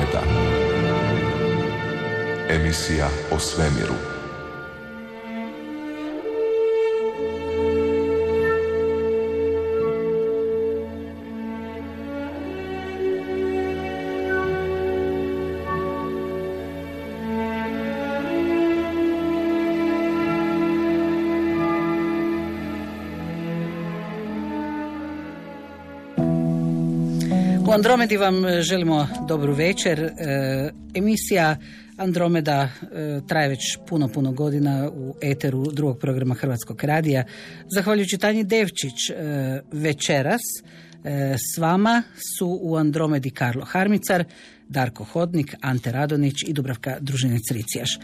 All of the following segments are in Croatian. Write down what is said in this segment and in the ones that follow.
Andromeda. Emisija o svemiru. U Andromedi vam želimo dobru večer. Emisija Andromeda traje već puno godina u eteru drugog programa Hrvatskog radija. Zahvaljujuči Tanji Devčić, večeras s vama su u Andromedi Karlo Harmicar, Darko Hodnik, Ante Radonić i Dubravka Družinec-Ricijaš.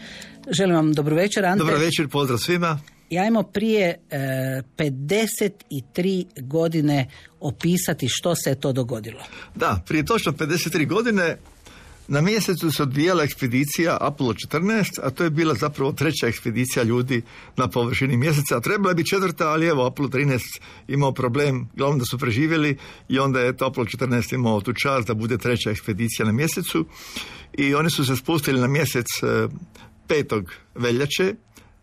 Želim vam dobru večer, Ante. Dobar večer, pozdrav svima. Ajmo prije 53 godine opisati što se je to dogodilo. Da, prije točno 53 godine na mjesecu se odvijala ekspedicija Apollo 14, a to je bila zapravo treća ekspedicija ljudi na površini mjeseca. Trebala je biti četvrta, ali evo Apollo 13 imao problem, glavno da su preživjeli i onda je Apollo 14 imao tu čast da bude treća ekspedicija na mjesecu i oni su se spustili na mjesec 5. veljače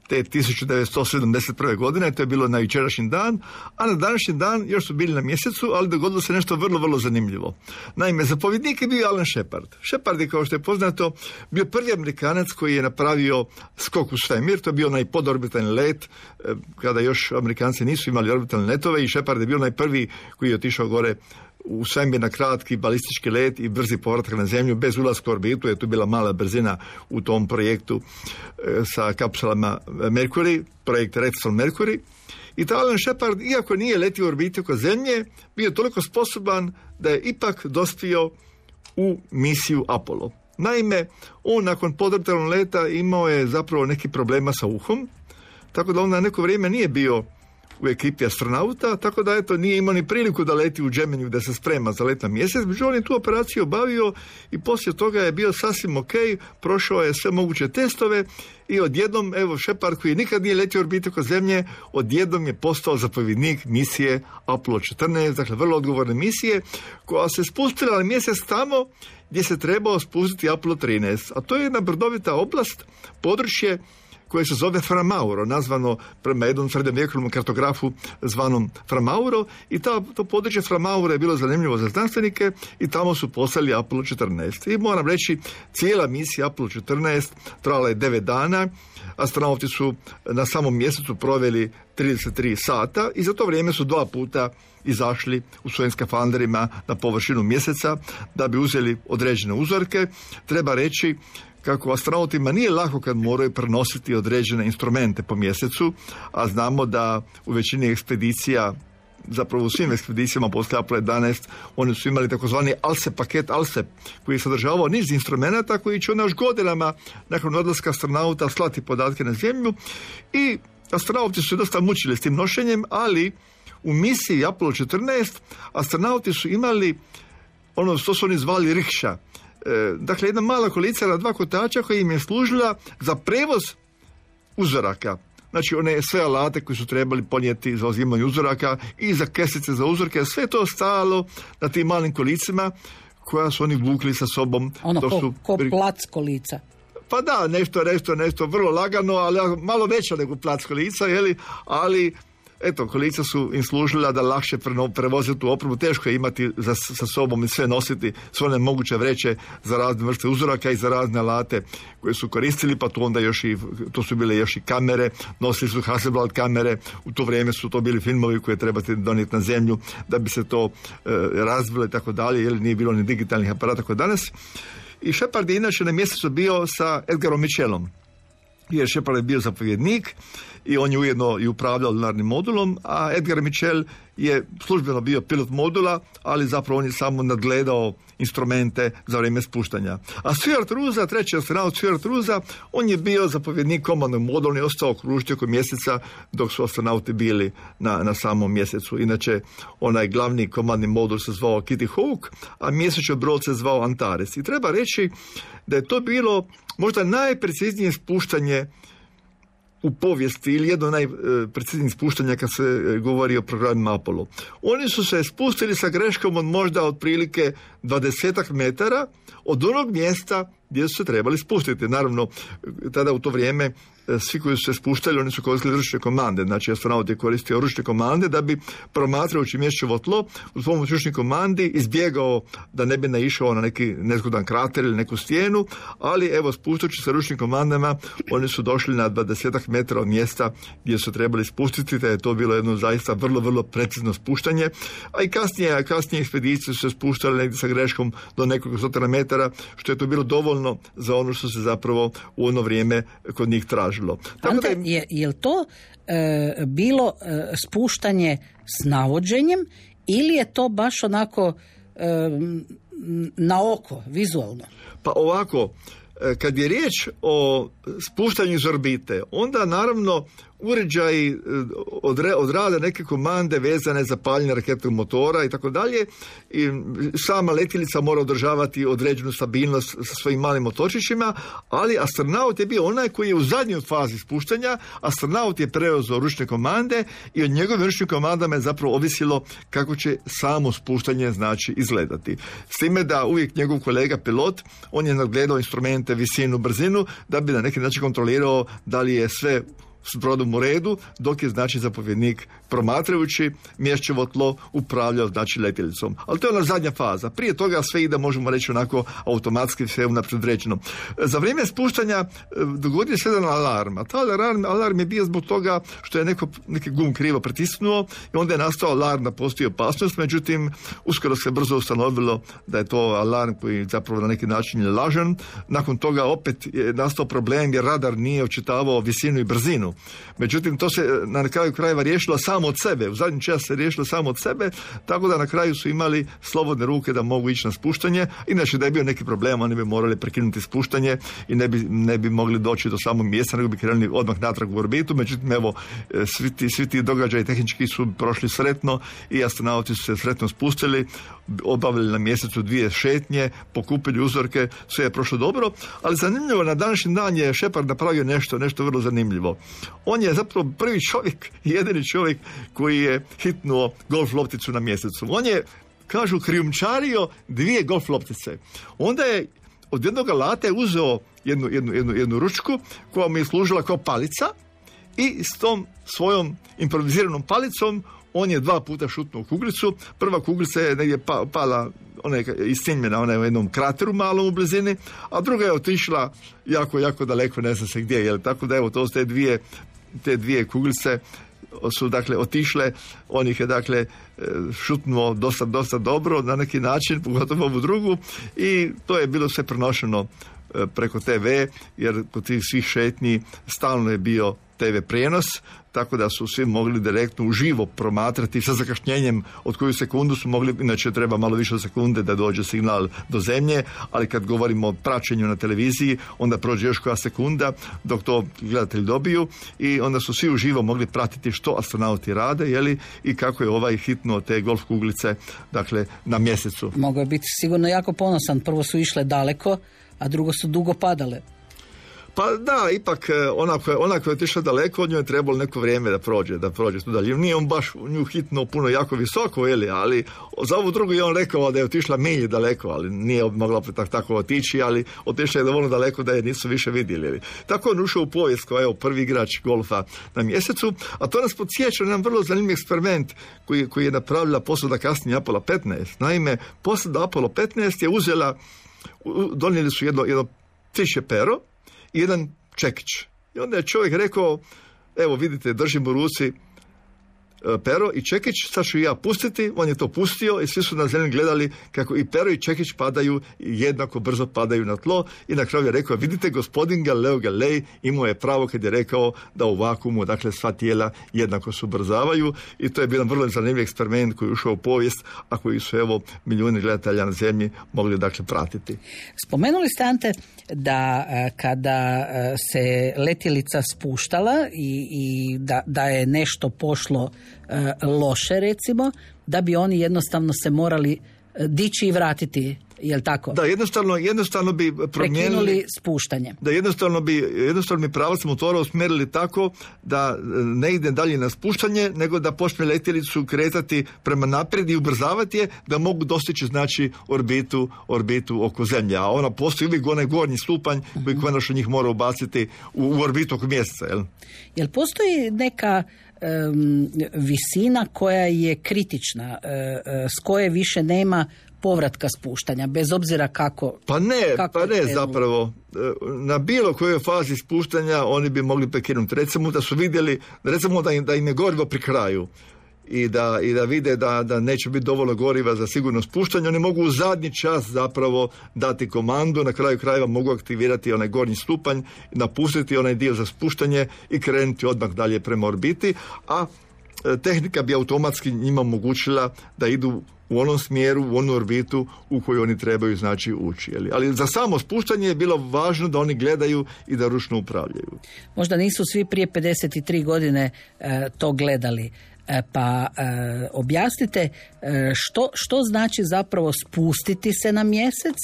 te 1971. godine, to je bilo na jučerašnji dan, a na današnji dan još su bili na mjesecu, ali dogodilo se nešto vrlo zanimljivo. Naime, zapovjednik je bio Alan Shepard. Shepard je, kao što je poznato, bio prvi Amerikanac koji je napravio skok u svemir, to je bio onaj podorbitalni let, kada još Amerikanci nisu imali orbitalne letove i Shepard je bio najprvi koji je otišao gore u svemir na kratki balistički let i brzi povratak na zemlju bez ulaska u orbitu, je tu bila mala brzina u tom projektu sa kapsulama Mercury, projekt Redstone Mercury. I taj Alan Shepard, iako nije letio u orbitu oko zemlje, bio toliko sposoban da je ipak dospio u misiju Apollo. Naime, on nakon podorbitalnog leta imao je zapravo neki problema sa uhom, tako da on na neko vrijeme nije bio u ekipi astronauta, tako da eto nije imao ni priliku da leti u Gemini da se sprema za let na mjesec, međutim on je tu operaciju obavio i poslije toga je bio sasvim ok, prošao je sve moguće testove i odjednom, evo, Shepard koji nikad nije letio orbitu oko zemlje, odjednom je postao zapovjednik misije Apollo 14, dakle vrlo odgovorne misije, koja se spustila na mjesec tamo gdje se trebao spustiti Apollo 13, a to je jedna brdovita oblast, područje koje se zove Fra Mauro, nazvano prema jednom srednjovjekovnom kartografu zvanom Fra Mauro, i to područje Fra Mauro je bilo zanimljivo za znanstvenike i tamo su poslali Apollo 14. I moram reći, cijela misija Apollo 14 trajala je 9 dana, astronauti su na samom mjesecu proveli 33 sata i za to vrijeme su 2 puta izašli u svojim skafanderima na površinu mjeseca da bi uzeli određene uzorke. Treba reći kako astronautima nije lako kad moraju prenositi određene instrumente po mjesecu, a znamo da u većini ekspedicija, zapravo u svim ekspedicijama poslije Apollo 11, oni su imali takozvani ALSEP, paket ALSEP, koji je sadržavao niz instrumenta koji će još godinama nakon odlaska astronauta slati podatke na zemlju i astronauti su dosta mučili s tim nošenjem, ali u misiji Apollo 14 astronauti su imali ono što su oni zvali rikša. Dakle, jedna mala kolica na 2 kotača koja im je služila za prevoz uzoraka. Znači, one sve alate koji su trebali ponijeti za uzimanje uzoraka i za kesice za uzorke, sve to stajalo na tim malim kolicima koja su oni vukli sa sobom. Ono ko plac kolica. Pa da, nešto vrlo lagano, ali malo veća nego plac kolica, ali eto, kolica su im služila da lakše prevoziti tu opremu. Teško je imati sa sobom i sve nositi, sve one moguće vreće za razne vrste uzoraka i za razne alate koje su koristili, pa tu onda to su bile još i kamere, nosili su Hasselblad kamere, u to vrijeme su to bili filmovi koje trebate donijeti na zemlju da bi se to razvilo i tako dalje, jer nije bilo ni digitalnih aparata kao danas. I Shepard je inače na mjesecu bio sa Edgarom Mitchellom, jer Shepard je bio zapovjednik i on je ujedno i upravljao lunarnim modulom, a Edgar Mitchell je službeno bio pilot modula, ali zapravo on je samo nadgledao instrumente za vrijeme spuštanja. A Stuart Roosa, treći astronaut Stuart Roosa, on je bio zapovjednik komandnog modula, on je ostao kružiti oko mjeseca dok su astronauti bili na samom mjesecu. Inače, onaj glavni komandni modul se zvao Kitty Hawk, a mjesečni brod se zvao Antares. I treba reći da je to bilo možda najpreciznije spuštanje u povijesti ili jedno najpreciznijih spuštanja kad se govori o programima Apollo. Oni su se spustili sa greškom od možda otprilike 20 metara od onog mjesta gdje su se trebali spustiti. Naravno, tada u to vrijeme svi koji su se spuštali, oni su koristili ručne komande. Znači, astronaut je koristio ručne komande da bi promatrajući mješćevo tlo uz pomoć ručnih komandi izbjegao da ne bi naišao na neki nezgodan krater ili neku stijenu, ali evo, spuštajući se ručnim komandama, oni su došli na 20 metara od mjesta gdje su trebali spustiti, da je to bilo jedno zaista vrlo, vrlo precizno spuštanje. A i kasnije ekspedicije su se spuštale negdje sa greškom do nekoliko stotina metara, što je to bilo dovoljno za ono što se zapravo u ono vrijeme kod njih tražilo. Ante, je li to bilo spuštanje s navođenjem ili je to baš onako na oko, vizualno? Pa ovako, kad je riječ o spuštanju iz orbite, onda naravno uređaji odrade neke komande vezane za paljenje raketnog motora i tako dalje. I sama letjelica mora održavati određenu stabilnost sa svojim malim motorčićima, ali astronaut je bio onaj koji je u zadnjoj fazi spuštanja. Astronaut je preuzeo ručne komande i od njegovim ručnim komandama je zapravo ovisilo kako će samo spuštanje znači izgledati. S time da uvijek njegov kolega pilot, on je nadgledao instrumente, visinu, brzinu, da bi na neki način kontrolirao da li je sve s brodom u redu, dok je znači zapovjednik promatrajući mješćevo tlo upravljao znači letjelicom. Ali to je ona zadnja faza. Prije toga sve ide, možemo reći, onako automatski, sve unaprijed rečeno. Za vrijeme spuštanja dogodio se jedan alarm. A taj alarm je bio zbog toga što je neki gum krivo pritisnuo i onda je nastao alarm da postoji opasnost. Međutim, uskoro se brzo ustanovilo da je to alarm koji zapravo na neki način je lažan. Nakon toga opet je nastao problem jer radar nije očitavao visinu i brzinu. Međutim, to se na kraju krajeva riješilo samo od sebe. U zadnji čas se riješilo samo od sebe, tako da na kraju su imali slobodne ruke da mogu ići na spuštanje. Inače, da je bio neki problem, oni bi morali prekinuti spuštanje i ne bi mogli doći do samog mjesta, nego bi krenuli odmah natrag u orbitu. Međutim, evo, svi ti događaji tehnički su prošli sretno i astronauti su se sretno spustili, obavili na mjesecu 2 šetnje, pokupili uzorke, sve je prošlo dobro, ali zanimljivo, na današnji dan je Shepard napravio nešto vrlo zanimljivo. On je zapravo prvi čovjek, jedini čovjek koji je hitnuo golf lopticu na mjesecu. On je, kažu, krijumčario 2 golf loptice. Onda je od jednog alata uzeo jednu ručku koja mu je služila kao palica i s tom svojom improviziranom palicom on je 2 puta šutnuo kuglicu. Prva kuglica je negdje pala, ona je istinjena, ona je u jednom krateru malom u blizini, a druga je otišla jako, jako daleko, ne zna se gdje. Jel? Tako da evo, to su te dvije kuglice su dakle otišle, on ih je dakle šutnuo dosta dobro na neki način, pogotovo ovu drugu, i to je bilo sve prenošeno preko TV, jer kod tih svih šetnji stalno je bio TV prijenos, tako da su svi mogli direktno uživo promatrati sa zakašnjenjem od koju sekundu su mogli, inače treba malo više sekunde da dođe signal do zemlje, ali kad govorimo o praćenju na televiziji, onda prođe još koja sekunda dok to gledatelji dobiju i onda su svi uživo mogli pratiti što astronauti rade, jeli, i kako je ovaj hitnuo te golf kuglice, dakle, na mjesecu. Mogao je biti sigurno jako ponosan, prvo su išle daleko, a drugo su dugo padale. Pa da, ipak ona koja je otišla daleko, od njoj je trebalo neko vrijeme da prođe tu dalje. Nije on baš nju hitno puno jako visoko, ali za ovu drugu je on rekao da je otišla milje daleko, ali nije mogla tako otići, ali otišla je dovoljno daleko da je nisu više vidjeli. Tako on ušao u povijest kao prvi igrač golfa na mjesecu, a to nas podsjeća na jedan vrlo zanimljiv eksperiment koji je napravila posada kasnije Apollo 15. Naime, posada Apollo 15 je donijeli su jedno ptičje pero i jedan čekić. I onda je čovjek rekao, evo vidite, držim u ruci pero i čekić, sad ću ja pustiti. On je to pustio i svi su na zemlji gledali kako i pero i čekić padaju i jednako brzo padaju na tlo, i na kraju je rekao, vidite, gospodin Galileo Galilei imao je pravo kad je rekao da u vakuumu, dakle, sva tijela jednako se ubrzavaju, i to je bio jedan vrlo zanimljiv eksperiment koji je ušao u povijest, a koji su evo milijuni gledatelja na zemlji mogli dakle pratiti. Spomenuli ste, Ante, da kada se letjelica spuštala i da je nešto pošlo loše, recimo, da bi oni jednostavno se morali dići i vratiti Jel tako? Da, jednostavno bi prekinuli spuštanje. Da, jednostavno bi pravac motora usmjerili tako da ne ide dalje na spuštanje, nego da počne letjelicu kretati prema naprijed i ubrzavati je, da mogu dostići znači orbitu oko Zemlje. A ona postoji uvijek onaj gornji stupanj koji konačno njih mora ubaciti u orbitu oko Mjeseca. Jel postoji neka visina koja je kritična, s koje više nema povratka spuštanja, bez obzira kako... Pa ne zapravo. Na bilo kojoj fazi spuštanja oni bi mogli prekinuti. Recimo da su vidjeli, recimo da im je gorivo pri kraju i da vide da neće biti dovoljno goriva za sigurno spuštanje, oni mogu u zadnji čas zapravo dati komandu, na kraju krajeva mogu aktivirati onaj gornji stupanj, napustiti onaj dio za spuštanje i krenuti odmah dalje prema orbiti, a tehnika bi automatski njima omogućila da idu u onom smjeru, u onu orbitu u koju oni trebaju znači ući. Ali za samo spuštanje je bilo važno da oni gledaju i da ručno upravljaju. Možda nisu svi prije 53 godine to gledali. Pa objasnite što znači zapravo spustiti se na Mjesec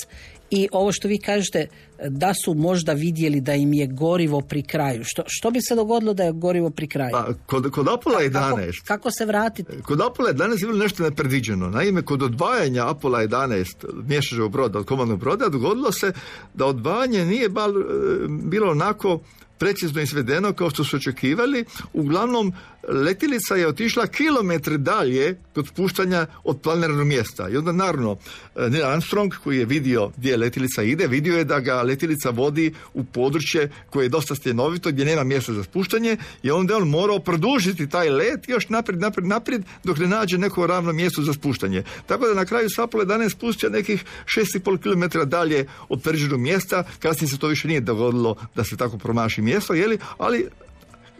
i ovo što vi kažete da su možda vidjeli da im je gorivo pri kraju. Što bi se dogodilo da je gorivo pri kraju? Pa, kod Apollo 11... Kako se vratiti? Kod Apollo 11 je bilo nešto nepredviđeno. Naime, kod odvajanja Apollo 11 mješačevog broda od komandnog broda dogodilo se da odvajanje nije bilo onako precizno izvedeno kao što su očekivali. Uglavnom, letjelica je otišla kilometre dalje kod spuštanja od planiranog mjesta. I onda naravno Neil Armstrong, koji je vidio gdje letjelica ide, vidio je da ga letjelica vodi u područje koje je dosta stjenovito, gdje nema mjesta za spuštanje, i onda je on morao produžiti taj let još naprijed dok ne nađe neko ravno mjesto za spuštanje. Tako da na kraju se Apollo 11 spustio nekih 6,5 km dalje od predviđenog mjesta. Kasnije se to više nije dogodilo da se tako promaši mjesto, ali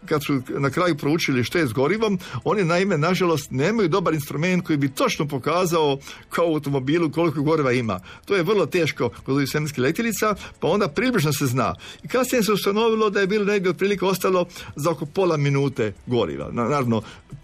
kad su na kraju proučili što je s gorivom, oni naime, nažalost, nemaju dobar instrument koji bi točno pokazao kao u automobilu koliko goriva ima. To je vrlo teško kod ovih svemirskih letjelica, pa onda približno se zna. I kasnije se ustanovilo da je bilo negdje otprilike ostalo za oko pola minute goriva. Naravno,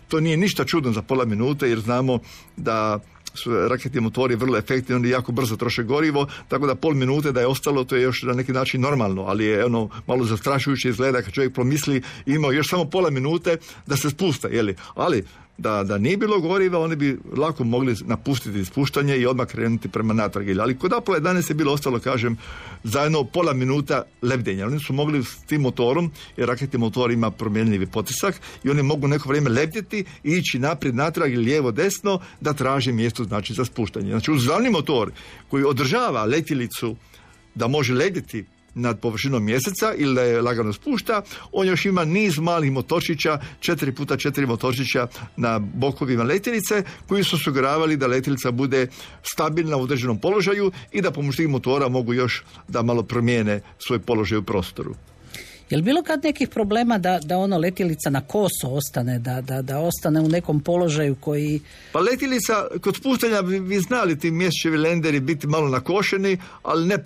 to nije ništa čudno za pola minute, jer znamo da su raketni motori vrlo efektivni, oni jako brzo troše gorivo, tako da pol minute da je ostalo, to je još na neki način normalno, ali je ono malo zastrašujuće izgleda kad čovjek promisli, imao još samo pola minute da se spusta, ali da nije bilo goriva, oni bi lako mogli napustiti spuštanje i odmah krenuti prema natrag. Ali kod Apollo 11 je bilo ostalo, kažem, zajedno pola minuta lebdenja. Oni su mogli s tim motorom, jer raketni motor ima promjenljivi potisak, i oni mogu neko vrijeme lebdjeti i ići naprijed, natrag ili lijevo, desno, da traže mjesto znači za spuštanje. Znači, uz glavni motor koji održava letjelicu da može lebdjeti nad površinom Mjeseca ili da je lagano spušta, on još ima niz malih motorčića, 4x4 motorčića na bokovima letjelice, koji su osiguravali da letjelica bude stabilna u određenom položaju i da pomoću tih motora mogu još da malo promijene svoj položaj u prostoru. Je li bilo kad nekih problema da ono letjelica na koso ostane, da ostane u nekom položaju koji... Pa letjelica, kod spuštanja vi znali ti mjesečevi lenderi biti malo nakošeni, ali ne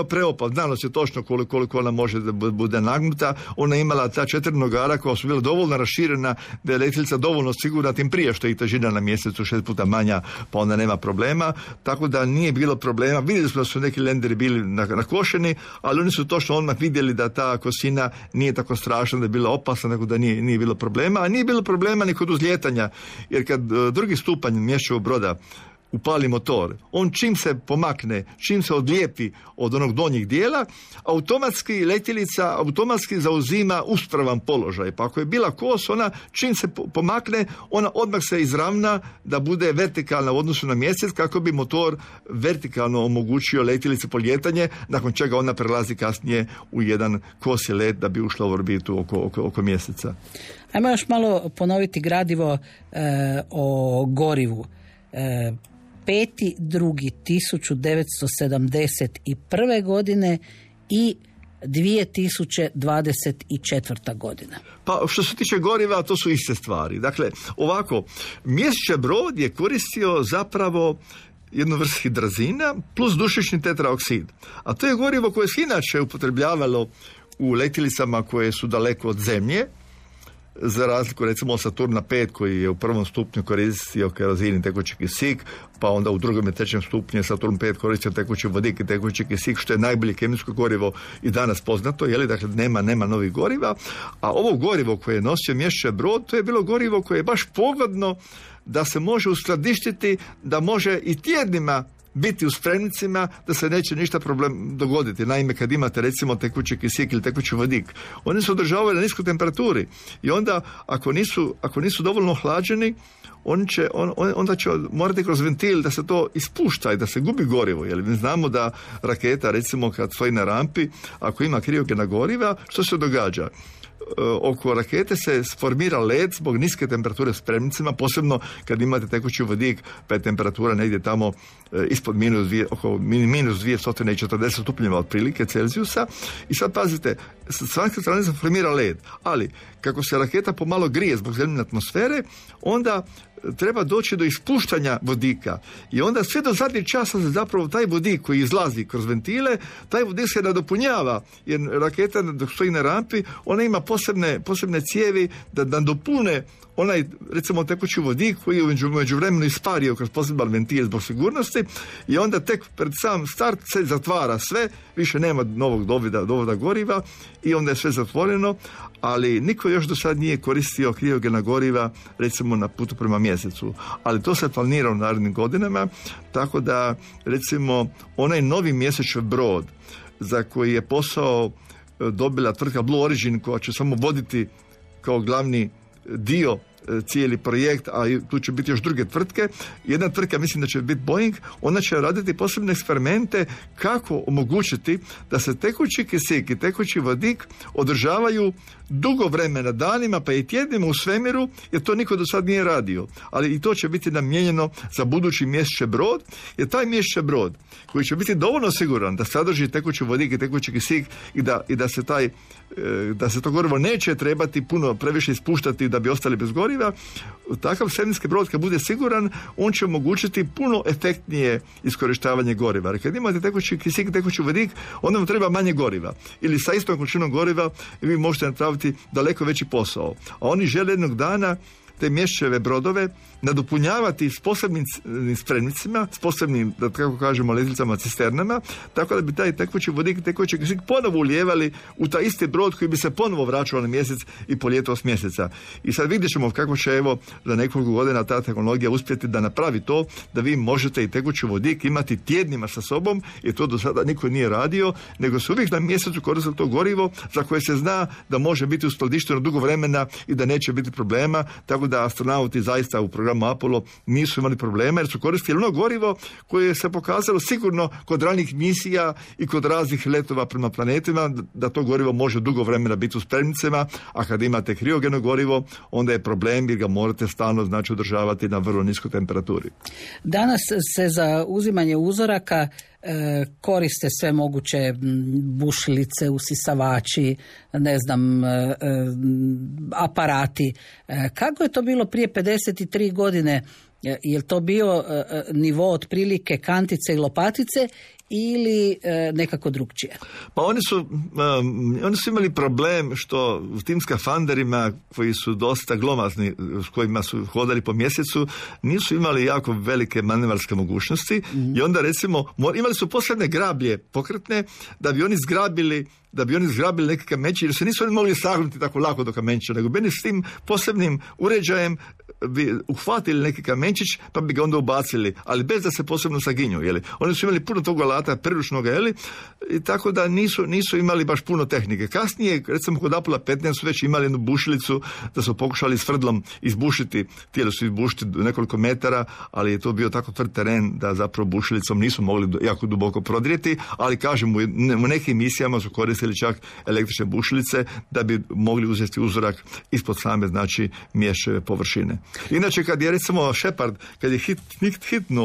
preopal. Znalo se točno koliko ona može da bude nagnuta. Ona imala ta 4 nogara koja su bila dovoljno raširena da je letjelica dovoljno sigurna, tim prije što je i težina na Mjesecu 6 puta manja, pa onda nema problema. Tako da nije bilo problema. Vidjeli smo da su neki lenderi bili nakošeni, ali oni su točno odmah vidjeli da ta kosina nije tako strašno, da je bila opasna, nego da nije bilo problema, a nije bilo problema ni kod uzlijetanja, jer kad drugi stupanj mješčevog broda upali motor, on čim se pomakne, čim se odlijepi od onog donjeg dijela, automatski letjelica zauzima uspravan položaj. Pa ako je bila kos, ona čim se pomakne, ona odmah se izravna da bude vertikalna u odnosu na Mjesec, kako bi motor vertikalno omogućio letjelici polijetanje, nakon čega ona prelazi kasnije u jedan kosi let da bi ušla u orbitu oko Mjeseca. Ajmo još malo ponoviti gradivo o gorivu. 5.2.1971. godine i 2024. godina. Pa što se tiče goriva, to su iste stvari. Dakle, ovako, Mjesečev brod je koristio zapravo jednu vrstu hidrazina plus dušični tetraoksid. A to je gorivo koje se inače upotrebljavalo u letjelicama koje su daleko od Zemlje, za razliku recimo Saturna 5 koji je u prvom stupnju koristio kerozin i tekući kisik, pa onda u drugom i trećem stupnju Saturn 5 koristio tekući vodik i tekući kisik, što je najbolje kemijsko gorivo i danas poznato, dakle nema novih goriva, a ovo gorivo koje je nosio Mješće Brod, to je bilo gorivo koje je baš pogodno da se može uskladištiti, da može i tjednima biti u spremnicima, da se neće ništa problem dogoditi. Naime, kad imate recimo tekući kisik ili tekući vodik, oni se održavaju na niskoj temperaturi i onda ako nisu dovoljno hlađeni, onda će morati kroz ventil da se to ispušta i da se gubi gorivo. Jer mi znamo da raketa, recimo kad stoji na rampi, ako ima kriogena goriva, što se događa? Oko rakete se formira led zbog niske temperature spremnicima, posebno kad imate tekući vodik, pa je temperatura negdje tamo ispod oko minus 240 stupnjeva otprilike Celzijusa. I sad pazite, s svake strane se formira led, ali kako se raketa pomalo grije zbog zemljine atmosfere, onda treba doći do ispuštanja vodika i onda sve do zadnjeg časa se zapravo taj vodik koji izlazi kroz ventile, taj vodik se nadopunjava, jer raketa dok stoji na rampi, ona ima posebne cijevi da dopune onaj, recimo, tekući vodik koji je u međuvremenu ispario kroz poseban ventil zbog sigurnosti i onda tek pred sam start se zatvara sve, više nema novog dovoda goriva i onda je sve zatvoreno, ali niko još do sad nije koristio kriogena goriva, recimo na putu prema mjesecu. Ali to se planira u narednim godinama, tako da, recimo, onaj novi mjesečni brod za koji je posao dobila tvrtka Blue Origin, koja će samo voditi kao glavni dio cijeli projekt, a tu će biti još druge tvrtke. Jedna tvrtka, mislim da će biti Boeing, ona će raditi posebne eksperimente kako omogućiti da se tekući kisik i tekući vodik održavaju dugo vremena, danima pa i tjednima u svemiru, jer to niko do sad nije radio. Ali i to će biti namijenjeno za budući Mjesečni brod, jer taj Mjesečni brod koji će biti dovoljno siguran da sadrži tekući vodik i tekući kisik i da se to gorivo neće trebati previše ispuštati da bi ostali bez goriva, takav svemirski brod kad bude siguran, on će omogućiti puno efektnije iskorištavanje goriva. Jer kad imate tekući kisik i tekući vodik, onda vam treba manje goriva. Ili sa istom količinom goriva vi možete napraviti daleko veći posao. A oni žele jednog dana te Mješćeve brodove nadopunjavati s posebnim spremnicima, s posebnim, da tako kažemo, letjelicama, cisternama, tako da bi taj tekući vodik i tekući kisik ponovo ulijevali u taj isti brod koji bi se ponovo vraćao na mjesec i poljeto s mjeseca. I sad vidjet ćemo kako će za nekoliko godina ta tehnologija uspjeti da napravi to, da vi možete i tekući vodik imati tjednima sa sobom, jer to do sada niko nije radio, nego se uvijek na mjesecu koristilo to gorivo za koje se zna da može biti uskladišteno dugo vremena i da neće biti problema, tako da astronauti zaista u programu Apollo nisu imali problema jer su koristili ono gorivo koje se pokazalo sigurno kod ranih misija i kod raznih letova prema planetima, da to gorivo može dugo vremena biti u spremnicama, a kad imate kriogeno gorivo, onda je problem jer ga morate stalno održavati na vrlo niskoj temperaturi. Danas se za uzimanje uzoraka koriste sve moguće bušilice, usisavači, aparati. Kako je to bilo prije 53 godine? Je li to bio nivo otprilike kantice i lopatice ili nekako drugčije? Pa oni su imali problem što u tim skafanderima koji su dosta glomazni, s kojima su hodali po mjesecu, nisu imali jako velike manevarske mogućnosti i onda recimo imali su posebne grablje pokretne da bi oni zgrabili neke kamenče, jer se nisu oni mogli sagnuti tako lako do kamenča, nego bi s tim posebnim uređajem bi uhvatili neki kamenčić pa bi ga onda ubacili, ali bez da se posebno saginju. Oni su imali puno tog alata priručnog, i tako da nisu imali baš puno tehnike. Kasnije, recimo kod Apollo 15 su već imali jednu bušilicu da su pokušali s tvrdlom izbušiti, htjeli su izbušiti nekoliko metara, ali je to bio tako tvrd teren da zapravo bušilicom nisu mogli jako duboko prodrijeti, ali kažem, u nekim misijama su koristili čak električne bušilice da bi mogli uzeti uzorak ispod same, Mješćeve površine. Inače, kad je recimo Shepard, kad je hitno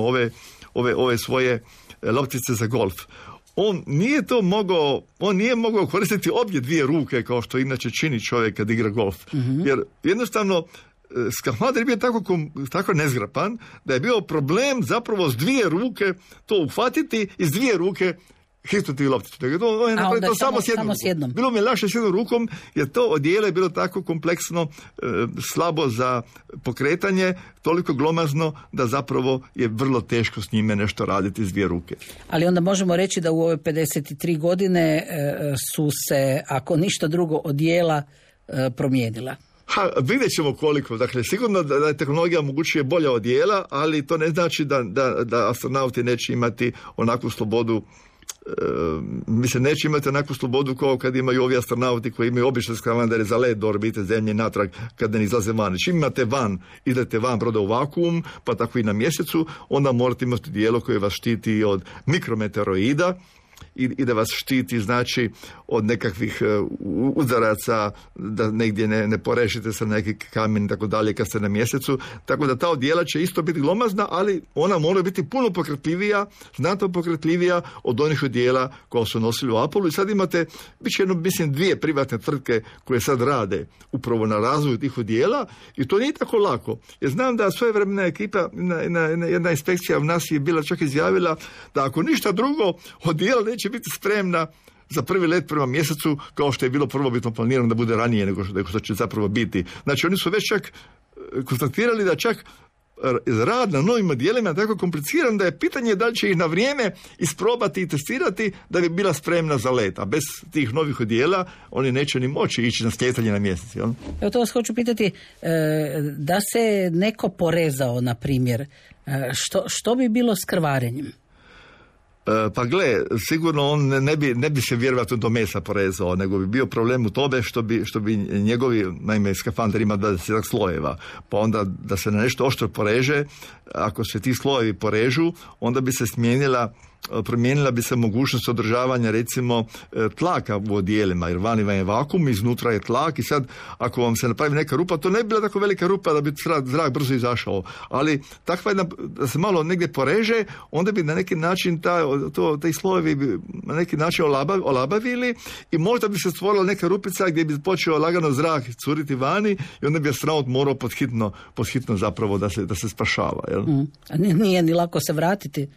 ove svoje loptice za golf, on nije mogao koristiti obje dvije ruke kao što inače čini čovjek kad igra golf. Jer jednostavno skafander je bio tako nezgrapan da je bio problem zapravo s dvije ruke to uhvatiti i s dvije ruke Histoti lopticu. On je napravio to samo s jednom. Bilo mi je lakše s jednom rukom, jer to odijelo je bilo tako kompleksno, slabo za pokretanje, toliko glomazno da zapravo je vrlo teško s njime nešto raditi s dvije ruke. Ali onda možemo reći da u ove 53 godine su se, ako ništa drugo, odijela promijenila. Vidjet ćemo koliko. Dakle, sigurno da tehnologija omogućuje bolja odijela, ali to ne znači da astronauti neće imati onakvu slobodu. Mislim, neće imati onakvu slobodu kao kad imaju ovi astronauti koji imaju obične skafandere za let do orbite Zemlje natrag kada ne izlaze van. Čim idete van broda u vakuum, pa tako i na mjesecu, onda morate imati dijelo koje vas štiti od mikrometeoroida i da vas štiti, znači, od nekakvih udaraca, da negdje ne porešite sa neki kamen i tako dalje kad ste na mjesecu. Tako da ta odijela će isto biti glomazna, ali ona mora biti puno pokretljivija, znatno pokretljivija od onih odijela koja su nosili u Apollo. I sad imate, bit će dvije privatne tvrtke koje sad rade upravo na razvoju tih odijela i to nije tako lako. Jer znam da svojevremena ekipa, jedna inspekcija u nas je bila čak izjavila da ako ništa drugo, odijela neće biti spremna za prvi let prema mjesecu, kao što je bilo prvobitno planirano da bude ranije nego što će zapravo biti. Znači, oni su već čak konstatirali da čak rad na novim odijelima je tako kompliciran da je pitanje da li će ih na vrijeme isprobati i testirati da bi bila spremna za let. A bez tih novih odijela oni neće ni moći ići na slijetanje na mjesec. Jel? Evo to vas hoću pitati, da se neko porezao, na primjer, što bi bilo s krvarenjem? Pa gle, sigurno on ne bi se vjerojatno do mesa porezao, nego bi bio problem u tome što bi njegovi, naime, skafander ima 20 slojeva, pa onda da se na nešto oštro poreže, ako se ti slojevi porežu, onda bi se promijenila bi se mogućnost održavanja, recimo, tlaka u odijelima, jer vani vam je vakuum, iznutra je tlak i sad ako vam se napravi neka rupa, to ne bi bila tako velika rupa da bi zrak brzo izašao, ali takva jedna, da se malo negdje poreže, onda bi na neki način taj slojevi bi na neki način olabavili i možda bi se stvorila neka rupica gdje bi počeo lagano zrak curiti vani i onda bi astronaut morao podhitno zapravo da se spašava. Jel? A nije ni lako se vratiti.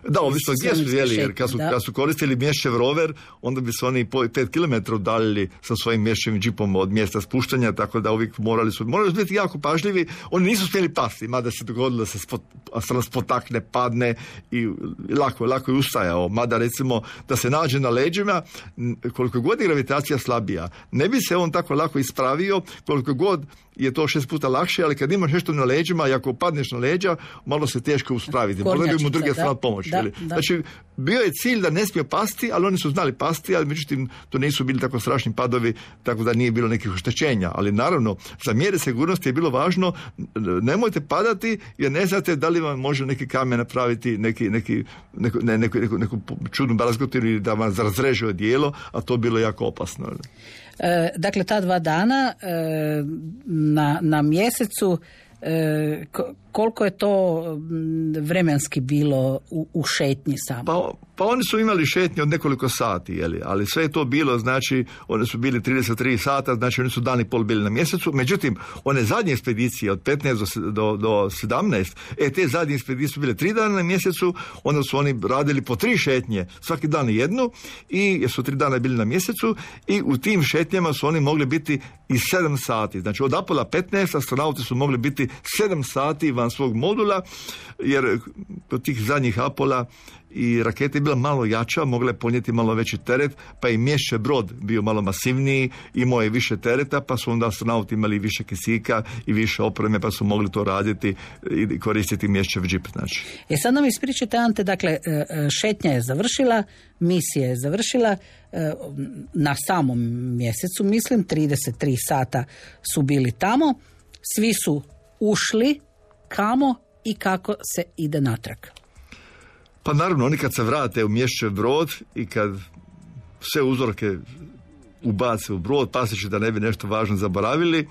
Da, ovisno gdje su jeli, jer kad su koristili Mješćev rover, onda bi se oni 5 km udaljili sa svojim Mješćevim džipom od mjesta spuštanja, tako da uvijek morali su biti jako pažljivi. Oni nisu smjeli pasti, mada se dogodilo da se astronaut spotakne, padne i lako je ustajao. Mada, recimo, da se nađe na leđima, koliko god je gravitacija slabija, ne bi se on tako lako ispravio, koliko god je to 6 puta lakše, ali kad imaš nešto na leđima i ako padneš na leđa, malo se teško uspraviti. Možda bi mu drugi astronaut pomoći. Da. Znači, bio je cilj da ne smije pasti, ali oni su znali pasti, ali međutim to nisu bili tako strašni padovi, tako da nije bilo nekih oštećenja. Ali naravno, za mjere sigurnosti je bilo važno, nemojte padati, jer ne znate da li vam može neki kamen napraviti neku čudnu brazgotinu ili da vam razreže odijelo, a to bilo jako opasno. Dakle, ta 2 dana na mjesecu, koliko je to vremenski bilo u šetnji samo? Pa oni su imali šetnje od nekoliko sati, ali sve je to bilo, znači, oni su bili 33 sata, znači oni su dan i pol bili na mjesecu. Međutim, one zadnje ekspedicije od 15 do 17, te zadnje ekspedicije su bile 3 dana na mjesecu, onda su oni radili po 3 šetnje, svaki dan jednu, i su 3 dana bili na mjesecu i u tim šetnjama su oni mogli biti i 7 sati. Znači od Apollo 15 astronauti su mogli biti 7 sati van svog modula, jer kod tih zadnjih Apola i raketa je bila malo jača, mogla je ponijeti malo veći teret, pa i Mješćev brod bio malo masivniji, imao je više tereta, pa su onda astronauti imali više kisika i više opreme, pa su mogli to raditi i koristiti Mješćev džip. Znači. Sad nam ispričajte, Ante, dakle, šetnja je završila, misija je završila, na samom mjesecu, mislim, 33 sata su bili tamo, svi su ušli, kamo i kako se ide natrag? Pa naravno, oni kad se vrate u Mješćev brod i kad sve uzorke ubace u brod, paseći da ne bi nešto važno zaboravili,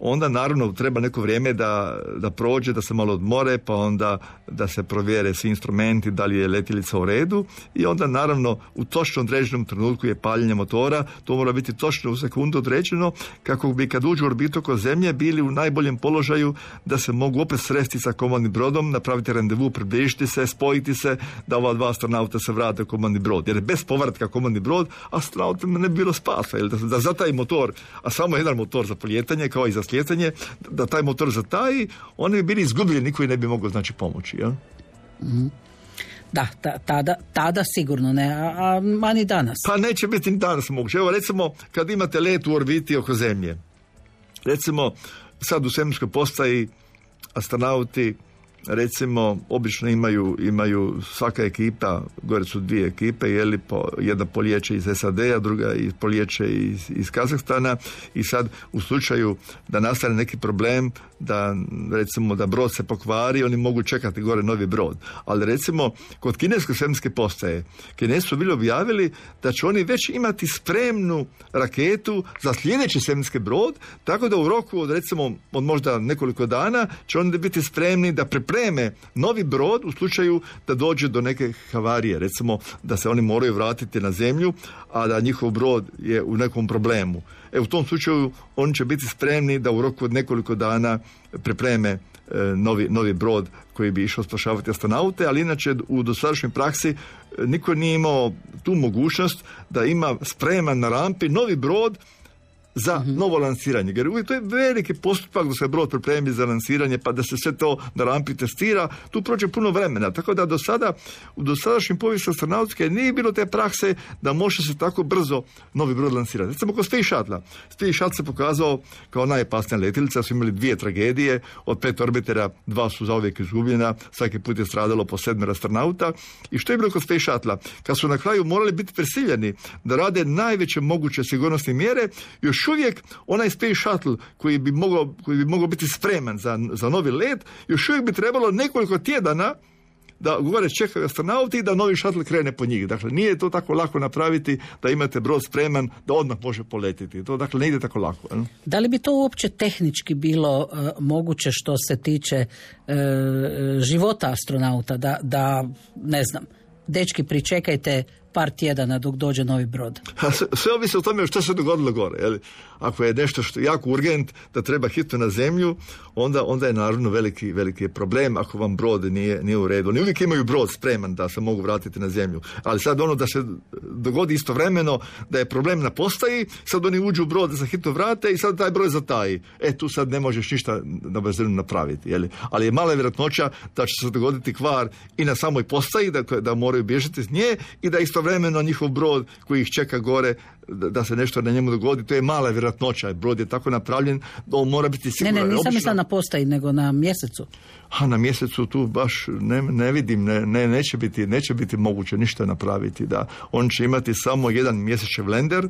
onda naravno treba neko vrijeme da prođe, da se malo odmore, pa onda da se provjere svi instrumenti, da li je letjelica u redu, i onda naravno u točno određenom trenutku je paljenje motora, to mora biti točno u sekundu određeno, kako bi kad uđu u orbitu oko Zemlje bili u najboljem položaju da se mogu opet sresti sa komandnim brodom, napraviti randevu, približiti se, spojiti se, da ova dva astronauta se vrate u komandni brod. Jer bez povratka komandni brod, astronautima ne bi bilo spasa. Da za taj motor, a samo jedan motor za polijetanje, kao i za slijetanje, da taj motor zataji, oni bi bili izgubljeni, niko ne bi mogao pomoći. Ja? Mm-hmm. Da, tada sigurno ne, a ni danas. Pa neće biti ni danas moguće. Evo recimo, kad imate let u orbiti oko Zemlje, recimo sad u svemirskoj postaji astronauti recimo obično imaju svaka ekipa, gore su 2 ekipe, jedna polijeće iz SAD-a, druga polijeće iz Kazahstana, i sad u slučaju da nastane neki problem, da recimo da brod se pokvari, oni mogu čekati gore novi brod. Ali recimo kod kineske svemirske postaje, Kinezi su bili objavili da će oni već imati spremnu raketu za sljedeći svemirski brod, tako da u roku od recimo od možda nekoliko dana će oni biti spremni da pripreme novi brod u slučaju da dođe do neke havarije, recimo da se oni moraju vratiti na Zemlju, a da njihov brod je u nekom problemu. U tom slučaju oni će biti spremni da u roku od nekoliko dana pripreme novi brod koji bi išao spašavati astronaute, ali inače u dosadašnjoj praksi niko nije imao tu mogućnost da ima spreman na rampi novi brod za novo lansiranje. Jer uvijek to je veliki postupak da se brod pripremi za lansiranje, pa da se sve to na rampi testira, tu prođe puno vremena. Tako da do sada, u dosadašnjim povijesti astronautske nije bilo te prakse da može se tako brzo novi brod lansirati. Recimo kod Space Shuttle. Space Shuttle se pokazao kao najopasnija letjelica, su imali 2 tragedije, od 5 orbitera 2 su zauvijek izgubljena, svaki put je stradalo po 7 astronauta. I što je bilo kod Space Shuttle? Kad su na kraju morali biti prisiljeni da rade najveće moguće sigurnosne mjere, još uvijek onaj Space Shuttle koji bi mogao biti spreman za novi let, još uvijek bi trebalo nekoliko tjedana da gore čekaju astronauti i da novi shuttle krene po njih. Dakle, nije to tako lako napraviti da imate brod spreman da odmah može poletiti. To dakle ne ide tako lako. Da li bi to uopće tehnički bilo moguće što se tiče života astronauta? Da, ne znam, dečki pričekajte par tjedana dok dođe novi brod. Sve ovisi o tome što se dogodilo gore. Ako je nešto što je jako urgent da treba hitno na Zemlju, onda je naravno veliki problem ako vam brod nije u redu. Oni uvijek imaju brod spreman da se mogu vratiti na Zemlju. Ali sad da se dogodi istovremeno da je problem na postaji, sad oni uđu u brod da se hitno vrate i sad taj broj zataji. Tu sad ne možeš ništa na brzinu napraviti. Ali je mala vjerojatnoća da će se dogoditi kvar i na samoj postaji, da moraju bježati s nje, i da istovremeno njihov brod koji ih čeka gore, da se nešto na njemu dogodi. To je mala vjerojatnoća. Brod je tako napravljen da on mora biti siguran. Ne, nisam mislila na postaji, nego na mjesecu. Na mjesecu tu baš ne vidim, neće biti moguće ništa napraviti. Da. On će imati samo jedan mjesečev lender,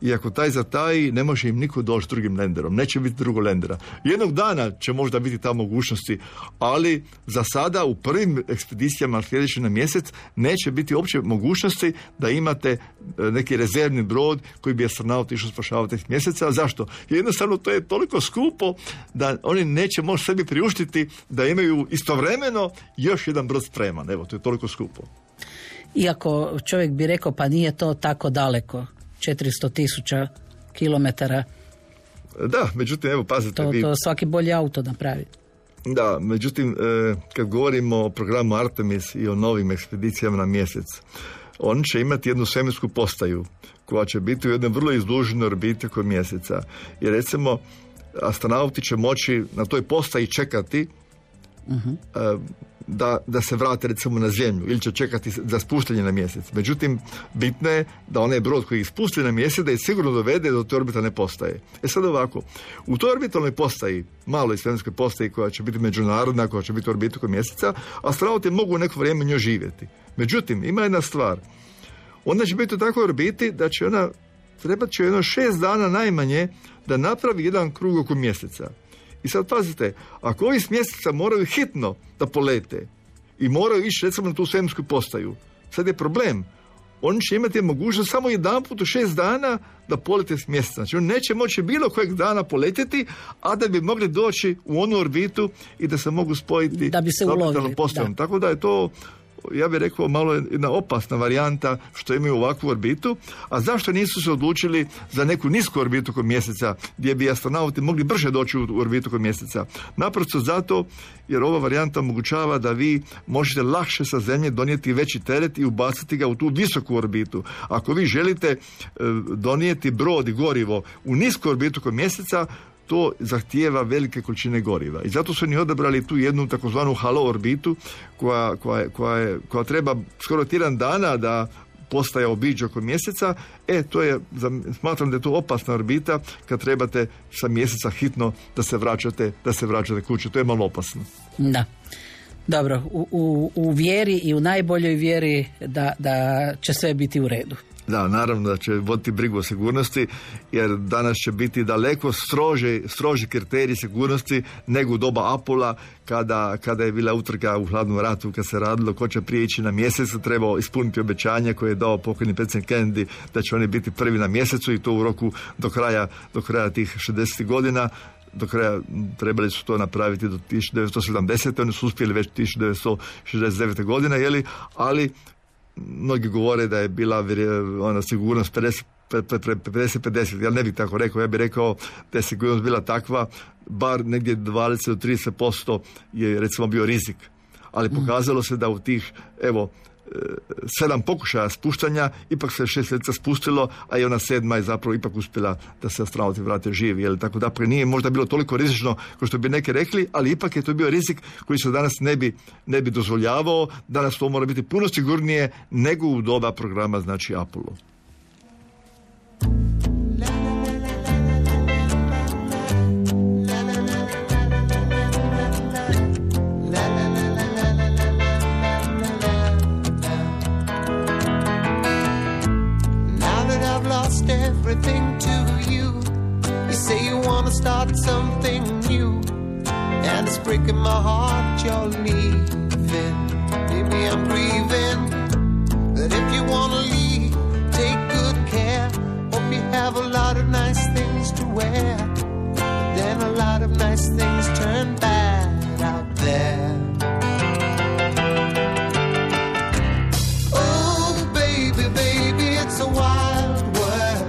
i ako taj zataji, ne može im niko doći drugim lenderom. Neće biti drugog lendera. Jednog dana će možda biti ta mogućnosti, ali za sada u prvim ekspedicijama sljedeći na mjesec neće biti uopće mogućnosti da imate neki rezervni brod koji bi astronaut išao spašavati tih mjeseca. Zašto? Jednostavno to je toliko skupo da oni neće moći sebi priuštiti da imaju istovremeno još jedan brod spreman. Evo, to je toliko skupo. Iako čovjek bi rekao, pa nije to tako daleko. 400,000 kilometara. Da, međutim, evo, pazite. To svaki bolji auto napravi. Da, međutim, kad govorimo o programu Artemis i o novim ekspedicijama na mjesec, on će imati jednu svemirsku postaju koja će biti u jednoj vrlo izduženoj orbiti oko mjeseca. I recimo, astronauti će moći na toj postaji čekati da se vrate recimo na Zemlju, ili će čekati za spuštanje na mjesec. Međutim, bitno je da onaj brod koji ih spusti na mjesec da ih sigurno dovede do te orbitalne postaje. Sad ovako, u toj orbitalnoj postaji, maloj svemirskoj postaji koja će biti međunarodna, koja će biti u orbitu oko mjeseca, astronauti mogu neko vrijeme njoj živjeti. Međutim, ima jedna stvar. Ona će biti u takvoj orbiti da će trebat će 6 dana najmanje da napravi jedan krug oko mjeseca. I sad pazite, ako ovi s mjeseca moraju hitno da polete i moraju ići recimo na tu svemirsku postaju, sad je problem. on će imati mogućnost samo jedanput u 6 dana da polete s mjeseca. Znači on neće moći bilo kojeg dana poletjeti, a da bi mogli doći u onu orbitu i da se mogu spojiti da bi se ulovili. Tako da je to, ja bih rekao, malo jedna opasna varijanta što imaju ovakvu orbitu. A zašto nisu se odlučili za neku nisku orbitu kod mjeseca, gdje bi astronauti mogli brže doći u orbitu kod mjeseca? Naprosto zato jer ova varijanta omogućava da vi možete lakše sa Zemlje donijeti veći teret i ubaciti ga u tu visoku orbitu. Ako vi želite donijeti brod i gorivo u nisku orbitu kod mjeseca, to zahtijeva velike količine goriva. I zato su oni odabrali tu jednu takozvanu halo orbitu koja treba skoro tjedan dana da postaje obiđe oko mjeseca. Smatram da je to opasna orbita kad trebate sa mjeseca hitno da se vraćate kući. To je malo opasno. Da. Dobro, u vjeri i u najboljoj vjeri da će sve biti u redu. Da, naravno da će voditi brigu o sigurnosti, jer danas će biti daleko stroži kriteriji sigurnosti nego u doba Apola, kada je bila utrka u hladnom ratu, kad se radilo ko će prije ići na mjesec, trebao ispuniti obećanje koje je dao pokojni predsjednik Kennedy da će oni biti prvi na mjesecu i to u roku do kraja tih 60 godina. Do kraja trebali su to napraviti do 1970. Oni su uspjeli već 1969. godine, ali mnogi govore da je bila ona sigurnost 50-50. Ja ne bih tako rekao, ja bih rekao da je sigurnost bila takva, bar negdje 20-30% je recimo bio rizik. Ali pokazalo se da u tih 7 pokušaja spuštanja ipak se 6 mjeseca spustilo, a i ona 7. je zapravo ipak uspjela da se astronauti vrate živi. Tako da nije možda bilo toliko rizično kao što bi neki rekli, ali ipak je to bio rizik koji se danas ne bi dozvoljavao. Danas to mora biti puno sigurnije nego u doba programa, znači Apollo. Everything to you. You say you want to start something new, and it's breaking my heart you're leaving. Maybe I'm grieving, but if you want to leave, take good care. Hope you have a lot of nice things to wear, but then a lot of nice things turn bad out there. Oh baby, baby, it's a wild world.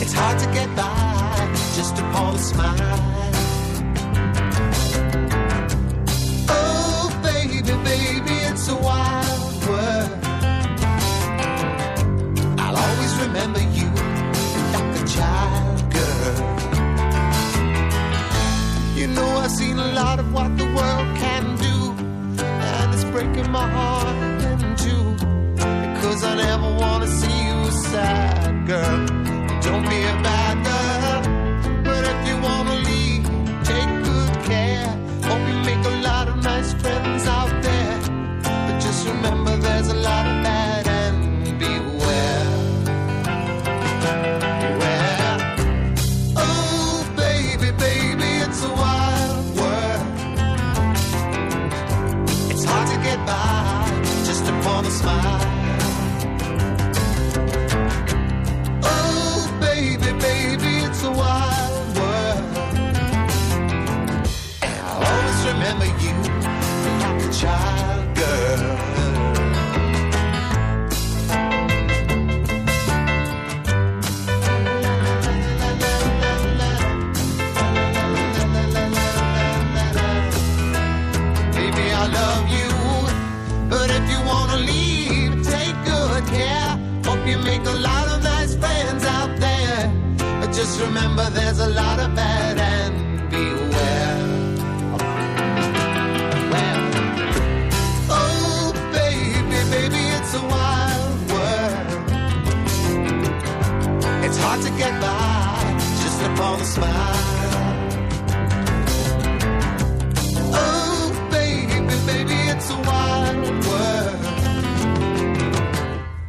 It's hard to get by just upon a smile. Oh, baby, baby, it's a wild world. I'll always remember you like a child, girl. You know I've seen a lot of what the world can do, and it's breaking my heart in two, because I never want to see you sad, girl. Don't be a bad girl, but if you wanna leave, take good care. Hope you make a lot of nice friends out there, but just remember there's a lot of bad and beware. Beware. Oh baby, baby, it's a wild world. It's hard to get by just upon a smile. Baby, it's a wild world, and I'll always remember you like a child, girl. Baby, I love you, but if you wanna leave, take good care. Hope you make a lot of nice friends out there. Just remember there's a lot of bad and beware. Well, oh baby, baby, it's a wild world. It's hard to get by just upon a smile. Oh baby, baby, it's a wild world.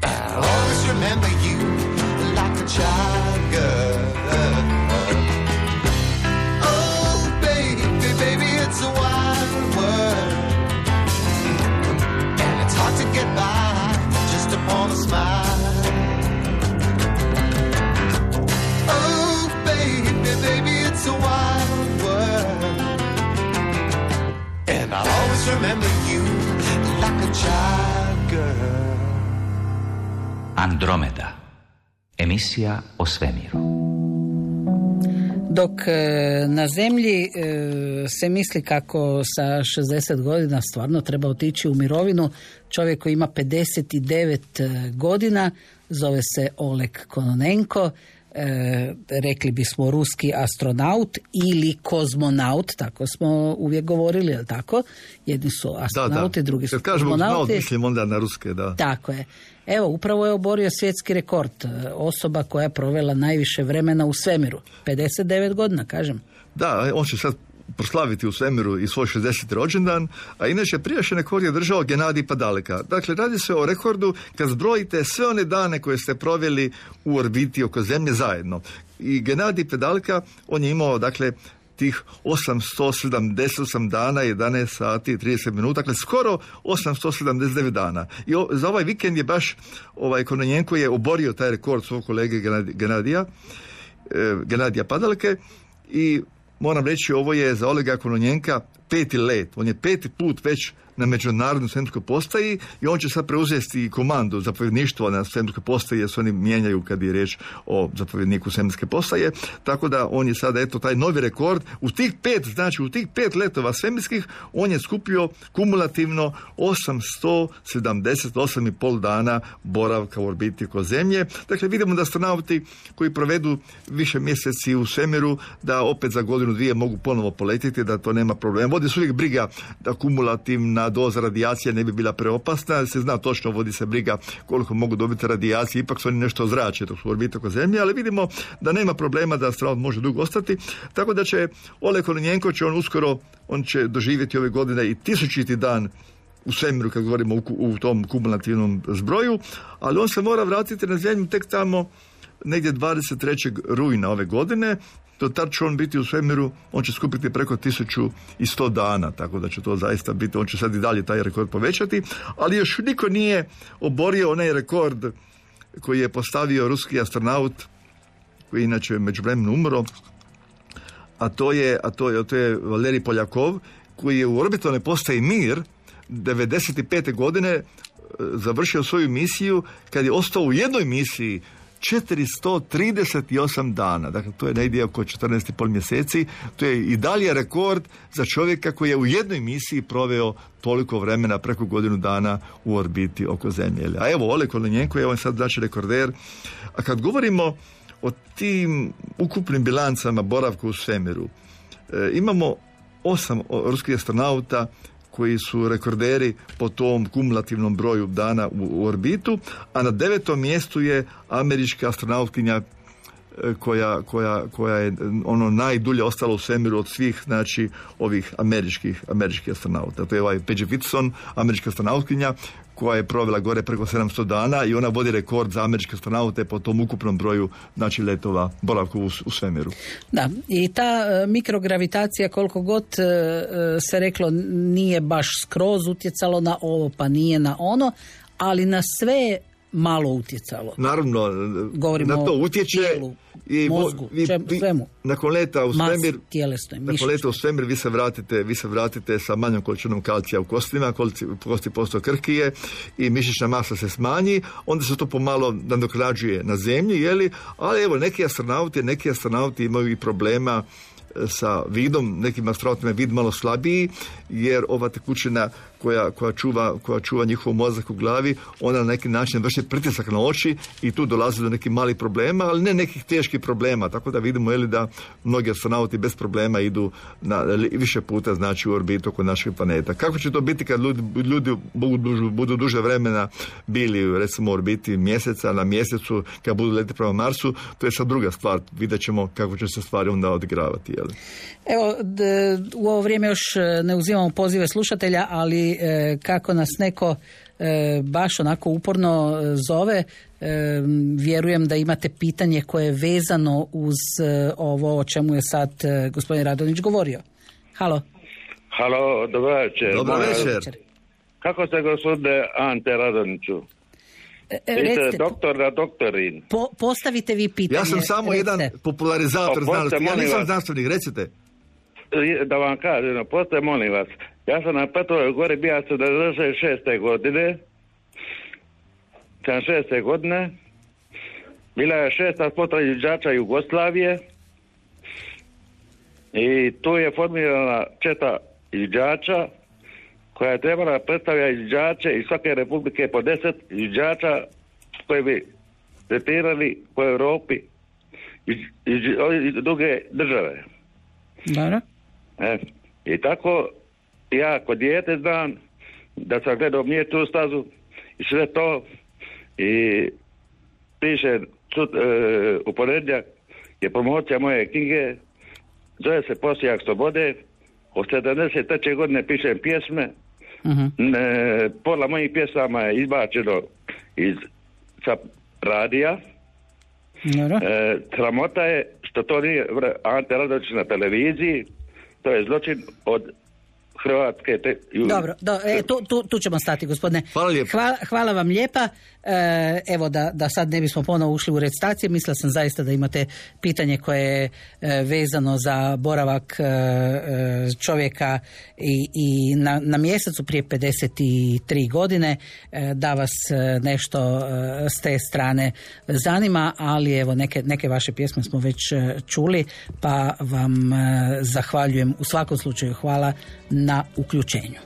I'll always remember you like a child, girl. It's a wild world, and it's hard to get by Andromeda. Emisija o svemiru. Dok na zemlji se misli kako sa 60 godina stvarno treba otići u mirovinu, čovjek koji ima 59 godina, zove se Oleg Kononenko, rekli bismo ruski astronaut ili kozmonaut, tako smo uvijek govorili, je li tako? Jedni su astronauti, drugi su kozmonauti. Kad kažemo mislim onda na ruske, da. Tako je. Evo, upravo je oborio svjetski rekord. Osoba koja je provela najviše vremena u svemiru. 59 godina, kažem. Da, on će sad proslaviti u svemiru i svoj 60. rođendan, a inače prijašnji rekord je držao Genadij Padalka. Dakle, radi se o rekordu kad zbrojite sve one dane koje ste proveli u orbiti oko Zemlje zajedno. I Genadij Padalka, on je imao, dakle, tih 878 dana, 11 sati, 30 minuta, dakle skoro 879 dana. I za ovaj vikend je baš Kononenko je oborio taj rekord svog kolege Genadija Padalke i moram reći, ovo je za Olega Kononenka 5. let. On je 5. put već na međunarodnoj svemirskoj postaji i on će sad preuzeti komandu zapovjedništva na svemirskoj postaji, jer se oni mijenjaju kad je riječ o zapovjedniku svemirske postaje. Tako da on je sada, eto, taj novi rekord. U tih 5 letova svemirskih on je skupio kumulativno 878,5 dana boravka u orbiti oko Zemlje. Dakle, vidimo da astronauti koji provedu više mjeseci u svemiru, da opet za godinu, dvije mogu ponovo poletiti, da to nema problema. Vodi se uvijek briga da kumulativna doza radijacije ne bi bila preopasna, se zna točno, vodi se briga koliko mogu dobiti radijacije, ipak su oni nešto ozračje dok su u orbiti oko Zemlje, ali vidimo da nema problema da astronaut može dugo ostati, tako da će Oleg Kononenko on će doživjeti ove godine i 1000. dan u svemiru, kad govorimo u tom kumulativnom zbroju, ali on se mora vratiti na Zemlju tek tamo negdje 23. rujna ove godine. Do tad će on biti u svemiru, on će skupiti preko 1100 dana, tako da će to zaista biti, on će sad i dalje taj rekord povećati, ali još niko nije oborio onaj rekord koji je postavio ruski astronaut, koji inače međuvremenu umro, a to je Valerij Poljakov, koji je u orbitalnoj postaji Mir 95. godine završio svoju misiju kad je ostao u jednoj misiji 438 dana, dakle to je negdje oko 14,5 mjeseci, to je i dalje rekord za čovjeka koji je u jednoj misiji proveo toliko vremena, preko godinu dana u orbiti oko Zemlje. A evo, Oleg Kononenko je on sad znači rekorder. A kad govorimo o tim ukupnim bilancama boravka u svemiru, imamo 8 ruskih astronauta koji su rekorderi po tom kumulativnom broju dana u orbitu, a na 9. mjestu je američka astronautkinja koja je najdulje ostala u svemiru od svih, znači, ovih američkih astronauta. To je Paige Whitson, američka astronautkinja, koja je provela gore preko 700 dana i ona vodi rekord za američke astronaute po tom ukupnom broju, znači, letova boravku u svemiru. Da, i ta mikrogravitacija, koliko god se reklo, nije baš skroz utjecalo na ovo, pa nije na ono, ali na sve malo utjecalo. Naravno, govorimo na to utječe tijelu, mozgu, svemu. Nakon leta u svemir, nakon leta u svemir vi se vratite sa manjom količinom kalcija u kostima, kosti postaju krhkije i mišićna masa se smanji, onda se to pomalo nadoknađuje na Zemlji, ali evo, neki astronauti imaju i problema sa vidom, nekim astronautima je vid malo slabiji, jer ova tekućina koja čuva njihov mozak u glavi, ona na neki način vrši pritisak na oči i tu dolazi do nekih malih problema, ali ne nekih teških problema, tako da vidimo da mnogi astronauti bez problema idu više puta, znači, u orbitu oko našeg planeta. Kako će to biti kad ljudi budu duže vremena bili, recimo, u orbiti mjeseca, na mjesecu, kad budu letiti prema Marsu, to je sad druga stvar. Vidjet ćemo kako će se stvari onda odigravati. Evo, u ovo vrijeme još ne uzimamo pozive slušatelja, ali kako nas neko baš onako uporno zove, vjerujem da imate pitanje koje je vezano uz ovo o čemu je sad gospodin Radonjić govorio. Halo. Halo, dobro večer. Dobro večer. Kako ste, gospodine Ante Radonjiću? Recite, doktorin. Postavite vi pitanje. Ja sam samo jedan popularizator znanosti. Ja nisam znanstvenik, recite. Da vam kažem, postoje, molim vas. Ja sam na Petrovoj gori bio 76. godine. 76. godine. Bila je 6. potreba izviđača Jugoslavije i tu je formirana četa izviđača koja je trebala predstavljati izviđače iz svake republike po 10 izviđača koji bi tretirali po Europi iz druge države. Dobro. I tako ja kod dijete znam da sam gledao Mjetu stazu i sve to i piše u ponedjeljak je promocija moje knjige, zove se Posijak slobode. Od 73. godine pišem pjesme. Pola mojih pjesama je izbačeno sa radija. Sramota je što to nije Ante Radović na televiziji. To je zločin od Hrvatske. Dobro, tu ćemo stati, gospodine. Hvala vam lijepa. Evo da sad ne bismo ponovo ušli u recitacije, mislila sam zaista da imate pitanje koje je vezano za boravak čovjeka i na mjesecu prije 53 godine, da vas nešto s te strane zanima, ali evo neke vaše pjesme smo već čuli, pa vam zahvaljujem. U svakom slučaju hvala na uključenju.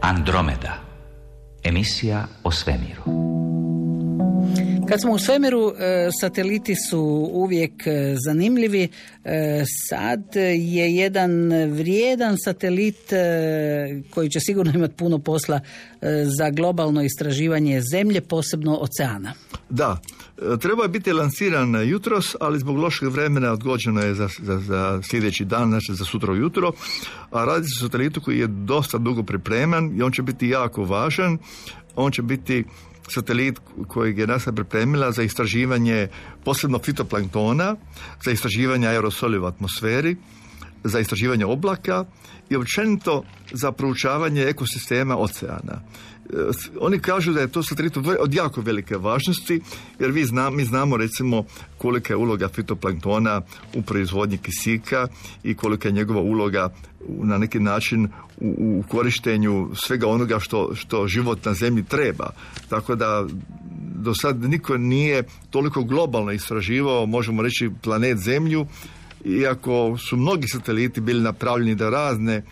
Andromeda. Emisija o svemiru. Kad smo u svemiru, sateliti su uvijek zanimljivi. Sad je jedan vrijedan satelit koji će sigurno imati puno posla za globalno istraživanje Zemlje, posebno oceana. Da, trebao je biti lansiran jutros, ali zbog lošeg vremena odgođeno je za sljedeći dan, znači za sutra ujutro. A radi se o satelitu koji je dosta dugo pripreman i on će biti jako važan. on će biti satelit kojeg je NASA pripremila za istraživanje posebno fitoplanktona, za istraživanje aerosoli u atmosferi, za istraživanje oblaka i općenito za proučavanje ekosistema oceana. Oni kažu da je to satelit od jako velike važnosti, jer mi znamo recimo kolika je uloga fitoplanktona u proizvodnji kisika i kolika je njegova uloga na neki način u korištenju svega onoga što život na zemlji treba. Tako da do sad niko nije toliko globalno istraživao, možemo reći, planet Zemlju, iako su mnogi sateliti bili napravljeni da razne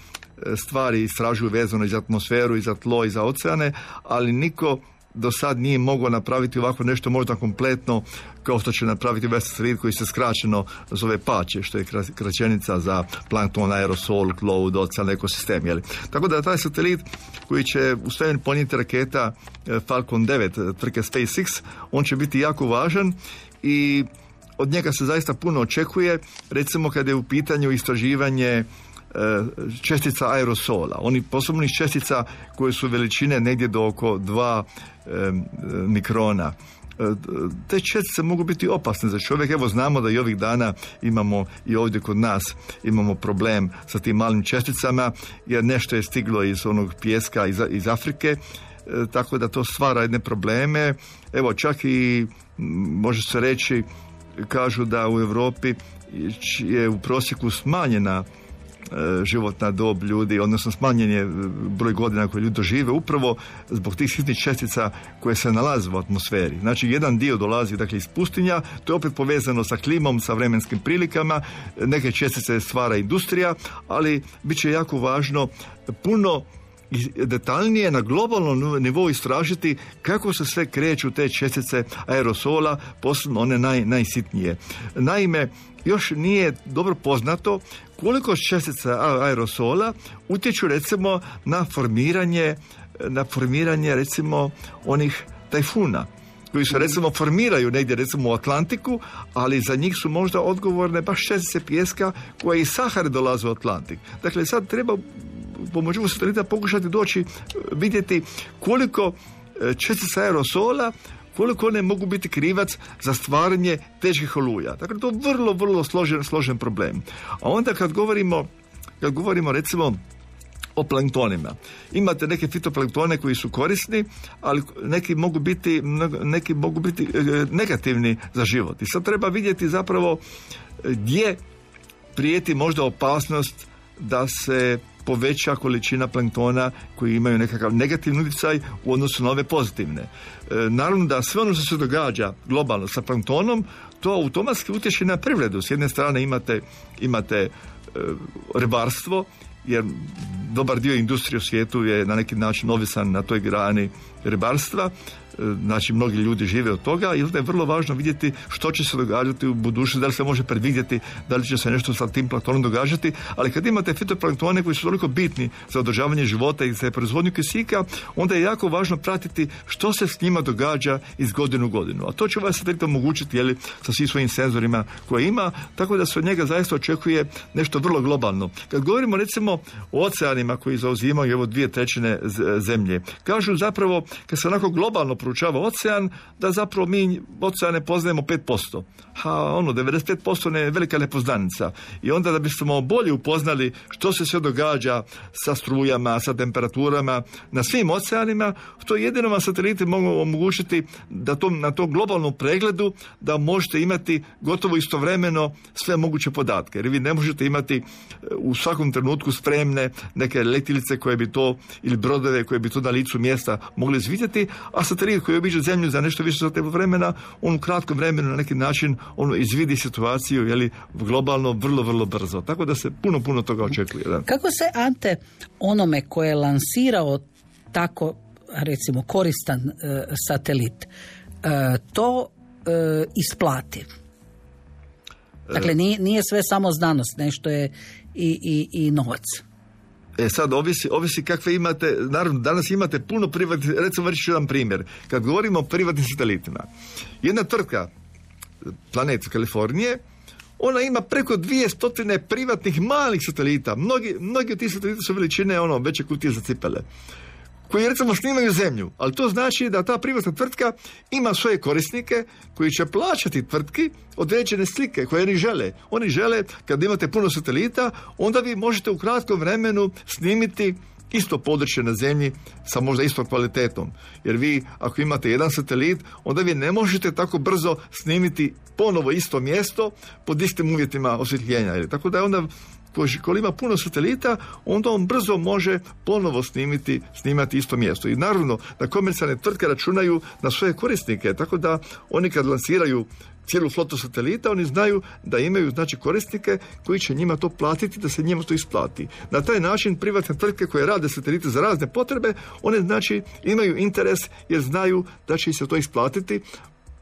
stvari istražuju vezano i za atmosferu, i za tlo, i za oceane, ali niko do sad nije mogao napraviti ovako nešto možda kompletno kao što će napraviti ovaj satelit koji se skraćeno zove PAČE, što je kraćenica za plankton, aerosol, cloud, ocean, ekosistem. Jeli? Tako da taj satelit koji će u svemir ponijeti raketa Falcon 9 tvrtke SpaceX, on će biti jako važan i od njega se zaista puno očekuje, recimo kad je u pitanju istraživanje čestica aerosola. Oni posebnih čestica koje su veličine negdje do oko 2 mikrona. Te čestice mogu biti opasne za čovjek. Evo znamo da i ovih dana imamo i ovdje kod nas imamo problem sa tim malim česticama, jer nešto je stiglo iz onog pijeska iz Afrike, tako da to stvara jedne probleme. Evo čak i može se reći, kažu da u Europi je u prosjeku smanjena životna dob ljudi, odnosno smanjen je broj godina koje ljudi dožive upravo zbog tih sitnih čestica koje se nalaze u atmosferi. Znači, jedan dio dolazi iz pustinja, to je opet povezano sa klimom, sa vremenskim prilikama, neke čestice stvara industrija, ali bit će jako važno puno detaljnije na globalnom nivou istražiti kako se sve kreću te čestice aerosola, posebno one najsitnije. Naime, još nije dobro poznato koliko čestica aerosola utječu recimo na formiranje recimo onih tajfuna koji se recimo formiraju negdje recimo u Atlantiku, ali za njih su možda odgovorne baš čestice pijeska koje iz Sahare dolaze u Atlantik. Dakle, sad treba pomoću satelita pokušati doći, vidjeti koliko čestica aerosola, koliko one mogu biti krivac za stvaranje teških oluja. Dakle, to je vrlo, vrlo složen problem. A onda kad govorimo recimo o planktonima. Imate neke fitoplanktone koji su korisni, ali neki mogu biti negativni za život. I sad treba vidjeti zapravo gdje prijeti možda opasnost da se poveća količina planktona koji imaju nekakav negativni utjecaj u odnosu na ove pozitivne. Naravno da sve ono što se događa globalno sa planktonom, to automatski utječe na privredu. S jedne strane imate ribarstvo, jer dobar dio industrije u svijetu je na neki način ovisan na toj grani ribarstva. Znači, mnogi ljudi žive od toga i onda je vrlo važno vidjeti što će se događati u budućnosti, da li se može predvidjeti, da li će se nešto sa tim planktonom događati, ali kad imate fitoplanktone koji su toliko bitni za održavanje života i za proizvodnju kisika, onda je jako važno pratiti što se s njima događa iz godine u godinu. A to će ovaj satelit omogućiti, sa svim svojim senzorima koje ima, tako da se od njega zaista očekuje nešto vrlo globalno. Kad govorimo recimo o oceanima koji zauzimaju 2/3 zemlje, kažu zapravo kad se onako globalno proučava ocean, da zapravo mi oceane poznajemo 5%. 95% je velika nepoznanica. I onda da bismo bolje upoznali što se sve događa sa strujama, sa temperaturama na svim oceanima, to jedino vam sateliti mogu omogućiti da na tom globalnom pregledu da možete imati gotovo istovremeno sve moguće podatke. Jer vi ne možete imati u svakom trenutku spremne neke letjelice koje bi to, ili brodove koje bi to na licu mjesta mogli izvidjeti, a satelit koji obiđe zemlju za nešto više sati vremena, on u kratkom vremenu na neki način on izvidi situaciju globalno vrlo, vrlo brzo. Tako da se puno toga očekuje. Da. Kako se, Ante, onome koje je lansirao tako, recimo, koristan satelit, to isplati? Dakle, nije sve samo znanost, nešto je i novac. Sad, ovisi kakve imate, naravno, danas imate puno privatnih, recimo reći ću jedan primjer. Kad govorimo o privatnim satelitima, jedna tvrtka, Planet Kalifornije, ona ima preko 200 privatnih malih satelita. Mnogi od tih satelita su veličine veće kutije za cipele, koji recimo snimaju zemlju, ali to znači da ta privatna tvrtka ima svoje korisnike koji će plaćati tvrtki određene slike koje oni žele. Oni žele, kad imate puno satelita, onda vi možete u kratkom vremenu snimiti isto područje na zemlji sa možda istom kvalitetom. Jer vi, ako imate jedan satelit, onda vi ne možete tako brzo snimiti ponovo isto mjesto pod istim uvjetima osvjetljenja. Tako da je onda, ko ima puno satelita, onda on brzo može ponovo snimati isto mjesto. I naravno da komercijalne tvrtke računaju na svoje korisnike, tako da oni kad lansiraju cijelu flotu satelita, oni znaju da imaju korisnike koji će njima to platiti, da se njima to isplati. Na taj način privatne tvrtke koje rade satelite za razne potrebe, one imaju interes jer znaju da će se to isplatiti.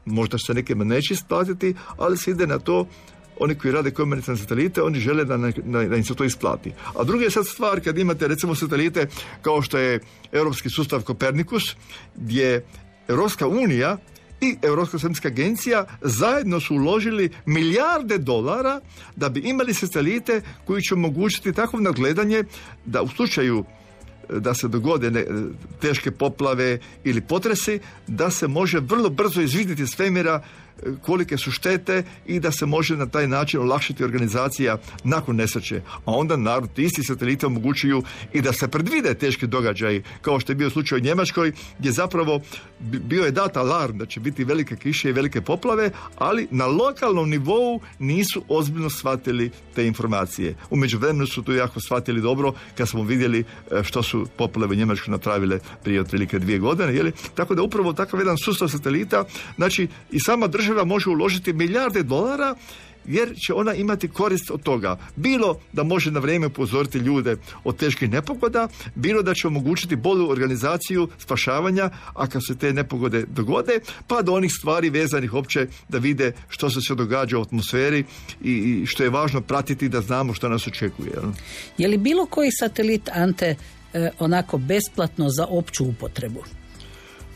Možda se nekima neće isplatiti, ali se ide na to. Oni koji rade komercijalne satelite, oni žele da im se to isplati. A druga je sad stvar kad imate recimo satelite kao što je europski sustav Kopernikus, gdje Europska unija i Europska svemirska agencija zajedno su uložili milijarde dolara da bi imali satelite koji će omogućiti takvo nadgledanje da u slučaju da se dogode teške poplave ili potresi, da se može vrlo brzo izvidjeti svemira kolike su štete i da se može na taj način olakšati organizacija nakon nesreće. A onda naravno ti isti sateliti omogućuju i da se predvide teški događaji, kao što je bio slučaj u Njemačkoj, gdje zapravo bio je dat alarm da će biti velike kiše i velike poplave, ali na lokalnom nivou nisu ozbiljno shvatili te informacije. U međuvremenu su to jako shvatili dobro kad smo vidjeli što su poplave u Njemačkoj napravile prije otprilike 2 godine. Tako da upravo takav jedan sustav satelita, znači i sama država može uložiti milijarde dolara jer će ona imati korist od toga. Bilo da može na vrijeme upozoriti ljude od teških nepogoda, bilo da će omogućiti bolju organizaciju spašavanja, a kad se te nepogode dogode, pa do onih stvari vezanih opće da vide što se događa u atmosferi i što je važno pratiti da znamo što nas očekuje. Je li bilo koji satelit, Ante, onako besplatno za opću upotrebu?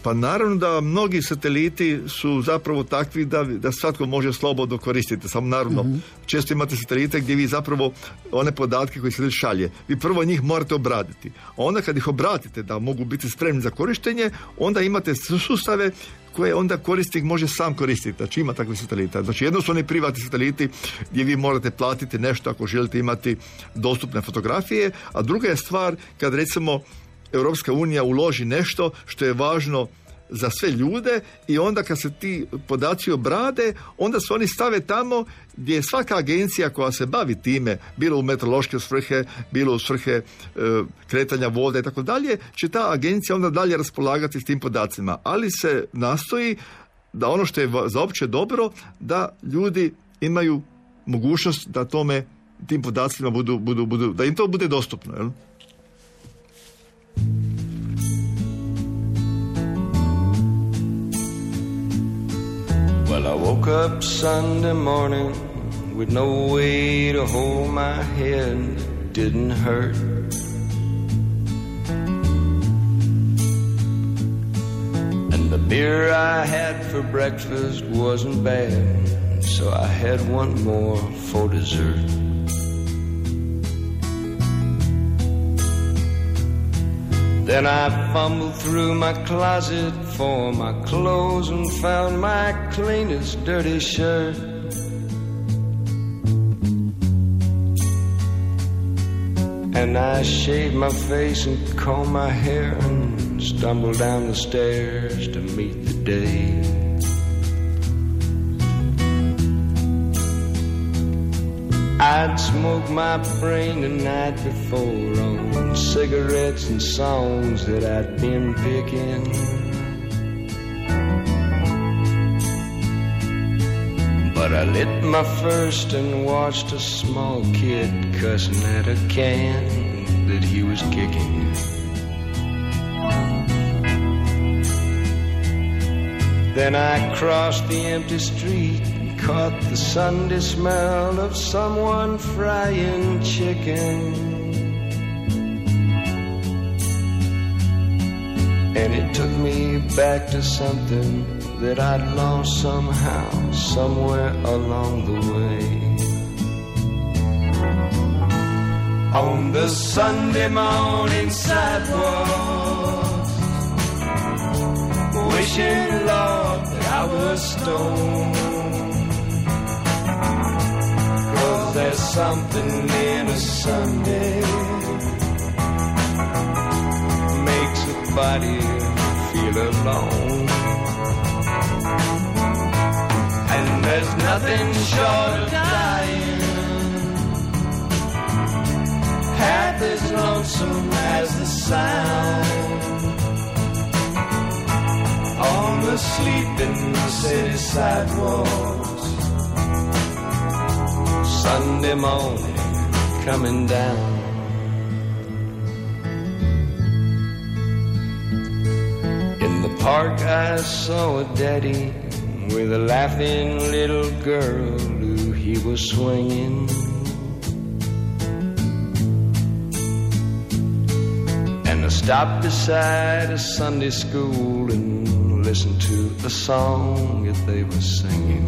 Pa naravno da mnogi sateliti su zapravo takvi da svatko može slobodno koristiti. Samo naravno, često imate satelite gdje vi zapravo one podatke koje satelit šalje, vi prvo njih morate obraditi. A onda kad ih obratite da mogu biti spremni za korištenje, onda imate sustave koje onda korisnik može sam koristiti. Znači ima takvih satelita. Znači jedno su oni privatni sateliti gdje vi morate platiti nešto ako želite imati dostupne fotografije, a druga je stvar kad recimo Europska unija uloži nešto što je važno za sve ljude i onda kad se ti podaci obrade, onda se oni stave tamo gdje je svaka agencija koja se bavi time, bilo u meteorološke svrhe, bilo u svrhe kretanja vode i tako dalje, će ta agencija onda dalje raspolagati s tim podacima. Ali se nastoji da ono što je za opće dobro, da ljudi imaju mogućnost da tim podacima budu, da im to bude dostupno, jel? Well, I woke up Sunday morning with no way to hold my head. It didn't hurt. And the beer I had for breakfast wasn't bad, so I had one more for dessert. Then I fumbled through my closet for my clothes and found my cleanest dirty shirt. And I shaved my face and combed my hair and stumbled down the stairs to meet the day. I'd smoked my brain the night before on cigarettes and songs that I'd been picking. But I lit my first and watched a small kid cussing at a can that he was kicking. Then I crossed the empty street, caught the Sunday smell of someone frying chicken. And it took me back to something that I'd lost somehow, somewhere along the way. On the Sunday morning sidewalk, wishing, Lord, that I was stoned. 'Cause there's something in a Sunday makes a body feel alone. And there's nothing short of dying half as lonesome as the sound on the sleeping city sidewalks Sunday morning coming down. In the park I saw a daddy with a laughing little girl who he was swinging. And I stopped beside a Sunday school and listened to a song that they were singing.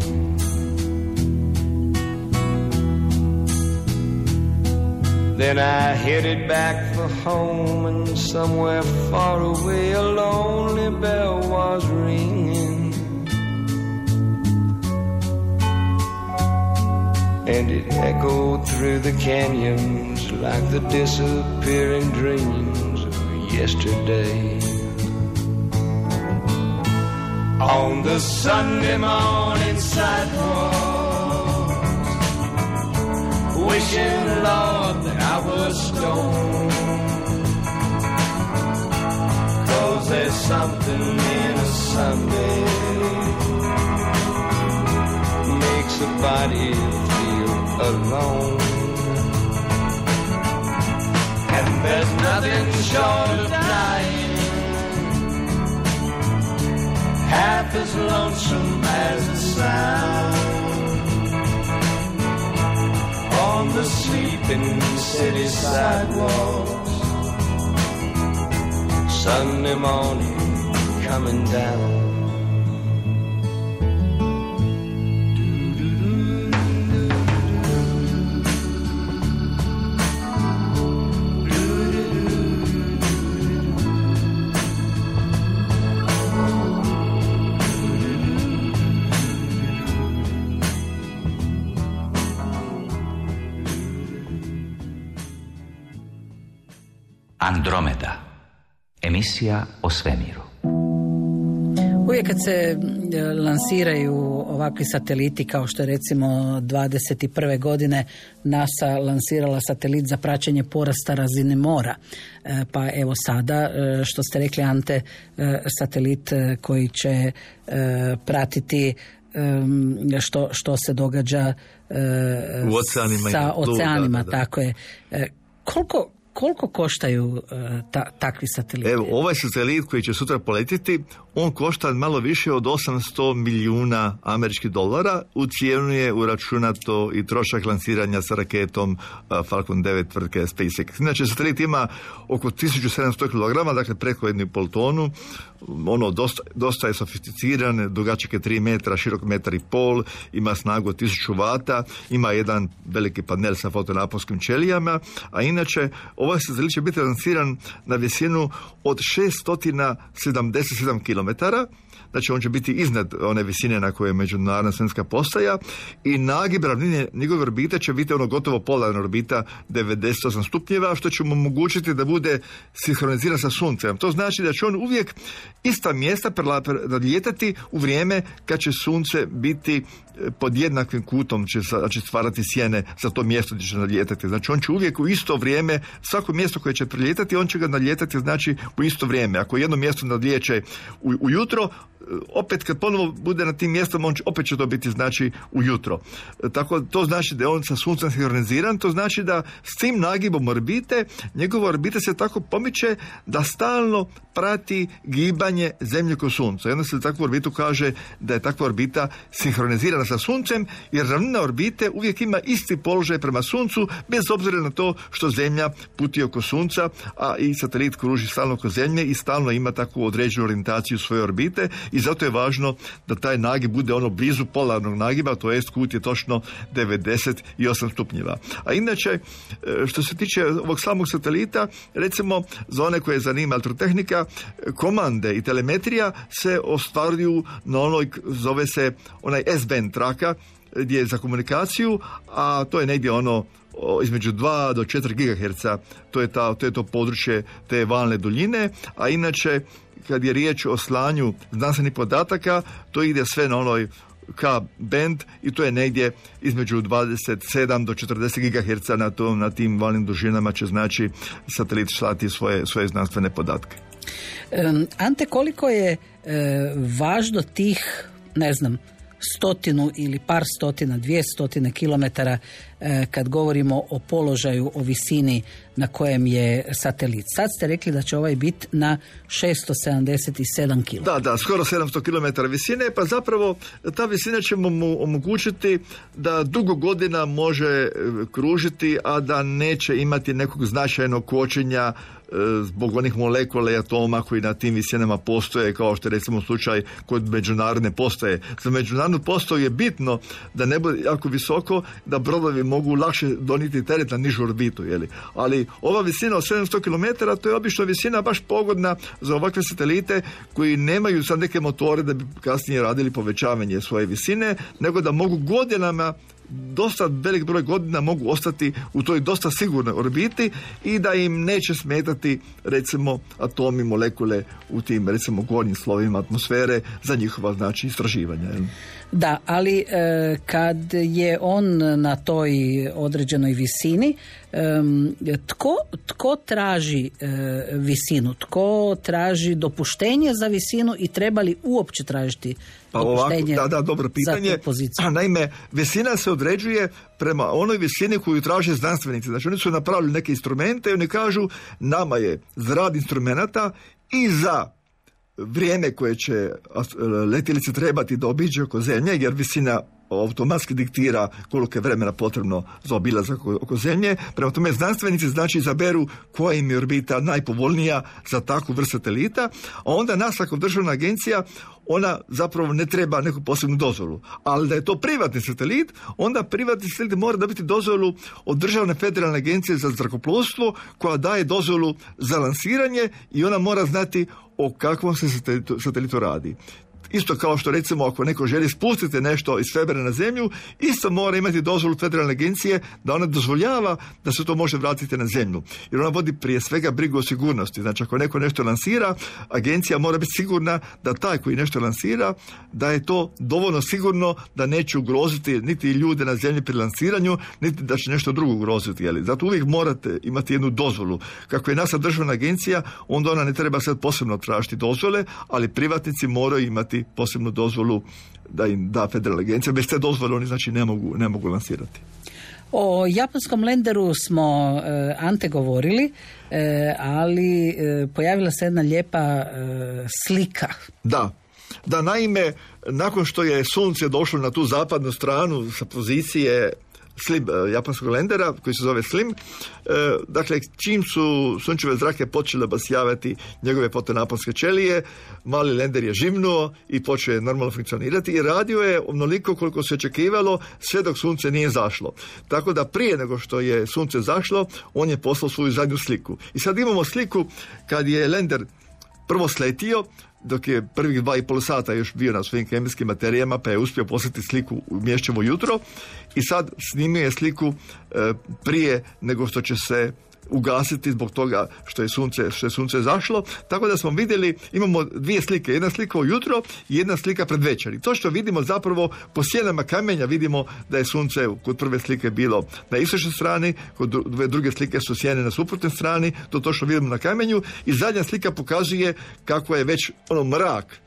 Then I headed back for home, and somewhere far away a lonely bell was ringing. And it echoed through the canyons like the disappearing dreams of yesterday. On the Sunday morning sidewalks, wishing, Lord, that I was stoned. 'Cause there's something in a Sunday makes a body feel alone. And there's nothing short of dying half as lonesome as the sound on the sleeping city sidewalks Sunday morning coming down. Andromeda, emisija o svemiru. Uvijek kad se lansiraju ovakvi sateliti, kao što je recimo 21. godine NASA lansirala satelit za praćenje porasta razine mora. Pa evo sada, što ste rekli, Ante, satelit koji će pratiti što se događa u oceanima, sa oceanima, tako je. Koliko koštaju takvi sateliti? Evo, ovaj satelit koji će sutra poletiti, on košta malo više od 800 milijuna američkih dolara. U cijenu je uračunato i trošak lansiranja sa raketom Falcon 9 tvrtke SpaceX. Inače, satelit ima oko 1700 kg, dakle preko 1,5 tonu. Ono dosta je sofisticiran, dugačak je 3 metra, širok 1,5 m, ima snagu od 1000 vata, ima jedan veliki panel sa fotonaponskim ćelijama, a inače ovaj satelit će biti lansiran na visinu od 677 km. Znači on će biti iznad one visine na kojoj je međunarodna svemirska postaja i nagib ravnine njegove orbite će biti ono gotovo polarna orbita 98 stupnjeva, što će mu omogućiti da bude sinhroniziran sa Suncem. To znači da će on uvijek ista mjesta nadlijetati u vrijeme kad će Sunce biti pod jednakim kutom, će stvarati sjene za to mjesto gdje će nadlijetati. Znači on će uvijek u isto vrijeme, svako mjesto koje će prelijetati, on će ga nadlijetati znači u isto vrijeme. Ako jedno mjesto nadlijeće ujutro, opet kad ponovo bude na tim mjestom, opet će to biti znači ujutro. Tako to znači da je on sa Suncem sinhroniziran, to znači da s tim nagibom orbite, njegova orbita se tako pomiče da stalno prati gibanje Zemlje oko Sunca. I onda se takvu orbitu kaže da je takva orbita sinhronizirana sa Suncem, jer ravnina orbite uvijek ima isti položaj prema Suncu, bez obzira na to što Zemlja puti oko Sunca, a i satelit kruži stalno oko Zemlje i stalno ima takvu određenu orijentaciju svoje orbite. i zato je važno da taj nagib bude ono blizu polarnog nagiba, to jest kut je točno 98 stupnjeva. A inače, što se tiče ovog samog satelita, recimo za one koje zanima elektrotehnika, komande i telemetrija se ostvaruju na onoj, zove se onaj S-band traka, gdje je za komunikaciju, a to je negdje ono između 2 do 4 GHz, to je to područje te valne duljine, a inače kad je riječ o slanju znanstvenih podataka, to ide sve na onoj K-band i to je negdje između 27 do 40 GHz na tim valnim dužinama će znači satelit slati svoje znanstvene podatke. Ante, koliko je važno tih, ne znam, 100 ili par stotina, 200 kilometara kad govorimo o položaju, o visini na kojem je satelit. Sad ste rekli da će ovaj biti na 677 km. Da, skoro 700 km visine, pa zapravo ta visina će mu omogućiti da dugo godina može kružiti, a da neće imati nekog značajnog kočenja zbog onih molekula i atoma koji na tim visinama postoje, kao što je recimo slučaj kod međunarodne postaje. Za međunarodnu postaju je bitno da ne bude jako visoko, da brodovi mogu lakše donijeti teret na nižu orbitu, ali ova visina od 700 km, to je obično visina baš pogodna za ovakve satelite koji nemaju sad neke motore da bi kasnije radili povećavanje svoje visine, nego da mogu godinama, dosta velik broj godina mogu ostati u toj dosta sigurnoj orbiti i da im neće smetati recimo atomi, molekule u tim recimo gornjim slovima atmosfere za njihova znači istraživanja. Da, ali kad je on na toj određenoj visini, tko traži visinu? Tko traži dopuštenje za visinu i treba li uopće tražiti dopuštenje dobro pitanje. za tu poziciju? Naime, visina se određuje prema onoj visini koju traže znanstvenici. Znači, oni su napravili neke instrumente i oni kažu nama je za rad instrumenata i za vrijeme koje će letjelice trebati da obiđe oko Zemlje, jer visina automatski diktira koliko je vremena potrebno za obilazak oko Zemlje. Prema tome znanstvenici znači izaberu koja im je orbita najpovoljnija za takvu vrstu satelita, a onda nas kao državna agencija ona zapravo ne treba neku posebnu dozvolu. Ali da je to privatni satelit, onda privatni satelit mora dobiti dozvolu od Državne federalne agencije za zrakoplovstvo koja daje dozvolu za lansiranje i ona mora znati o kakvom se satelitu radi. Isto kao što recimo ako neko želi spustiti nešto iz svemira na Zemlju, isto mora imati dozvolu federalne agencije da ona dozvoljava da se to može vratiti na Zemlju. Jer ona vodi prije svega brigu o sigurnosti. Znači ako neko nešto lansira, agencija mora biti sigurna da taj koji nešto lansira, da je to dovoljno sigurno da neće ugroziti niti ljude na Zemlji pri lansiranju, niti da će nešto drugo ugroziti. Zato uvijek morate imati jednu dozvolu. Kako je NASA državna agencija, onda ona ne treba sad posebno tražiti dozvole, ali privatnici moraju imati posebnu dozvolu da im da federalna agencija. Bez te dozvole oni znači ne mogu lansirati. O japanskom lenderu smo, Ante, govorili, ali pojavila se jedna lijepa slika. Da, naime, nakon što je sunce došlo na tu zapadnu stranu sa pozicije SLIM, japanskog lendera, koji se zove SLIM, dakle, čim su sunčeve zrake počele obasjavati njegove fotonaponske ćelije, mali lender je živnuo i počeo je normalno funkcionirati i radio je onoliko koliko se očekivalo sve dok sunce nije zašlo. Tako da prije nego što je sunce zašlo, on je poslao svoju zadnju sliku. I sad imamo sliku kad je lender prvo sletio, dok je prvih 2,5 sata još bio na svojim kemijskim materijama, pa je uspio poslati sliku u Mješćevo jutro i sad snimio je sliku prije nego što će se ugasiti zbog toga što je sunce zašlo, tako da smo vidjeli, imamo dvije slike, jedna slika ujutro i jedna slika pred večer. I to što vidimo zapravo po sjenama kamenja vidimo da je sunce kod prve slike bilo na istočnoj strani, kod druge slike su sjene na suprotnoj strani, to što vidimo na kamenju i zadnja slika pokazuje kako je već mrak.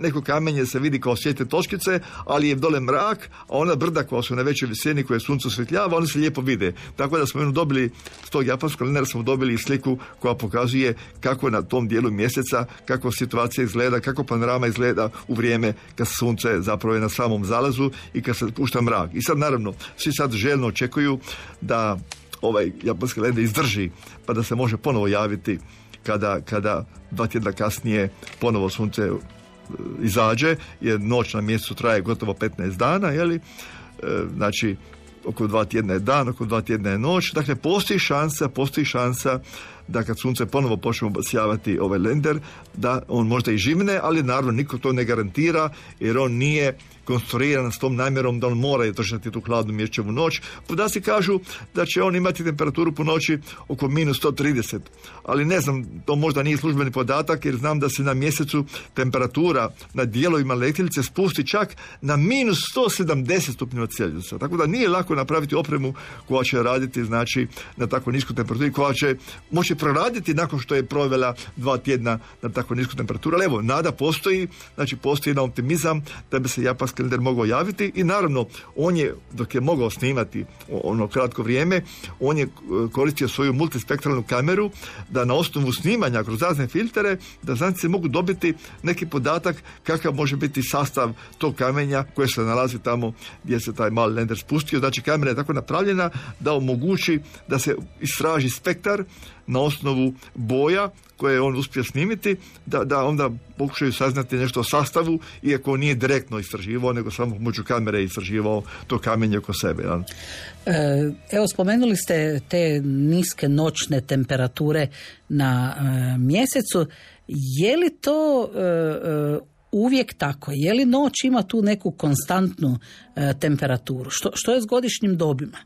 Neko kamenje se vidi kao svijetle točkice, ali je dole mrak, a ona brda koja su na većoj visini koje sunce osvjetljava, one se lijepo vide. Tako da smo dobili s tog japanskog lendera smo dobili sliku koja pokazuje kako na tom dijelu mjeseca, kako situacija izgleda, kako panorama izgleda u vrijeme kad sunce zapravo je na samom zalazu i kad se pušta mrak. I sad naravno, svi sad željno očekuju da ovaj japanski lender izdrži, pa da se može ponovo javiti kada 2 tjedna kasnije ponovo sunce izađe, jer noć na mjesecu traje gotovo 15 dana, jeli? Znači oko 2 tjedna je dan, oko 2 tjedna je noć. Dakle, postoji šansa da kad sunce ponovo počne obasjavati ovaj lender, da on možda i živne, ali naravno niko to ne garantira, jer on nije konstruiran s tom namjerom da on mora držati tu hladnu mjesečevu noć. Podaci kažu da će on imati temperaturu po noći oko minus 130, ali ne znam, to možda nije službeni podatak, jer znam da se na mjesecu temperatura na dijelovima letjelice spusti čak na minus 170 stupnjeva Celzijusa. Tako da nije lako napraviti opremu koja će raditi, znači, na tako niskoj temperaturi, koja će moći proraditi nakon što je provela 2 tjedna na tako nisku temperaturu. Ali evo, nada postoji, znači postoji jedan optimizam da bi se japanski lender mogao javiti i naravno on je, dok je mogao snimati ono kratko vrijeme, on je koristio svoju multispektralnu kameru da na osnovu snimanja kroz razne filtere da znanstvenici mogu dobiti neki podatak kakav može biti sastav tog kamenja koje se nalazi tamo gdje se taj mali lender spustio. Znači kamera je tako napravljena da omogući da se istraži spektar na osnovu boja koje on uspio snimiti, da onda pokušaju saznati nešto o sastavu, iako nije direktno istraživao, nego samo pomoću kamere istraživao to kamenje oko sebe. Ja. Evo, spomenuli ste te niske noćne temperature na mjesecu. Je li to uvijek tako? Je li noć ima tu neku konstantnu temperaturu? Što je s godišnjim dobima?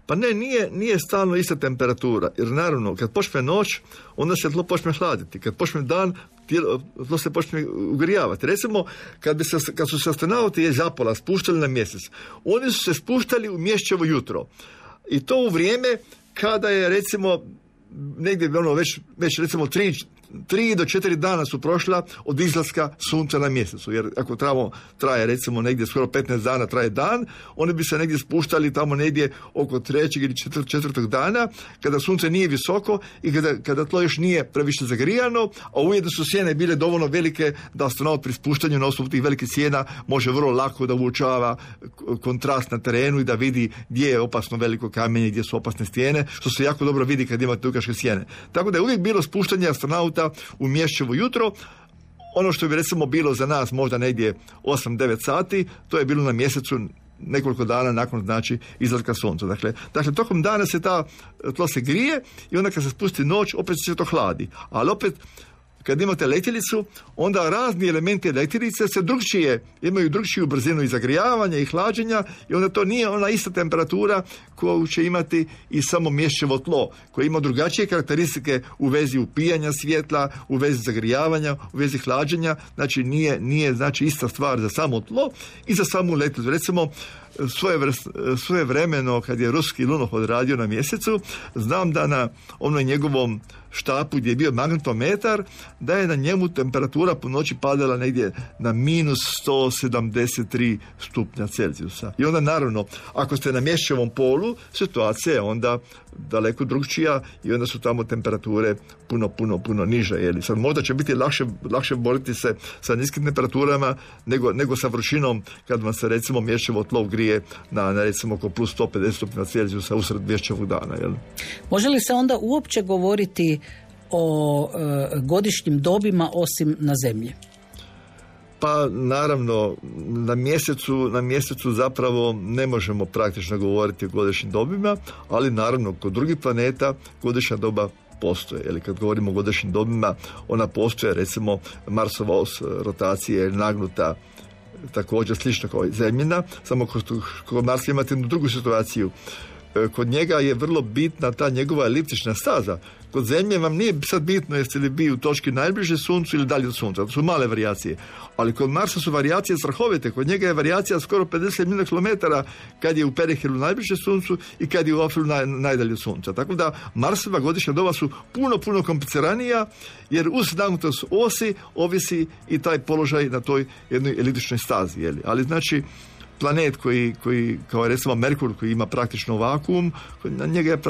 Pa ne, nije stalno ista temperatura, jer naravno kad počne noć, onda se tlo počne hladiti. Kad počne dan, tlo se počne ugrijavati. Recimo, kad su se astronauti iz Apola spuštali na mjesec, oni su se spuštali u mjesečevo jutro. I to u vrijeme kada je, recimo, negdje već recimo 3 do 4 dana su prošla od izlaska sunca na mjesecu, jer ako traje recimo negdje skoro 15 dana traje dan, oni bi se negdje spuštali tamo negdje oko 3. ili 4. dana, kada sunce nije visoko i kada tlo još nije previše zagrijano, a ujedno su sjene bile dovoljno velike da astronaut pri spuštanju na osnovu tih velikih sjena može vrlo lako da uočava kontrast na terenu i da vidi gdje je opasno veliko kamenje, gdje su opasne stijene, što se jako dobro vidi kad imate dugačke sjene. Tako da je uvijek bilo spuštanje astronauta u mjesečevo jutro. Ono što bi recimo bilo za nas možda negdje 8-9 sati, to je bilo na mjesecu nekoliko dana nakon, znači, izlaska sunca. Dakle, tokom dana se tlo se grije i onda kad se spusti noć, opet se to hladi. Ali opet, kad imate letjelicu, onda razni elementi letjelice imaju drugčiju brzinu i zagrijavanja i hlađenja i onda to nije ona ista temperatura koju će imati i samo mjesečevo tlo, koje ima drugačije karakteristike u vezi upijanja svjetla, u vezi zagrijavanja, u vezi hlađenja. Znači nije znači ista stvar za samo tlo i za samu letjelicu. Recimo, svojevremeno kad je ruski lunohod radio na mjesecu, znam da na onoj njegovom štapu gdje je bio magnetometar, da je na njemu temperatura po noći padala negdje na minus 173 stupnja Celzijusa. I onda naravno, ako ste na mjesečevom polu, situacija je onda daleko drugčija i onda su tamo temperature puno niže. Jeli. Sad možda će biti lakše boriti se sa niskim temperaturama nego sa vrućinom kad vam se recimo mjesečevo tlo ugrije na recimo oko plus 150 stupnja Celzijusa usred mjesečevog dana. Jeli. Može li se onda uopće govoriti o godišnjim dobima osim na Zemlji? Pa naravno, na mjesecu zapravo ne možemo praktično govoriti o godišnjim dobima, ali naravno kod drugih planeta godišnja doba postoje. Ili kad govorimo o godišnjim dobima, ona postoje, recimo Marsova os rotacije je nagnuta također slično kao i Zemljina, samo kod Marsa imate jednu drugu situaciju. Kod njega je vrlo bitna ta njegova eliptična staza. Kod Zemlje vam nije sad bitno jeste li vi u točki najbliže Suncu ili dalje od Sunca. To su male varijacije. Ali kod Marsa su varijacije strahovite. Kod njega je varijacija skoro 50 milijuna kilometara kad je u periheru najbliže Suncu i kad je u afilu najdalje od Sunca. Tako da Marsova godišnja doba su puno kompliciranija, jer uz nagnutost osi ovisi i taj položaj na toj jednoj eliptičnoj stazi. Jeli? Ali znači planet koji kao recimo Merkur koji ima praktično vakuum, na njega je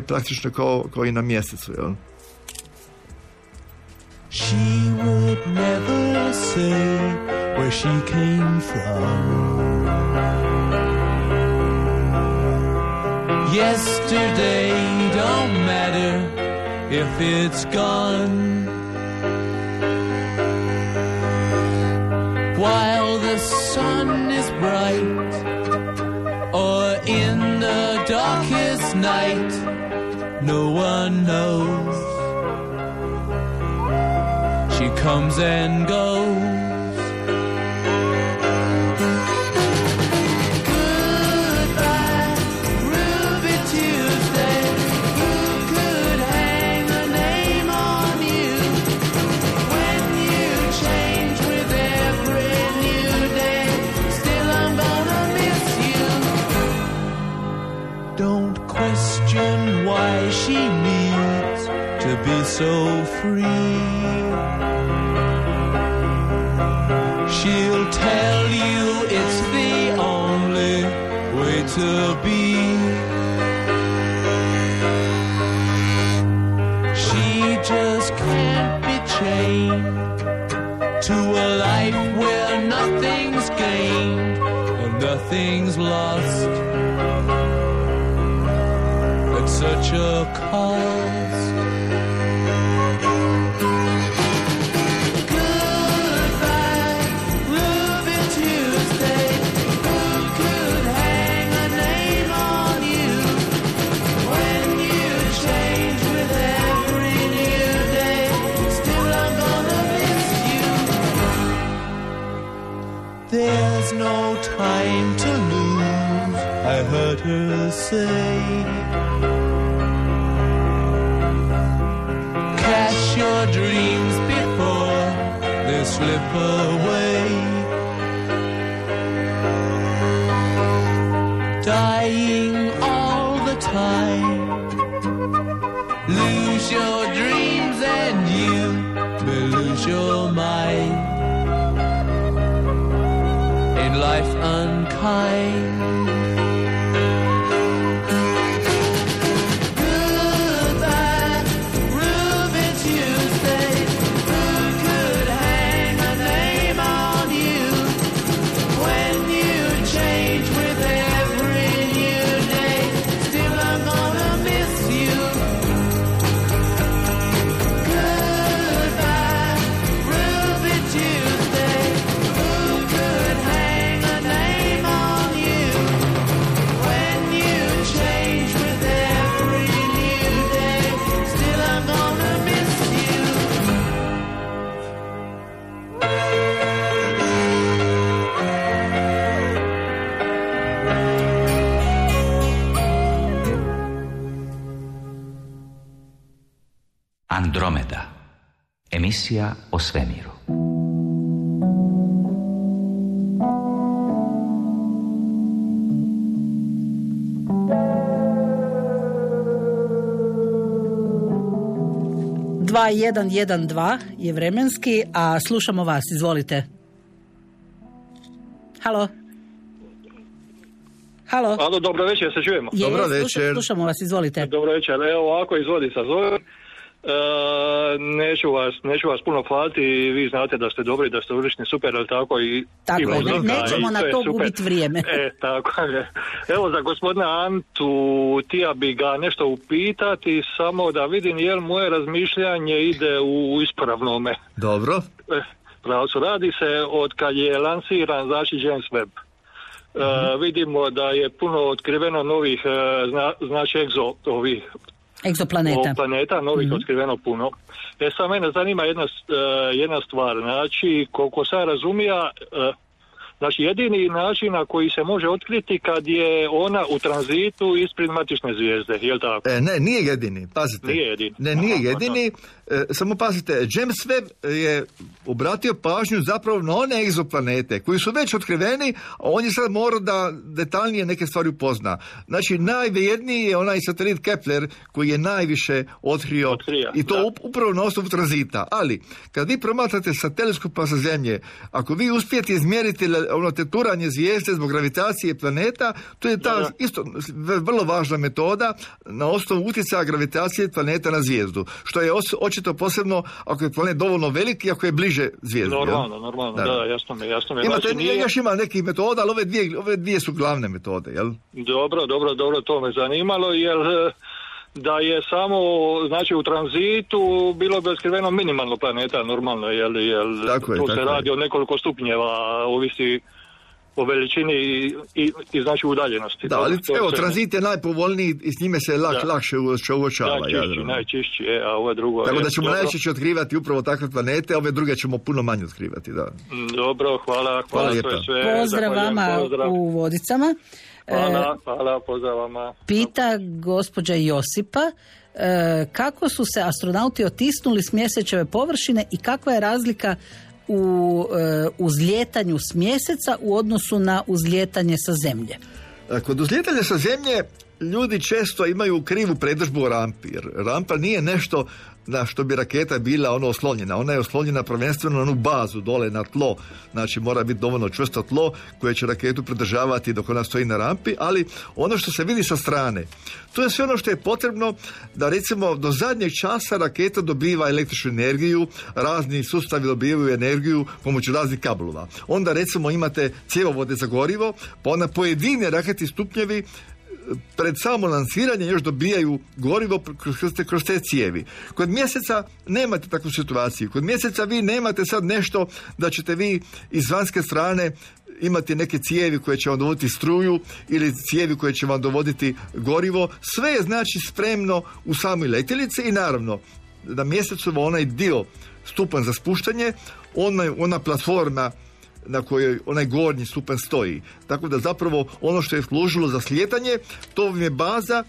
praktično kao i na mjesecu. Jel? She would never say where she came from. Yesterday don't matter if it's gone. while the sun is bright, or in the darkest night, no one knows. She comes and goes. Goodbye, Ruby Tuesday. Who could hang a name on you when you change with every new day? Still I'm gonna miss you. Don't question why she needs to be so free. She'll tell you it's the only way to be. She just can't be chained to a life where nothing's gained and nothing's lost at such a cost. There's no time to lose, I heard her say. Catch your dreams before they slip away. Dying all the time. Lose your dreams and you may lose your mind. Life unkind. Goodbye, Ruby Tuesday. Who could hang a name on you when you change with every new day? Still I'm gonna miss you. Goodbye, Ruby Tuesday. Who could hang a name on you when you change with every new day? Still I'm gonna miss you. Andromeda. Emisija o svemiru. Dva 112 je vremenski, a slušamo vas. Izvolite. Halo. Halo. Alo, dobro večer, se čujemo. Dobro večer. Slušamo vas, izvolite. Dobro večer, evo ovako izvodi sa zove. Neću vas puno hvaliti, vi znate da ste dobri, da ste ulični, super, ali tako i... Tako je, nećemo na to gubiti vrijeme. Tako je. Evo za gospodina Antu, tija bi ga nešto upitati, samo da vidim jel moje razmišljanje ide u ispravnome. Dobro. Pravcu, radi se od kad je lansiran, znači James Webb. Vidimo da je puno otkriveno novih, znači egzoplaneta, novih otkriveno puno. Sad mene zanima jedna stvar, znači koliko sam razumija, znači jedini način na koji se može otkriti kad je ona u tranzitu ispred matične zvijezde, je li tako? Ne, nije jedini, pazite. Nije jedini. Ne, nije jedini, samo pazite, James Webb je obratio pažnju zapravo na one egzoplanete koji su već otkriveni, a on je sad morao da detaljnije neke stvari upozna. Znači, najvrijedniji je onaj satelit Kepler koji je najviše otkrio i to upravo na osnovu tranzita. Ali, kad vi promatrate sa teleskopa sa Zemlje, ako vi uspijete izmjeriti ono teturanje zvijezde zbog gravitacije planeta, to je ta isto vrlo važna metoda na osnovu utjecaja gravitacije planeta na zvijezdu, što je očito posebno ako je planet dovoljno velik i ako je bliže zvijezdi. Normalno, da, jasno mi. Imate, znači, još ima nekih metoda, ali ove dvije su glavne metode, jel? Dobro, to me zanimalo, jer da je samo, znači, u tranzitu bilo bi otkriveno minimalno planeta, normalno, jel Tako je, tu tako se je. radi o nekoliko stupnjeva, ovisi o veličini i znači udaljenosti. Da, ali To je evo, sve. tranzit je najpovoljniji i s njime se lakše uočava. Najčišći, a ovo drugo... Tako je, da ćemo dobro. najčešće otkrivati upravo takve planete, a ove druge ćemo puno manje otkrivati, da. Dobro, hvala to je lijepa. sve. Pozdrav Zahvaljujem, vama pozdrav. u Vodicama. Hvala, pozdrav vama. Pita gospođa Josipa kako su se astronauti otisnuli s mjesečeve površine i kakva je razlika u uzlijetanju s mjeseca u odnosu na uzlijetanje sa zemlje. Kod uzlijetanja sa zemlje ljudi često imaju krivu predodžbu o rampi, jer rampa nije nešto na što bi raketa bila oslonjena. Ona je oslonjena prvenstveno na onu bazu dole na tlo, znači mora biti dovoljno čvrsto tlo koje će raketu pridržavati dok ona stoji na rampi, ali ono što se vidi sa strane, to je sve ono što je potrebno da recimo do zadnjeg časa raketa dobiva električnu energiju, razni sustavi dobivaju energiju pomoću raznih kablova. Onda recimo imate cjevovode za gorivo, pa onda pojedine raketni stupnjevi pred samo lansiranje još dobijaju gorivo kroz te cijevi. Kod mjeseca nemate takvu situaciju. Kod mjeseca vi nemate sad nešto da ćete vi iz vanjske strane imati neke cijevi koje će vam dovoditi struju ili cijevi koje će vam dovoditi gorivo. Sve je znači spremno u samoj letjelici i naravno na mjesecu onaj dio stupanj za spuštanje, ona platforma na kojoj onaj gornji stupanj stoji. Tako da zapravo ono što je služilo za slijetanje, to vam je baza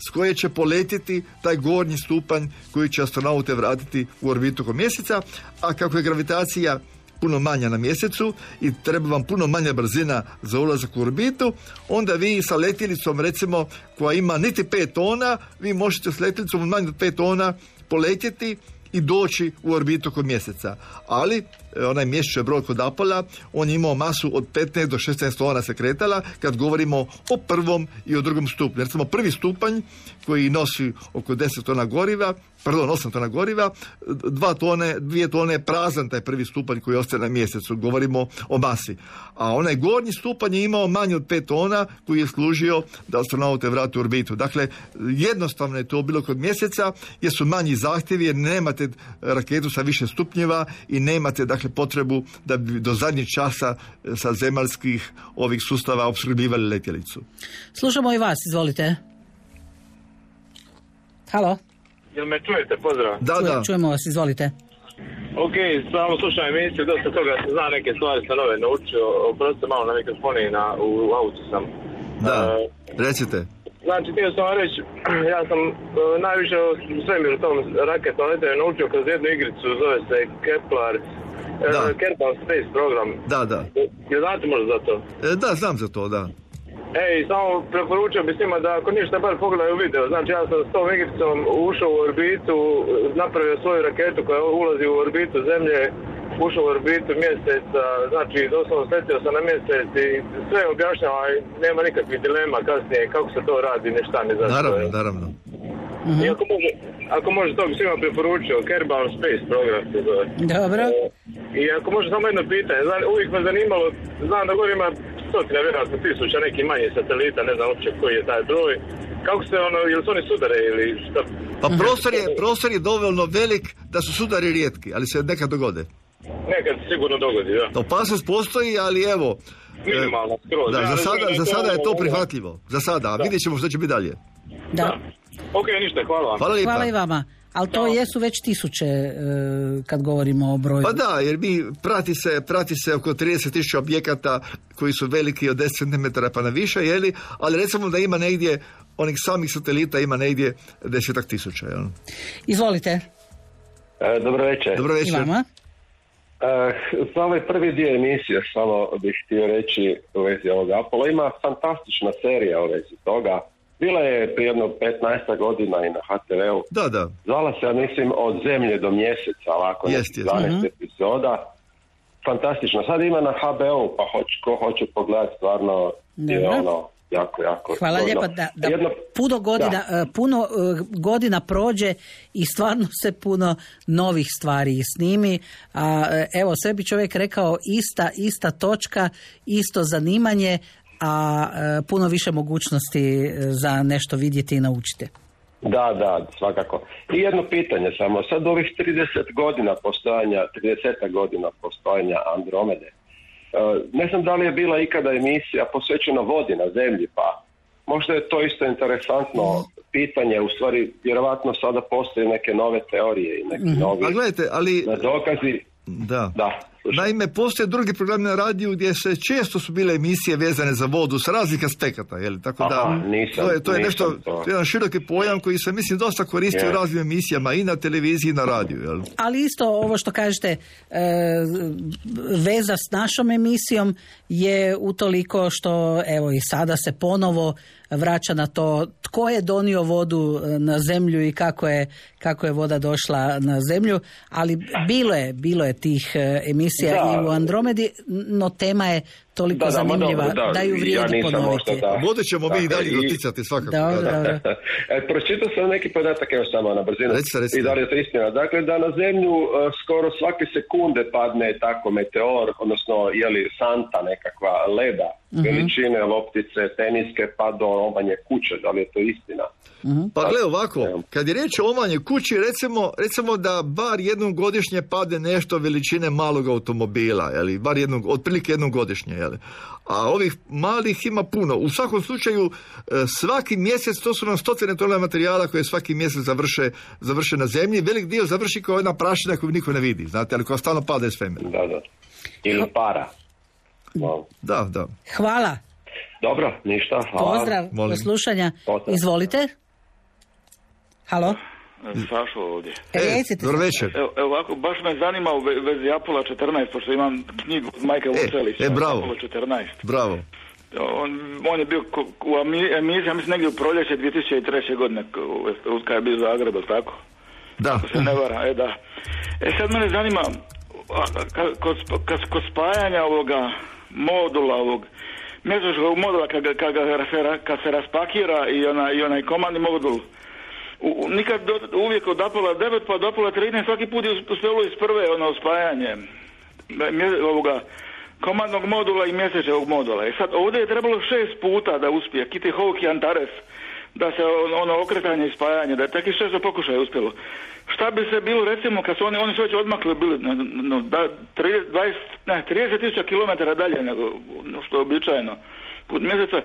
s koje će poletiti taj gornji stupanj koji će astronaute vratiti u orbitu oko mjeseca, a kako je gravitacija puno manja na mjesecu i treba vam puno manja brzina za ulazak u orbitu, onda vi sa letjelicom recimo koja ima niti 5 tona, vi možete s letjelicom manje od 5 tona poletjeti i doći u orbitu kod mjeseca. Ali onaj mjesečev brod kod Apola, on je imao masu od 15 do 16 tona se kretala kad govorimo o prvom i o drugom stupnju. Recimo prvi stupanj koji nosi oko 10 tona goriva, 8 tona goriva, 2 tone je prazan taj prvi stupanj koji ostaje na mjesecu. Govorimo o masi. A onaj gornji stupanj je imao manje od 5 tona koji je služio da astronaute vrati u orbitu. Dakle, jednostavno je to bilo kod mjeseca jer su manji zahtjevi jer nemate raketu sa više stupnjeva i nemate dakle potrebu da bi do zadnjeg časa sa zemaljskih ovih sustava opskrbljivali letjelicu. Slušamo i vas, izvolite. Halo? Jel me čujete? Pozdrav. Da. Čujemo vas, izvolite. Ok, samo slušam emisiju, dosta toga se zna, neke stvari sam nove naučio, oprostite malo na mikrofoni, u autu sam. Da, recite. Znači, htio sam vam reći, ja sam najviše o svemiru tom raketom letenju naučio kroz jednu igricu, zove se Kerbal Space Program. Da. Jel znate možda za to? Da, znam za to, da. Samo preporučio bi svima da ako ništa bar pogledaju video. Znači ja sam s tom igricom ušao u orbitu, napravio svoju raketu koja ulazi u orbitu Zemlje, ušao u orbitu mjeseca, znači doslovno sletio sam na mjesec i sve objašnjava i nema nikakvih dilema kasnije kako se to radi, ništa ne zašto. Naravno. I ako može to bi svima preporučio, Kerbal Space Program se zove. Dobro. I ako može samo jedno pitanje, uvijek me zanimalo, znam da gore ima stotina, vjerojatno tisuća nekih manjih satelita, ne znam uopće koji je taj broj. Kako se jel su oni sudare ili šta? Pa prostor je dovoljno velik da su sudari rijetki, ali se nekad dogode. Nekad se sigurno dogodi, da. Opasnost postoji, ali evo... Minimalno, skroz. Da, za sada je to prihvatljivo. Za sada, a vidjet ćemo što će biti dalje. Da. Ok, ništa, hvala vam. Hvala lijepa. Hvala i vama. Ali to jesu već tisuće kad govorimo o broju. Pa da, jer prati se oko 30.000 objekata koji su veliki od 10 cm pa na više, ali recimo da ima negdje, onih samih satelita ima negdje 10.000. Jel? Izvolite. Dobro večer. Dobro večer. I vama. Za ovaj prvi dio emisije samo bih htio reći u vezi ovog Apola. Ima fantastična serija u vezi toga. Bila je prije jedno 15 godina i na HTV-u. Da. Zvala se, mislim, od Zemlje do mjeseca, ovako, 12 epizoda. Fantastično. Sad ima na HBO, pa ko hoće pogledati, stvarno je jako. Hvala lijepa da puno godina prođe i stvarno se puno novih stvari snimi. A evo, sve bi čovjek rekao ista točka, isto zanimanje, a puno više mogućnosti za nešto vidjeti i naučiti. Da, svakako. I jedno pitanje samo, sad ovih 30 godina postojanja Andromede, ne znam da li je bila ikada emisija posvećena vodi na zemlji, pa možda je to isto interesantno pitanje, u stvari vjerovatno sada postoje neke nove teorije i neki novi dokazi. Da. Naime, postoje drugi programi na radiju gdje se često su bile emisije vezane za vodu s raznih aspekata, je li? Tako da to je nešto, to je jedan široki pojam koji se mislim dosta koristi u raznim emisijama i na televiziji i na radiju, je li? Ali isto ovo što kažete, veza s našom emisijom je utoliko što evo i sada se ponovo vraća na to tko je donio vodu na zemlju i kako je voda došla na zemlju, ali bilo je tih emisija i u Andromedi, no tema je toliko zanimljiva da ju vrijedi ponoviti. Vodu ćemo mi i dalje doticati svakako. Dobro. Pročitao sam neki podatak, evo samo na brzinu. I da li je to istina? Dakle, da na zemlju skoro svake sekunde padne tako meteor, odnosno santa nekakva leda, veličine loptice, teniske, pa do omanje kuće. Da li je to istina? Pa gle ovako, kad je riječ o omanje kući, recimo da bar jednom godišnje pade nešto veličine malog automobila, bar otprilike jednom godišnje, a ovih malih ima puno. U svakom slučaju, svaki mjesec, to su nam stotine tona materijala koje svaki mjesec završe na zemlji, velik dio završi kao jedna prašina koju niko ne vidi, znate, ali koja stalno pada iz svemira. Da. Ili para. Wow. Da. Hvala. Dobro, ništa, hvala. Pozdrav, do slušanja. Izvolite. Halo? Sašo ovdje. Dobro večer. Evo ovako, baš me zanima u vezi Apollo 14, pošto imam knjigu od Majka Vucelića. Bravo. Apollo 14. Bravo. On je bio u emisiji, mislim negdje u proljeće 2003. godine, kad je bio Zagreb, tako? Da. Ako se ne vara, da. Sad mene zanima, kod spajanja ovoga modula, mjesečnog modula, kad se raspakira i onaj komandni modul, nikad uvijek od Apollo 9 pa do Apollo 13 svaki put je uspjelo iz prve spajanje ovoga komandnog modula i mjesečnog modula. I sad ovdje je trebalo 6 puta da uspije Kitty Hawk i Antares, da se okretanje i spajanje, da je takih 6 pokušaja uspjelo. Šta bi se bilo, recimo, kad su oni su već odmakli bili 30.000 km dalje nego što je običajno put mjeseca,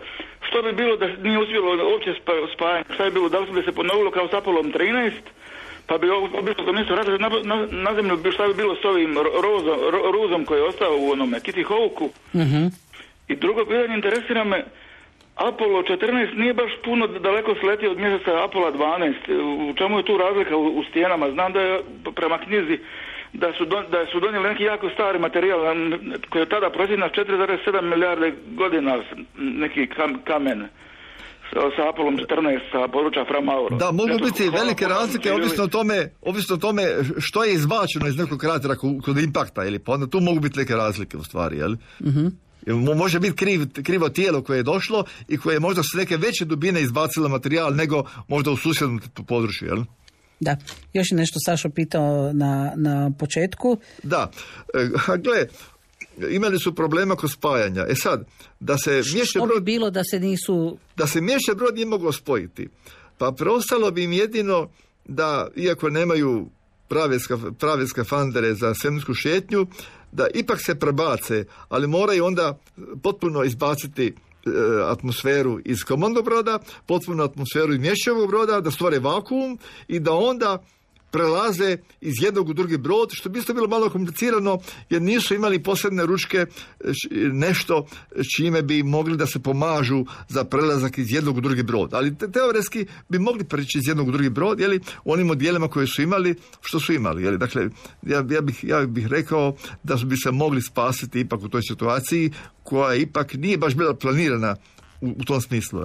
što bi bilo da nije uspjelo uopće spajanje? Šta bi bilo, da li bi se ponovilo kao s Apollo 13, pa bi obično to nisu radili na zemlju, šta bi bilo s ovim ruzom koji je ostao u onome Kitty Hawku? I drugo pitanje, interesira me, Apollo 14 nije baš puno daleko sletio od mjeseca Apollo 12. U čemu je tu razlika u stijenama? Znam da je prema knjizi da su donijeli neki jako stari materijal koji je tada procjenjena 4,7 milijarde godina, neki kamen sa Apollom 14 sa područja Fra Mauro. Da, mogu biti velike razlike ovisno o tome što je izbačeno iz nekog kratera kod impakta, pa onda tu mogu biti neke razlike u stvari, Može biti krivo tijelo koje je došlo i koje je možda s neke veće dubine izbacilo materijal nego možda u susjednom području, Da, još je nešto Sašo pitao na početku. Da, gle, imali su problema kod spajanja. Sad, da se Mješće Brod... bi bilo da se nisu... Da se Mješće Brod nije moglo spojiti, pa preostalo bi im jedino da, iako nemaju prave skafandere za svemirsku šetnju, da ipak se prebace, ali moraju onda potpuno izbaciti atmosferu iz komandnog broda, potpuno atmosferu iz Mješćevog broda, da stvore vakuum i da onda prelaze iz jednog u drugi brod, što bi isto bilo malo komplicirano jer nisu imali posebne ručke, nešto čime bi mogli da se pomažu za prelazak iz jednog u drugi brod. Ali teoretski bi mogli preći iz jednog u drugi brod, u onim odjelima koje su imali, što su imali. Dakle, ja bih rekao da bi se mogli spasiti ipak u toj situaciji koja ipak nije baš bila planirana u tom smislu.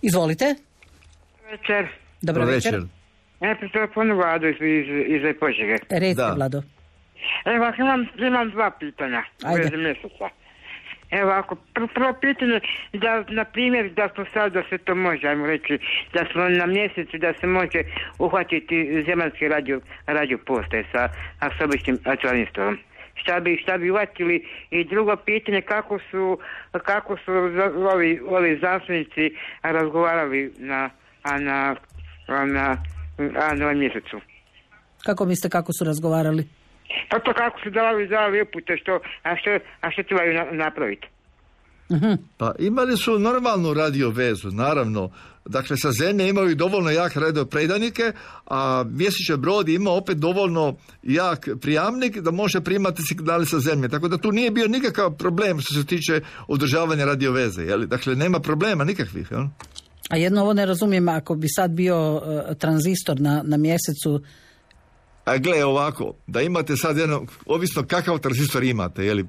Izvolite. Večer. Dobro večer. Najprije telefonu Vladu iz Požege. Recite, Vlado. Evo, imam dva pitanja u vezi mjeseca. Evo, prvo pitanje, da, na primjer, da smo sad, da se to može, ajmo reći, da smo na mjesecu, da se može uhvatiti zemaljski radio postaje sa običnim atomistolom. Šta bi uhvatili? I drugo pitanje, kako su ovi znanstvenici razgovarali na na mjesecu. Kako mislite, kako su razgovarali? Pa to kako su davali upute, a što trebaju napraviti? Pa imali su normalnu radio vezu, naravno. Dakle, sa zemlje imaju dovoljno jak radio predanike, a Mjesečev brod ima opet dovoljno jak prijamnik da može primati signale sa zemlje. Tako da tu nije bio nikakav problem što se tiče održavanja radio veze. Jel? Dakle, nema problema nikakvih. Jel? A jedno ovo ne razumijem, ako bi sad bio tranzistor na mjesecu. A gle, ovako, da imate sad jedno, ovisno kakav tranzistor imate, jeli,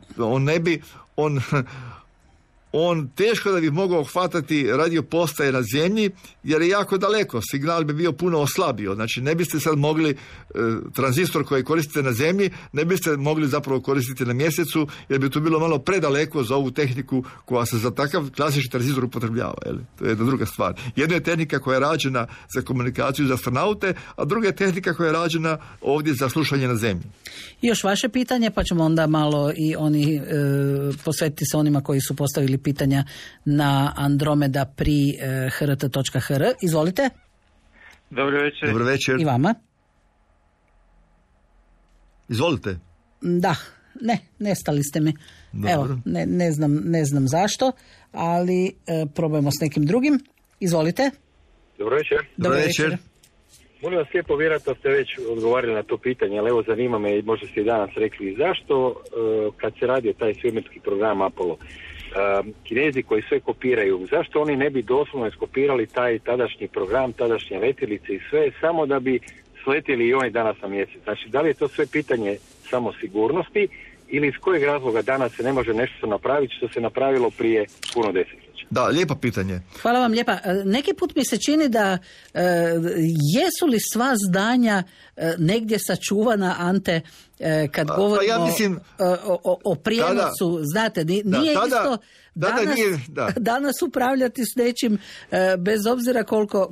on teško da bi mogao hvatati radio postaje na zemlji, jer je jako daleko, signal bi bio puno oslabio. Znači, ne biste sad mogli tranzistor koji koristite na zemlji, ne biste mogli zapravo koristiti na mjesecu, jer bi to bilo malo predaleko za ovu tehniku koja se za takav klasični tranzistor upotrebljava. Jeli? To je jedna druga stvar. Jedna je tehnika koja je rađena za komunikaciju za astronaute, a druga je tehnika koja je rađena ovdje za slušanje na zemlji. I još vaše pitanje, pa ćemo onda malo i oni posvetiti se onima koji su postavili pitanja na Andromeda pri hrt.hr. Izvolite. Dobro večer. Dobro večer. I vama. Izvolite. Da, nestali ste mi. Dobro. Evo, ne znam zašto, ali probajmo s nekim drugim. Izvolite. Dobro večer. Dobro večer. Molim vas lijepo, vjerojatno ste već odgovarali na to pitanje, ali evo zanima me i možda ste i danas rekli zašto kad se radio taj svemirski program Apollo, Kinezi koji sve kopiraju, zašto oni ne bi doslovno iskopirali taj tadašnji program, tadašnje letjelice i sve, samo da bi sletjeli i oni danas na mjesec? Znači, da li je to sve pitanje samo sigurnosti ili iz kojeg razloga danas se ne može nešto napraviti što se napravilo prije puno desetljeća? Da, lijepo pitanje. Hvala vam lijepa. Neki put mi se čini da jesu li sva zdanja negdje sačuvana, Ante, kad govorimo ja mislim, o prijenosu, znate, nije isto danas upravljati s nečim, bez obzira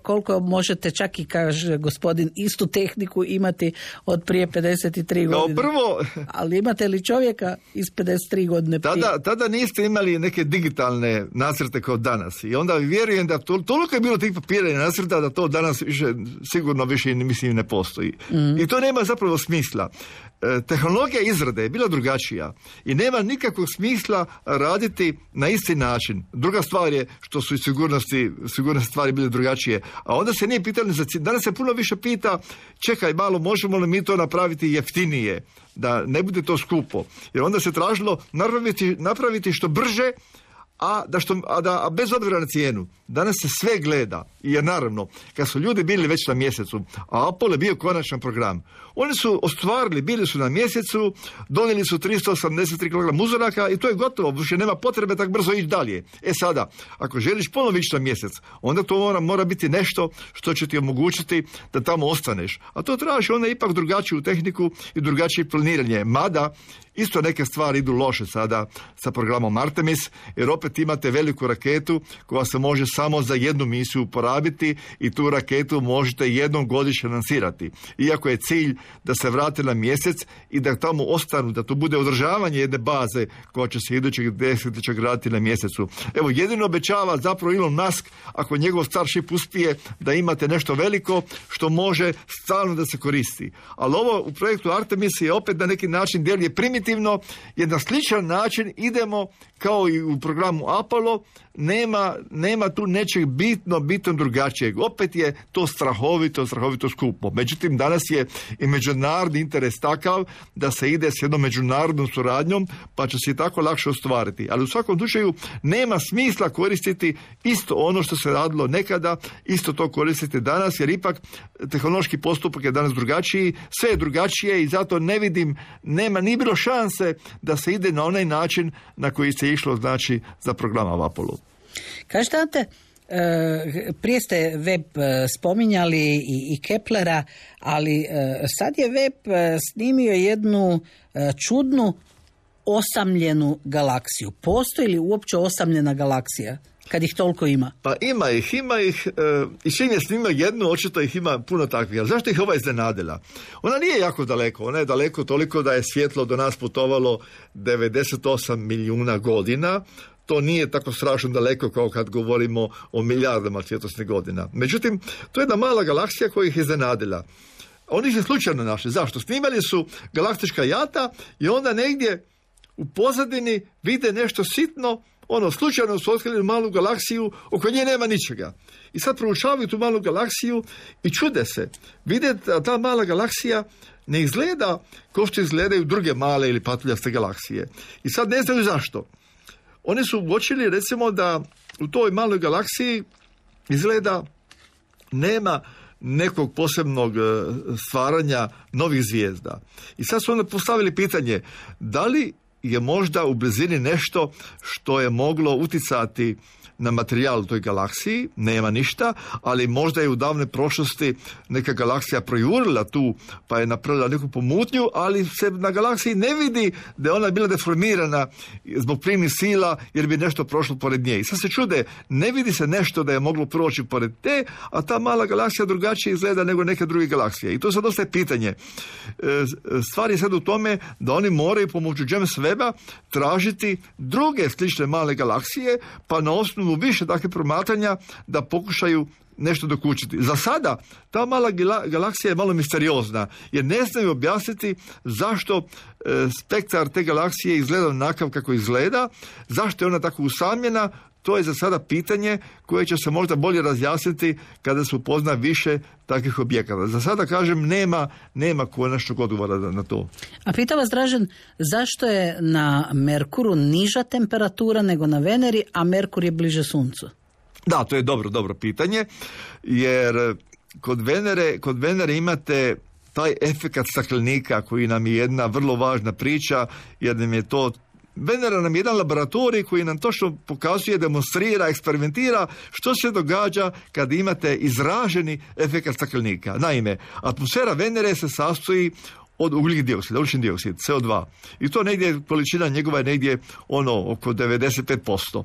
koliko možete, čak i kaže gospodin, istu tehniku imati od prije 53 godine. Prvo, ali imate li čovjeka iz 53 godine prije? Tada niste imali neke digitalne nacrte kao danas. I onda vjerujem da toliko je bilo tih papira i nacrta da to danas sigurno više ne postoji. I to nema zapravo smisla. Tehnologija izrade je bila drugačija i nema nikakvog smisla raditi na isti način. Druga stvar je što su i sigurnosne stvari bile drugačije. A onda se nije pitali danas se puno više pita, čekaj malo, možemo li mi to napraviti jeftinije, da ne bude to skupo. Jer onda se tražilo napraviti što brže, a bez obzira na cijenu. Danas se sve gleda, jer naravno, kad su ljudi bili već na mjesecu, a Apollo je bio konačan program, oni su ostvarili, bili su na mjesecu, donijeli su 383 kg uzoraka i to je gotovo, više nema potrebe tako brzo ići dalje. Sada, ako želiš ponovo ići na mjesec, onda to mora biti nešto što će ti omogućiti da tamo ostaneš. A to traži onda ipak drugačiju tehniku i drugačije planiranje. Mada, isto neke stvari idu loše sada sa programom Artemis, jer opet imate veliku raketu koja se može samo za jednu misiju uporabiti i tu raketu možete jednom godišnje lansirati. Iako je cilj da se vrate na mjesec i da tamo ostanu, da to bude održavanje jedne baze koja će se idućeg desetljeća graditi na mjesecu. Evo, jedino obećava zapravo Elon Musk, ako njegov Starship uspije, da imate nešto veliko što može stalno da se koristi. Ali ovo u projektu Artemis je opet na neki način djeluje primitivno, jer na sličan način idemo kao i u programu Apollo, nema tu nečeg bitno drugačijeg. Opet je to strahovito skupo. Međutim, danas je i međunarodni interes takav da se ide s jednom međunarodnom suradnjom, pa će se i tako lakše ostvariti. Ali u svakom slučaju nema smisla koristiti isto ono što se radilo nekada, isto to koristiti danas, jer ipak tehnološki postupak je danas drugačiji, sve je drugačije i zato ne vidim, nije bilo šanse da se ide na onaj način na koji se išlo, znači, za program Apollo. Kažete, Ante, prije ste web spominjali i Keplera, ali sad je web snimio jednu čudnu osamljenu galaksiju. Postoji li uopće osamljena galaksija, kad ih toliko ima? Pa ima ih i čim je snimio jednu, očito ih ima puno takvih. Ali zašto ih ova iznenadila? Ona nije jako daleko, ona je daleko toliko da je svjetlo do nas putovalo 98 milijuna godina. to nije tako strašno daleko kao kad govorimo o milijardama svjetlosnih godina. Međutim, to je jedna mala galaksija koja ih je iznenadila. Oni se slučajno našli. Zašto? Snimali su galaktička jata i onda negdje u pozadini vide nešto sitno, slučajno su otkrili malu galaksiju, oko nje nema ničega. I sad proučavaju tu malu galaksiju i čude se. Vide da ta mala galaksija ne izgleda kao što izgledaju druge male ili patuljaste galaksije. I sad ne znaju zašto. Oni su uočili, recimo, da u toj maloj galaksiji izgleda nema nekog posebnog stvaranja novih zvijezda. I sad su onda postavili pitanje, da li je možda u blizini nešto što je moglo uticati na materijal u toj galaksiji, nema ništa, ali možda je u davnoj prošlosti neka galaksija projurila tu, pa je napravila neku pomutnju, ali se na galaksiji ne vidi da je ona bila deformirana zbog primnih sila, jer bi nešto prošlo pored nje. I sad se čude, ne vidi se nešto da je moglo proći pored te, a ta mala galaksija drugačije izgleda nego neke druge galaksije. I to sad ostaje pitanje. Stvar je sad u tome da oni moraju pomoću James Webba tražiti druge slične male galaksije, pa na osnovu više takve promatranja da pokušaju nešto dokučiti. Za sada ta mala galaksija je malo misteriozna, jer ne znaju objasniti zašto spektar te galaksije izgleda onakav kako izgleda, zašto je ona tako usamljena. To je za sada pitanje koje će se možda bolje razjasniti kada se upozna više takvih objekata. Za sada, kažem, nema konačnog odgovora na to. A pita vas, Dražen, zašto je na Merkuru niža temperatura nego na Veneri, a Merkur je bliže Suncu? Da, to je dobro pitanje, jer kod Venere imate taj efekat staklenika koji nam je jedna vrlo važna priča, jer nam je to Venera nam je jedan laboratorij koji nam točno pokazuje, demonstrira, eksperimentira što se događa kad imate izraženi efekat staklenika. Naime, atmosfera Venere se sastoji od ugljik dioksida, ugljični dioksid, CO2. I to negdje, količina njegova je negdje oko 95%.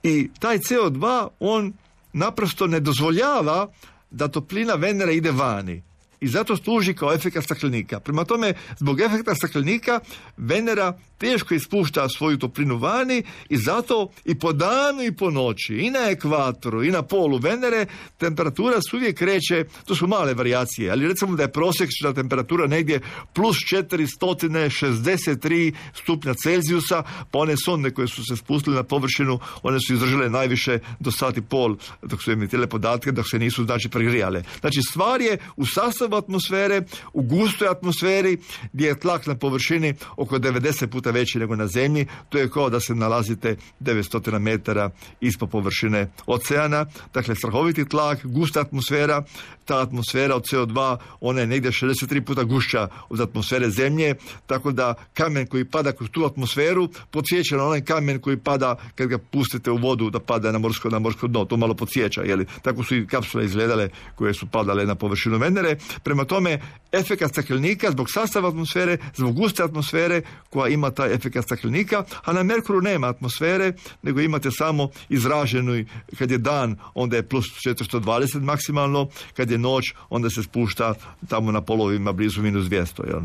I taj CO2, on naprosto ne dozvoljava da toplina Venere ide vani. I zato služi kao efekat staklenika. Prema tome, zbog efekta staklenika Venera teško ispušta svoju toplinu vani i zato i po danu i po noći, i na ekvatoru i na polu Venere, temperatura se uvijek kreće, to su male varijacije, ali recimo da je prosječna temperatura negdje plus 463 stupnja Celzijusa, pa one sonde koje su se spustile na površinu, one su izdržale najviše do sat i pol, dok su emitirale podatke, dok se nisu pregrijale. Znači, stvar je u sastavu atmosfere, u gustoj atmosferi, gdje je tlak na površini oko 90 puta veći nego na zemlji. To je kao da se nalazite 900 metara ispod površine oceana. Dakle, strahoviti tlak, gusta atmosfera. Ta atmosfera od CO2, ona je negdje 63 puta gušća od atmosfere zemlje, tako da kamen koji pada kroz tu atmosferu podsjeća na onaj kamen koji pada kad ga pustite u vodu da pada na morsko dno. To malo podsjeća, jeli? Tako su i kapsule izgledale koje su padale na površinu Venere. Prema tome, efekat staklenika zbog sastava atmosfere, zbog guste atmosfere koja ima taj efekat staklenika, a na Merkuru nema atmosfere, nego imate samo izraženu, kad je dan, onda je plus 420 maksimalno, kad je noć, onda se spušta tamo na polovima blizu minus 200. Jel?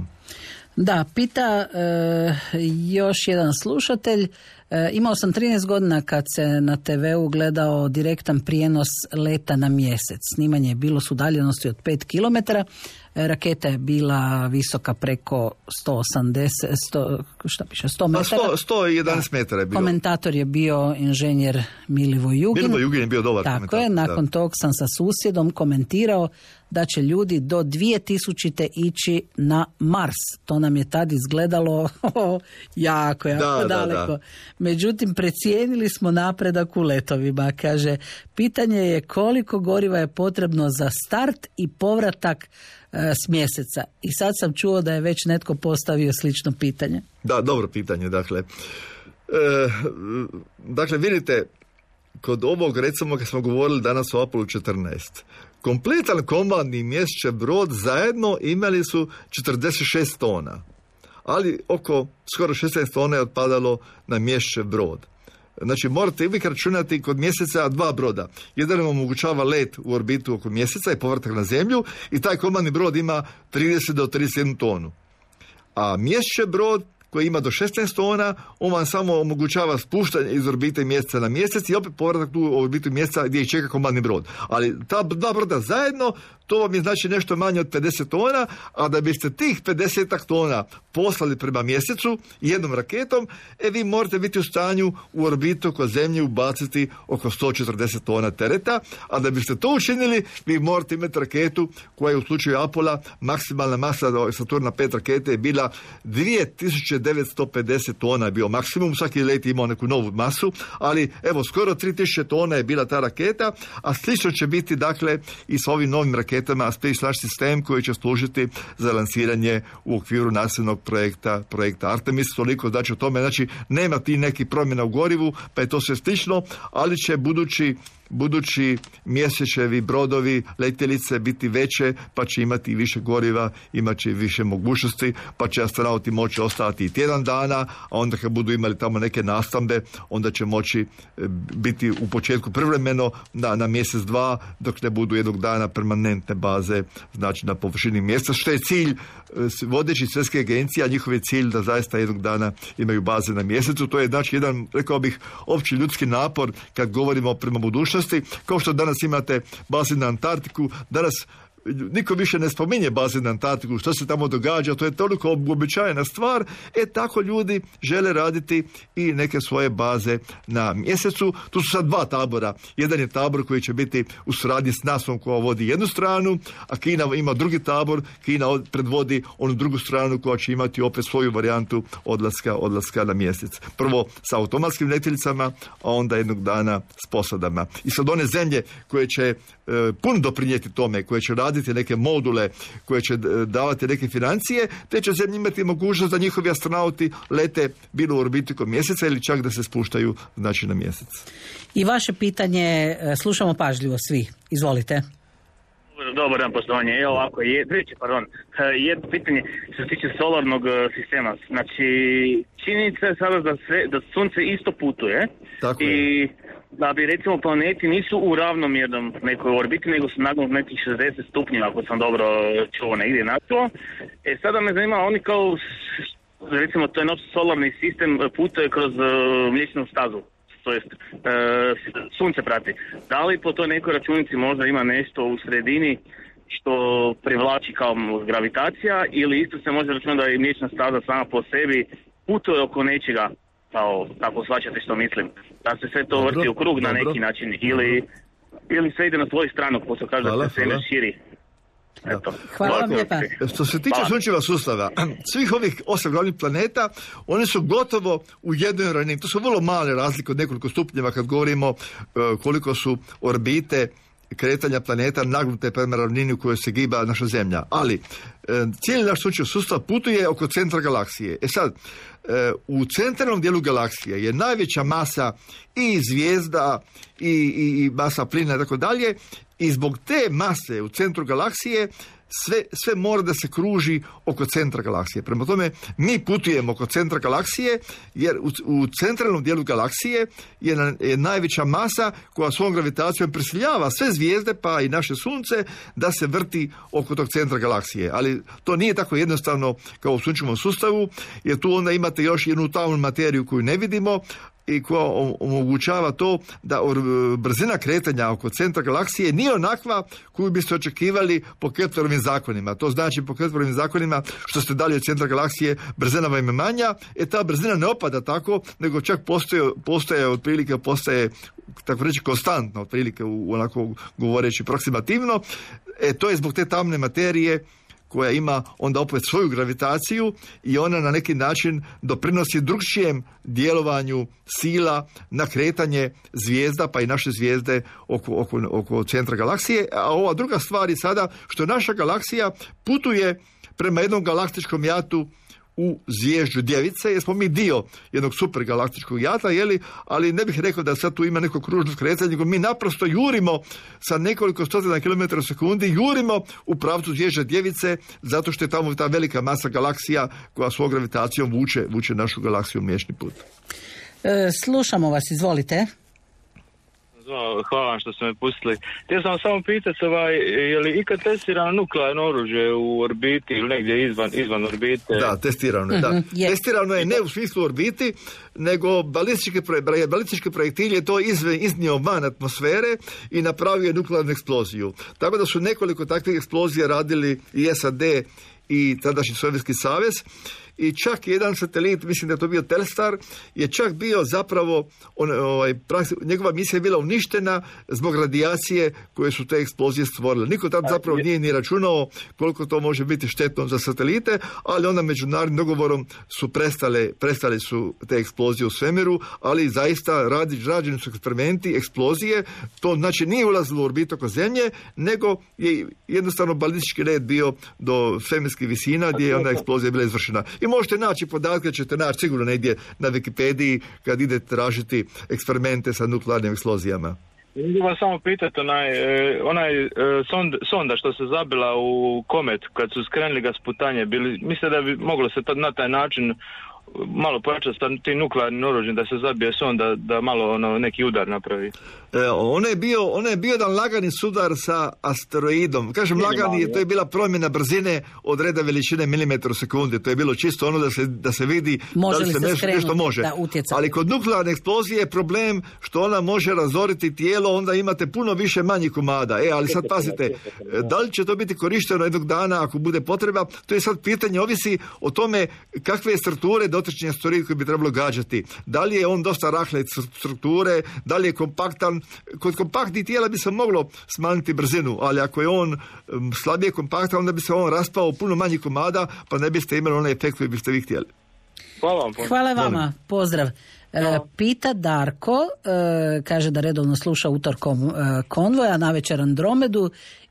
Da, pita još jedan slušatelj. Imao sam 13 godina kad se na TV-u gledao direktan prijenos leta na mjesec. Snimanje je bilo s udaljenosti od 5 km. Raketa je bila visoka preko 100 metara. 111 metara je bio. Komentator je bio inženjer Milivoj Jugin. Milivoj Jugin je bio dobar komentator. Tako je, nakon tog sam sa susjedom komentirao da će ljudi do 2000. ići na Mars. To nam je tad izgledalo jako daleko. Da. Međutim, precijenili smo napredak u letovima. Kaže, pitanje je koliko goriva je potrebno za start i povratak s mjeseca. I sad sam čuo da je već netko postavio slično pitanje. Da, dobro pitanje. Dakle, vidite, kod ovog, recimo, kad smo govorili danas o Apollo 14, kompletan komandni mjesečev brod zajedno imali su 46 tona, ali oko skoro 16 tona je otpadalo na mjesečev brod. Znači, morate uvijek računati kod mjeseca 2 broda. Jedan vam omogućava let u orbitu oko mjeseca i povratak na zemlju i taj komandni brod ima 30 do 31 tonu. A mjesečev brod koji ima do 16 tona, on vam samo omogućava spuštanje iz orbite mjeseca na mjesec i opet povratak tu u orbitu mjeseca gdje ih čeka komandni brod. Ali ta dva broda zajedno, to vam je znači nešto manje od 50 tona, a da biste tih 50 tona poslali prema mjesecu jednom raketom, vi morate biti u stanju u orbitu oko Zemlje ubaciti oko 140 tona tereta, a da biste to učinili, vi morate imati raketu koja je u slučaju Apola, maksimalna masa Saturna 5 rakete je bila 2950 tona je bio maksimum, svaki let je imao neku novu masu, ali evo skoro 3000 tona je bila ta raketa, a slično će biti dakle i s ovim novim raketama Space Launch System koji će služiti za lansiranje u okviru nacionalnog projekta Artemis, toliko znači o tome, znači nema ti neki promjena u gorivu, pa je to sve slično, ali će budući mjesečevi, brodovi, letjelice biti veće, pa će imati više goriva, imat će više mogućnosti, pa će astronauti moći ostati i tjedan dana, a onda kad budu imali tamo neke nastambe, onda će moći biti u početku privremeno na mjesec, dva, dok ne budu jednog dana permanentne baze, znači na površini mjeseca, što je cilj vodeći svjetske agencije, a njihov je cilj da zaista jednog dana imaju baze na mjesecu. To je znači jedan, rekao bih, opći ljudski napor kad govorimo prema budućnosti. Kao što danas imate baze na Antarktiku, danas niko više ne spominje baze na Antarktiku, što se tamo događa, to je toliko uobičajena stvar, tako ljudi žele raditi i neke svoje baze na mjesecu. Tu su sad dva tabora. Jedan je tabor koji će biti u suradnji s NASA-om koja vodi jednu stranu, a Kina ima drugi tabor, Kina predvodi onu drugu stranu koja će imati opet svoju varijantu odlaska na mjesec. Prvo sa automatskim letjelicama, a onda jednog dana s posadama. I sad one zemlje koje će puno doprinijeti tome, koje će raditi neke module, koje će davati neke financije, te će zemlje imati mogućnost da njihovi astronauti lete bilo u orbitu oko mjeseca ili čak da se spuštaju znači na mjesec. I vaše pitanje slušamo pažljivo svi. Izvolite. Dobar dan, poštovanje. Evo ovako, jedno pitanje što se tiče solarnog sistema. Znači, činjenica je sada da sunce isto putuje. Tako i da bi recimo planeti nisu u ravnomjernom nekoj orbiti, nego su nagnut nekih 60 stupnjeva, ako sam dobro čuo negdje na to. Sada me zanima, oni kao, recimo to je naš solarni sistem, putuje kroz mliječnu stazu, to jest sunce prati. Da li po toj nekoj računici možda ima nešto u sredini što privlači kao gravitacija, ili isto se može računati da je mliječna staza sama po sebi putuje oko nečega, kao tako shvaćate što mislim, da se sve to vrti u krug na neki način, ili sve ide na svoju stranu, ko se kaže da se sve širi. Eto. Hvala vam lijepa. Što se tiče sunčeva sustava, svih ovih 8 glavnih planeta, oni su gotovo u jednoj ravnini. To su vrlo male razlike od nekoliko stupnjeva kad govorimo koliko su orbite kretanja planeta nagnute prema ravnini u kojoj se giba naša Zemlja. Ali cijeli naš sunčev sustav putuje oko centra galaksije. Sad, u centralnom dijelu galaksije je najveća masa i zvijezda i masa plina i tako dalje, i zbog te mase u centru galaksije sve mora da se kruži oko centra galaksije. Prema tome, mi putujemo oko centra galaksije, jer u centralnom dijelu galaksije je najveća masa koja svom gravitacijom prisiljava sve zvijezde, pa i naše sunce, da se vrti oko tog centra galaksije. Ali to nije tako jednostavno kao u sunčevom sustavu, jer tu onda imate još jednu tamnu materiju koju ne vidimo, i koja omogućava to da brzina kretanja oko centra galaksije nije onakva koju biste očekivali po Keplerovim zakonima. To znači po Keplerovim zakonima, što ste dalje od centra galaksije, brzina vam je manja, ta brzina ne opada tako, nego čak postaje tako reći konstantno, otprilike onako govoreći proksimativno. To je zbog te tamne materije koja ima onda opet svoju gravitaciju i ona na neki način doprinosi drugčijem djelovanju sila na kretanje zvijezda, pa i naše zvijezde oko centra galaksije. A ova druga stvar je sada što naša galaksija putuje prema jednom galaktičkom jatu u zvijezđu Djevice, jer smo mi dio jednog supergalaktičkog jata, ali ne bih rekao da sad tu ima neko kružno kretanje, nego mi naprosto jurimo sa nekoliko stotina kilometara u sekundi, jurimo u pravcu zvijezđa Djevice, zato što je tamo ta velika masa galaksija koja svojom gravitacijom vuče našu galaksiju u Mliječni put. Slušamo vas, izvolite. Hvala vam što ste me pustili. Htio sam samo pitati, je li ikad testirano nuklearno oružje u orbiti ili negdje izvan orbite? Da, testirano je, da. Testirano je ne u smislu orbiti, nego balistički projektil je to iznio van atmosfere i napravio je nuklearnu eksploziju. Tako da su nekoliko takvih eksplozija radili i SAD i tadašnji Sovjetski savez. I čak jedan satelit, mislim da je to bio Telstar, je čak bio zapravo, njegova misija je bila uništena zbog radijacije koje su te eksplozije stvorile. Niko tad zapravo nije ni računao koliko to može biti štetno za satelite, ali onda međunarodnim dogovorom su prestale su te eksplozije u svemiru, ali zaista rađeni su eksperimenti, eksplozije, to znači nije ulazilo u orbitu oko Zemlje, nego je jednostavno balistički red bio do svemirskih visina gdje je onda eksplozija bila izvršena. I možete naći podatke, ćete naći sigurno negdje na Wikipediji kad idete tražiti eksperimente sa nuklearnim eksplozijama. Mogu vas samo pitati, sonda što se zabila u komet kad su skrenuli ga s putanje, mislite da bi moglo se na taj način malo pojačati tim nuklearnim oružjem da se zabije sonda, da malo neki udar napravi? On je bio jedan lagani sudar sa asteroidom. Kažem lagani, to je bila promjena brzine od reda veličine milimetra u sekundi. To je bilo čisto ono da se vidi može da li se nešto može. Ali kod nuklearne eksplozije je problem što ona može razoriti tijelo, onda imate puno više manjih komada. Ali sad pazite, da li će to biti korišteno jednog dana ako bude potreba, to je sad pitanje, ovisi o tome kakve je strukture dotični asteroid koji bi trebalo gađati. Da li je on dosta rahle strukture, da li je kompaktan. Kod kompaktnih tijela bi se moglo smanjiti brzinu, ali ako je on slabije kompaktan, onda bi se on raspao u puno manjih komada, pa ne biste imali onaj efekt koji biste vi htjeli. Hvala vama, pozdrav. Pita Darko, kaže da redovno sluša utorkom Konvoja, navečer Andromedu,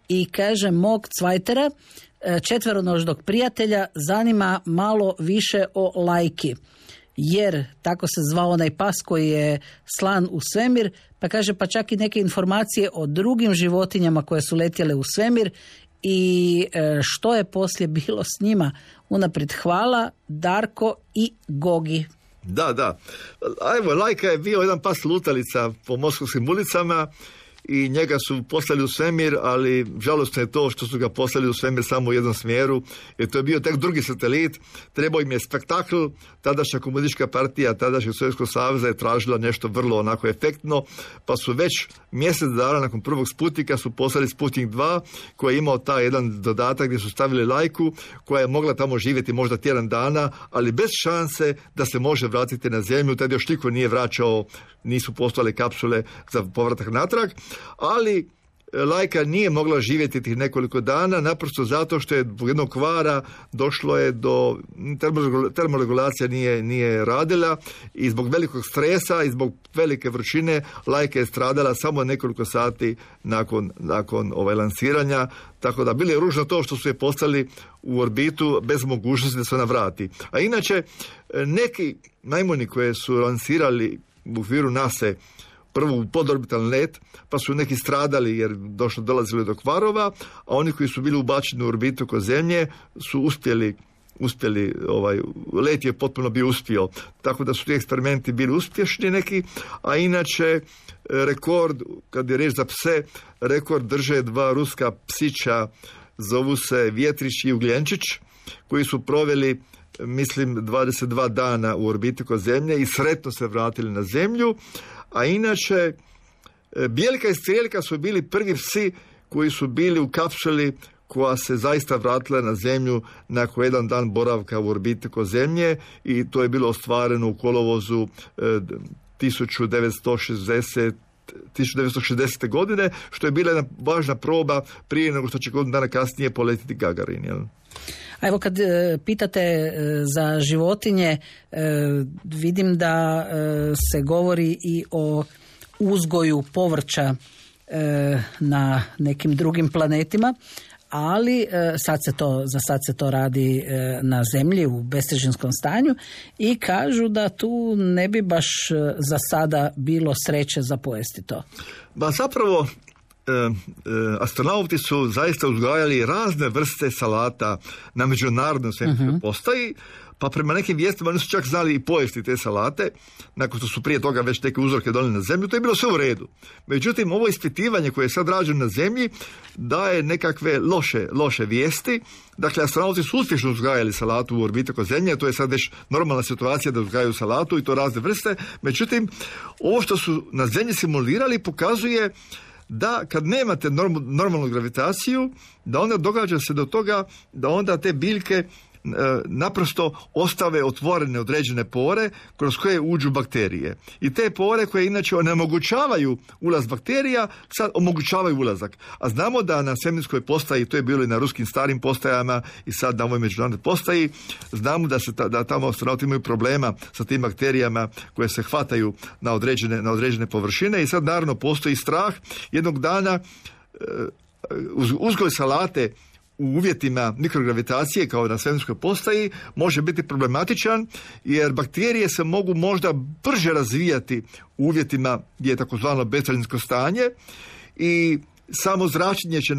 i kaže mog cvajtera, četveronožnog prijatelja, zanima malo više o Lajki. Jer tako se zvao onaj pas koji je slan u svemir, pa kaže pa čak i neke informacije o drugim životinjama koje su letjele u svemir i što je poslije bilo s njima. Unaprijed hvala, Darko i Gogi. Da. Evo, Lajka je bio jedan pas lutalica po moskovskim ulicama i njega su poslali u svemir, ali žalostno je to što su ga poslali u svemir samo u jednom smjeru, jer to je bio tek drugi satelit, trebao im je spektakl, tadašnja komunistička partija, tadašnjeg Sovjetskog saveza je tražila nešto vrlo onako efektno, pa su već mjesec dana nakon prvog Sputnika su poslali Sputnik 2, koji je imao taj jedan dodatak gdje su stavili Lajku, koja je mogla tamo živjeti možda tjedan dana, ali bez šanse da se može vratiti na Zemlju, tad još niko nije vraćao, nisu postojale kapsule za povratak natrag, ali Lajka nije mogla živjeti tih nekoliko dana, naprosto zato što je zbog jednog kvara došlo je do termoregulacija nije radila i zbog velikog stresa i zbog velike vrućine Lajka je stradala samo nekoliko sati nakon lansiranja, tako da bilo je ružno to što su je poslali u orbitu bez mogućnosti da se ona vrati. A inače, neki majmuni koje su lansirali u okviru NASA prvu podorbitalni let, pa su neki stradali jer dolazili do kvarova, a oni koji su bili ubačeni u orbitu oko Zemlje su uspjeli let je potpuno bio uspio. Tako da su ti eksperimenti bili uspješni neki, a inače rekord, kad je riječ za pse, rekord drže dva ruska psića, zovu se Vjetrić i Ugljenčić, koji su proveli mislim 22 dana u orbiti oko Zemlje i sretno se vratili na Zemlju. A inače, Bijelka i Strijeljka su bili prvi psi koji su bili u kapsuli koja se zaista vratila na Zemlju nakon jedan dan boravka u orbiti oko Zemlje i to je bilo ostvareno u kolovozu 1960. godine, što je bila jedna važna proba prije nego što će godinu dana kasnije poletiti Gagarin. Jel? A evo kad pitate za životinje, vidim da se govori i o uzgoju povrća na nekim drugim planetima, ali za sad se to radi na Zemlji u bestežinskom stanju i kažu da tu ne bi baš za sada bilo sreće za pojesti to. Ba zapravo astronauti su zaista uzgajali razne vrste salata na međunarodnoj svemirskoj postaji, pa prema nekim vijestima oni su čak znali i pojesti te salate, nakon što su prije toga već neke uzorke donijeli na zemlju, to je bilo sve u redu. Međutim, ovo ispitivanje koje je sad rađeno na zemlji daje nekakve loše vijesti. Dakle, astronauti su uspješno uzgajali salatu u orbiti oko zemlje, to je sad već normalna situacija da uzgajaju salatu i to razne vrste. Međutim, ovo što su na zemlji simulirali pokazuje da kad nemate normalnu gravitaciju, da onda događa se do toga da onda te biljke naprosto ostave otvorene određene pore kroz koje uđu bakterije. I te pore koje inače onemogućavaju ulaz bakterija, sad omogućavaju ulazak. A znamo da na svemirskoj postaji, to je bilo i na ruskim starim postajama i sad na ovoj međunarodnoj postaji, znamo da tamo astronauti imaju problema sa tim bakterijama koje se hvataju na određene površine i sad naravno postoji strah jednog dana uzgoj salate u uvjetima mikrogravitacije kao na svemirskoj postaji može biti problematičan jer bakterije se mogu možda brže razvijati u uvjetima gdje je takozvano bezdaljinsko stanje i samo zračenje će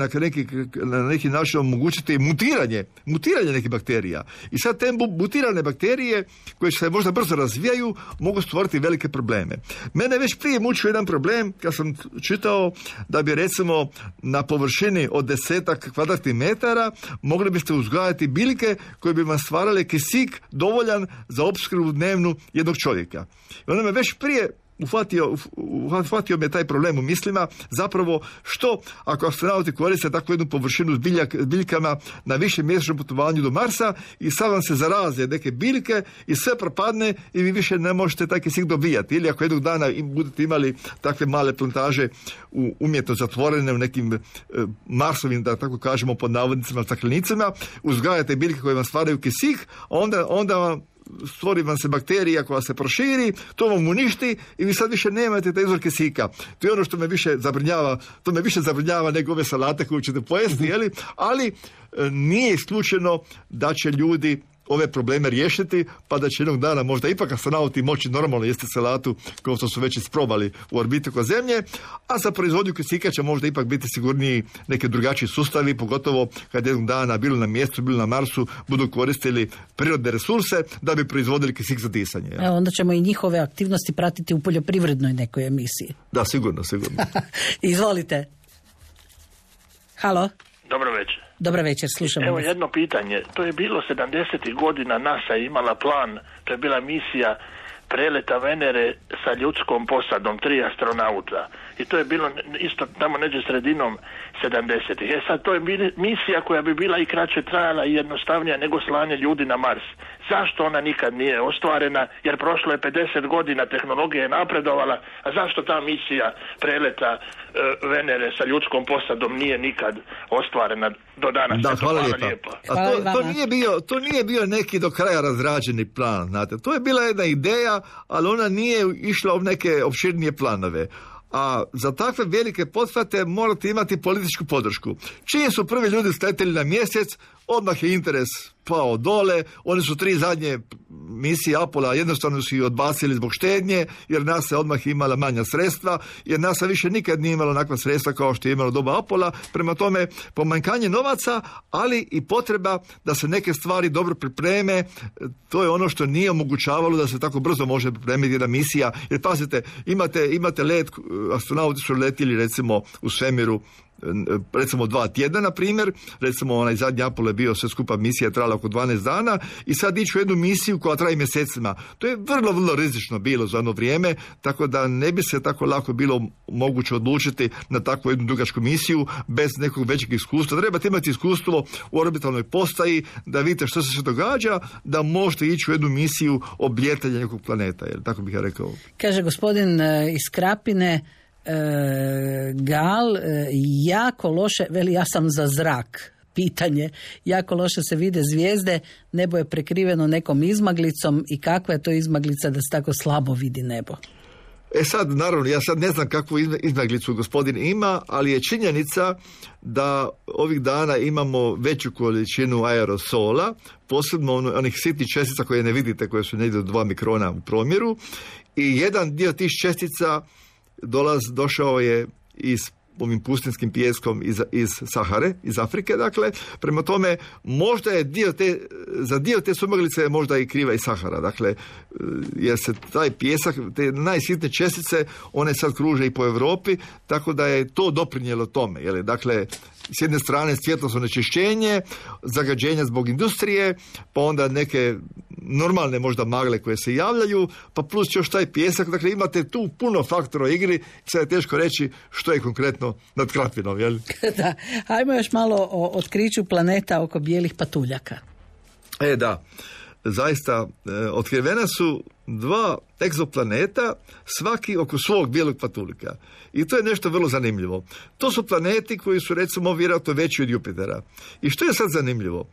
na neki način omogućiti mutiranje nekih bakterija. I sad te mutirane bakterije koje se možda brzo razvijaju mogu stvoriti velike probleme. Mene već prije mučio jedan problem kad sam čitao da bi recimo na površini od 10 kvadratnih metara mogli biste uzgajati biljke koje bi vam stvarale kisik dovoljan za opskrbu dnevnu jednog čovjeka. I onda me već prije uhvatio me taj problem u mislima, zapravo što ako astronauti koriste takvu jednu površinu s biljkama na više mjesečnom putovanju do Marsa i sad vam se zaraze neke biljke i sve propadne i vi više ne možete taj kisik dobijati. Ili ako jednog dana budete imali takve male plantaže umjetno zatvorene u nekim Marsovim, da tako kažemo pod navodnicima, staklenicama, uzgajate biljke koje vam stvaraju kisik, onda stvori vam se bakterija koja se proširi, to vam uništi i vi sad više nemate taj izvor kisika. To je ono što me više zabrinjava nego ove salate koje ćete pojesti, ali nije isključeno da će ljudi ove probleme riješiti, pa da će jednog dana možda ipak astronauti moći normalno jesti salatu kao što su već isprobali u orbiti oko Zemlje, a za proizvodnju kisika će možda ipak biti sigurniji neki drugačiji sustavi, pogotovo kad jednog dana bilo na mjestu, bilo na Marsu, budu koristili prirodne resurse da bi proizvodili kisik za disanje. Evo, onda ćemo i njihove aktivnosti pratiti u poljoprivrednoj nekoj emisiji. Da, sigurno. Izvolite. Halo? Dobro večer. Dobro večer, slušamo. Evo jedno pitanje. To je bilo 70. godina, NASA je imala plan, to je bila misija preleta Venere sa ljudskom posadom, 3 astronauta. I to je bilo isto tamo neđe sredinom 70-ih. Sad to je misija koja bi bila i kraće trajala i jednostavnija nego slanje ljudi na Mars. Zašto ona nikad nije ostvarena? Jer prošlo je 50 godina, tehnologija je napredovala, a zašto ta misija preleta Venere sa ljudskom posadom nije nikad ostvarena do danas? Da, hvala lijepa. To nije bio neki do kraja razrađeni plan, znate. To je bila jedna ideja, ali ona nije išla u neke opširnije planove. A za takve velike pothvate morate imati političku podršku. Čim su prvi ljudi sletjeli na mjesec, odmah je interes pao dole. Oni su 3 zadnje misije Apola jednostavno su ih odbacili zbog štednje, jer NASA je odmah imala manja sredstva, jer NASA više nikad nije imala onakva sredstva kao što je imalo doba Apola. Prema tome, pomanjkanje novaca, ali i potreba da se neke stvari dobro pripreme, to je ono što nije omogućavalo da se tako brzo može pripremiti jedna misija. Jer pazite, imate let, astronauti su letili recimo u svemiru recimo 2 tjedna, na primjer, recimo onaj zadnji Apollo je bio sve skupa misija, trajala oko 12 dana i sad ići u jednu misiju koja traje mjesecima. To je vrlo rizično bilo za ono vrijeme, tako da ne bi se tako lako bilo moguće odlučiti na takvu jednu dugačku misiju bez nekog većeg iskustva. Trebate imati iskustvo u orbitalnoj postaji da vidite što se događa, da možete ići u jednu misiju oblijetanja nekog planeta, jer tako bih ja rekao. Kaže gospodin iz Krapine, Gal, jako loše, veli ja sam za zrak. Pitanje, jako loše se vide zvijezde, nebo je prekriveno nekom izmaglicom i kakva je to izmaglica da se tako slabo vidi nebo? Sad, naravno, ja sad ne znam kakvu izmaglicu gospodin ima, ali je činjenica da ovih dana imamo veću količinu aerosola, posebno onih sitnih čestica koje ne vidite, koje su negdje do 2 mikrona u promjeru, i jedan dio tih čestica došao je iz ovim pustinskim pijeskom iz Sahare, iz Afrike, dakle, prema tome možda je za dio te sumaglice možda i kriva i Sahara, dakle, jer se taj pijesak, te najsitne čestice, one sad kruže i po Europi, tako da je to doprinijelo tome, jel, dakle, s jedne strane svjetlosno onečišćenje, zagađenja zbog industrije, pa onda neke normalne možda magle koje se javljaju, pa plus još taj pijesak, dakle imate tu puno faktora u igri, sad je teško reći što je konkretno nad Krapvinom, jel? Da, ajmo još malo o otkriću planeta oko bijelih patuljaka. Da, zaista, otkrivena su 2 egzoplaneta, svaki oko svog bijelog patuljka. I to je nešto vrlo zanimljivo. To su planeti koji su, recimo, vjerojatno veći od Jupitera. I što je sad zanimljivo?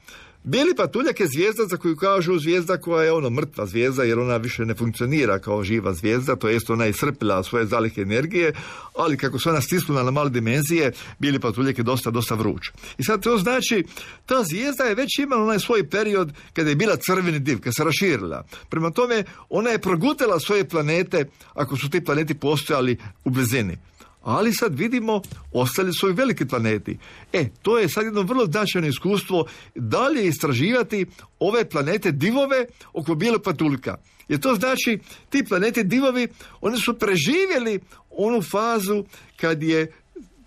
Bijeli patuljak je zvijezda za koju kažu zvijezda koja je mrtva zvijezda, jer ona više ne funkcionira kao živa zvijezda, to jest ona je iscrpila svoje zalihe energije, ali kako se ona stisnula na male dimenzije, bijeli patuljak je dosta vruć. I sad to znači, ta zvijezda je već imala onaj svoj period kada je bila crveni div, kada se raširila. Prema tome, ona je progutala svoje planete, ako su ti planeti postojali u blizini. Ali sad vidimo, ostali su i veliki planeti. To je sad jedno vrlo značajno iskustvo dalje istraživati ove planete divove oko bijelog patuljka. Jer to znači, ti planeti divovi, oni su preživjeli onu fazu kad je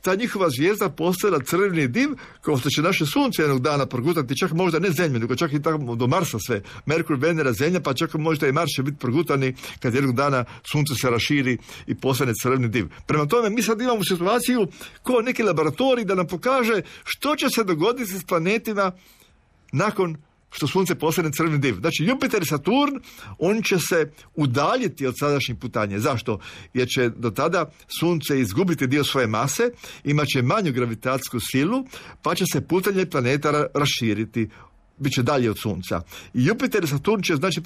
ta njihova zvijezda postala crveni div, kao što će naše sunce jednog dana progutati, čak možda ne Zemlju, nego čak i tamo do Marsa sve. Merkur, Venera, Zemlja, pa čak možda i Mars će biti progutani kad jednog dana sunce se raširi i postane crveni div. Prema tome, mi sad imamo situaciju kao neki laboratorij da nam pokaže što će se dogoditi s planetima nakon što sunce postane crveni div. Znači, Jupiter i Saturn, oni će se udaljiti od sadašnjih putanja. Zašto? Jer će do tada sunce izgubiti dio svoje mase, imat će manju gravitacijsku silu, pa će se putanje planeta raširiti, bit će dalje od sunca. I Jupiter i Saturn će znači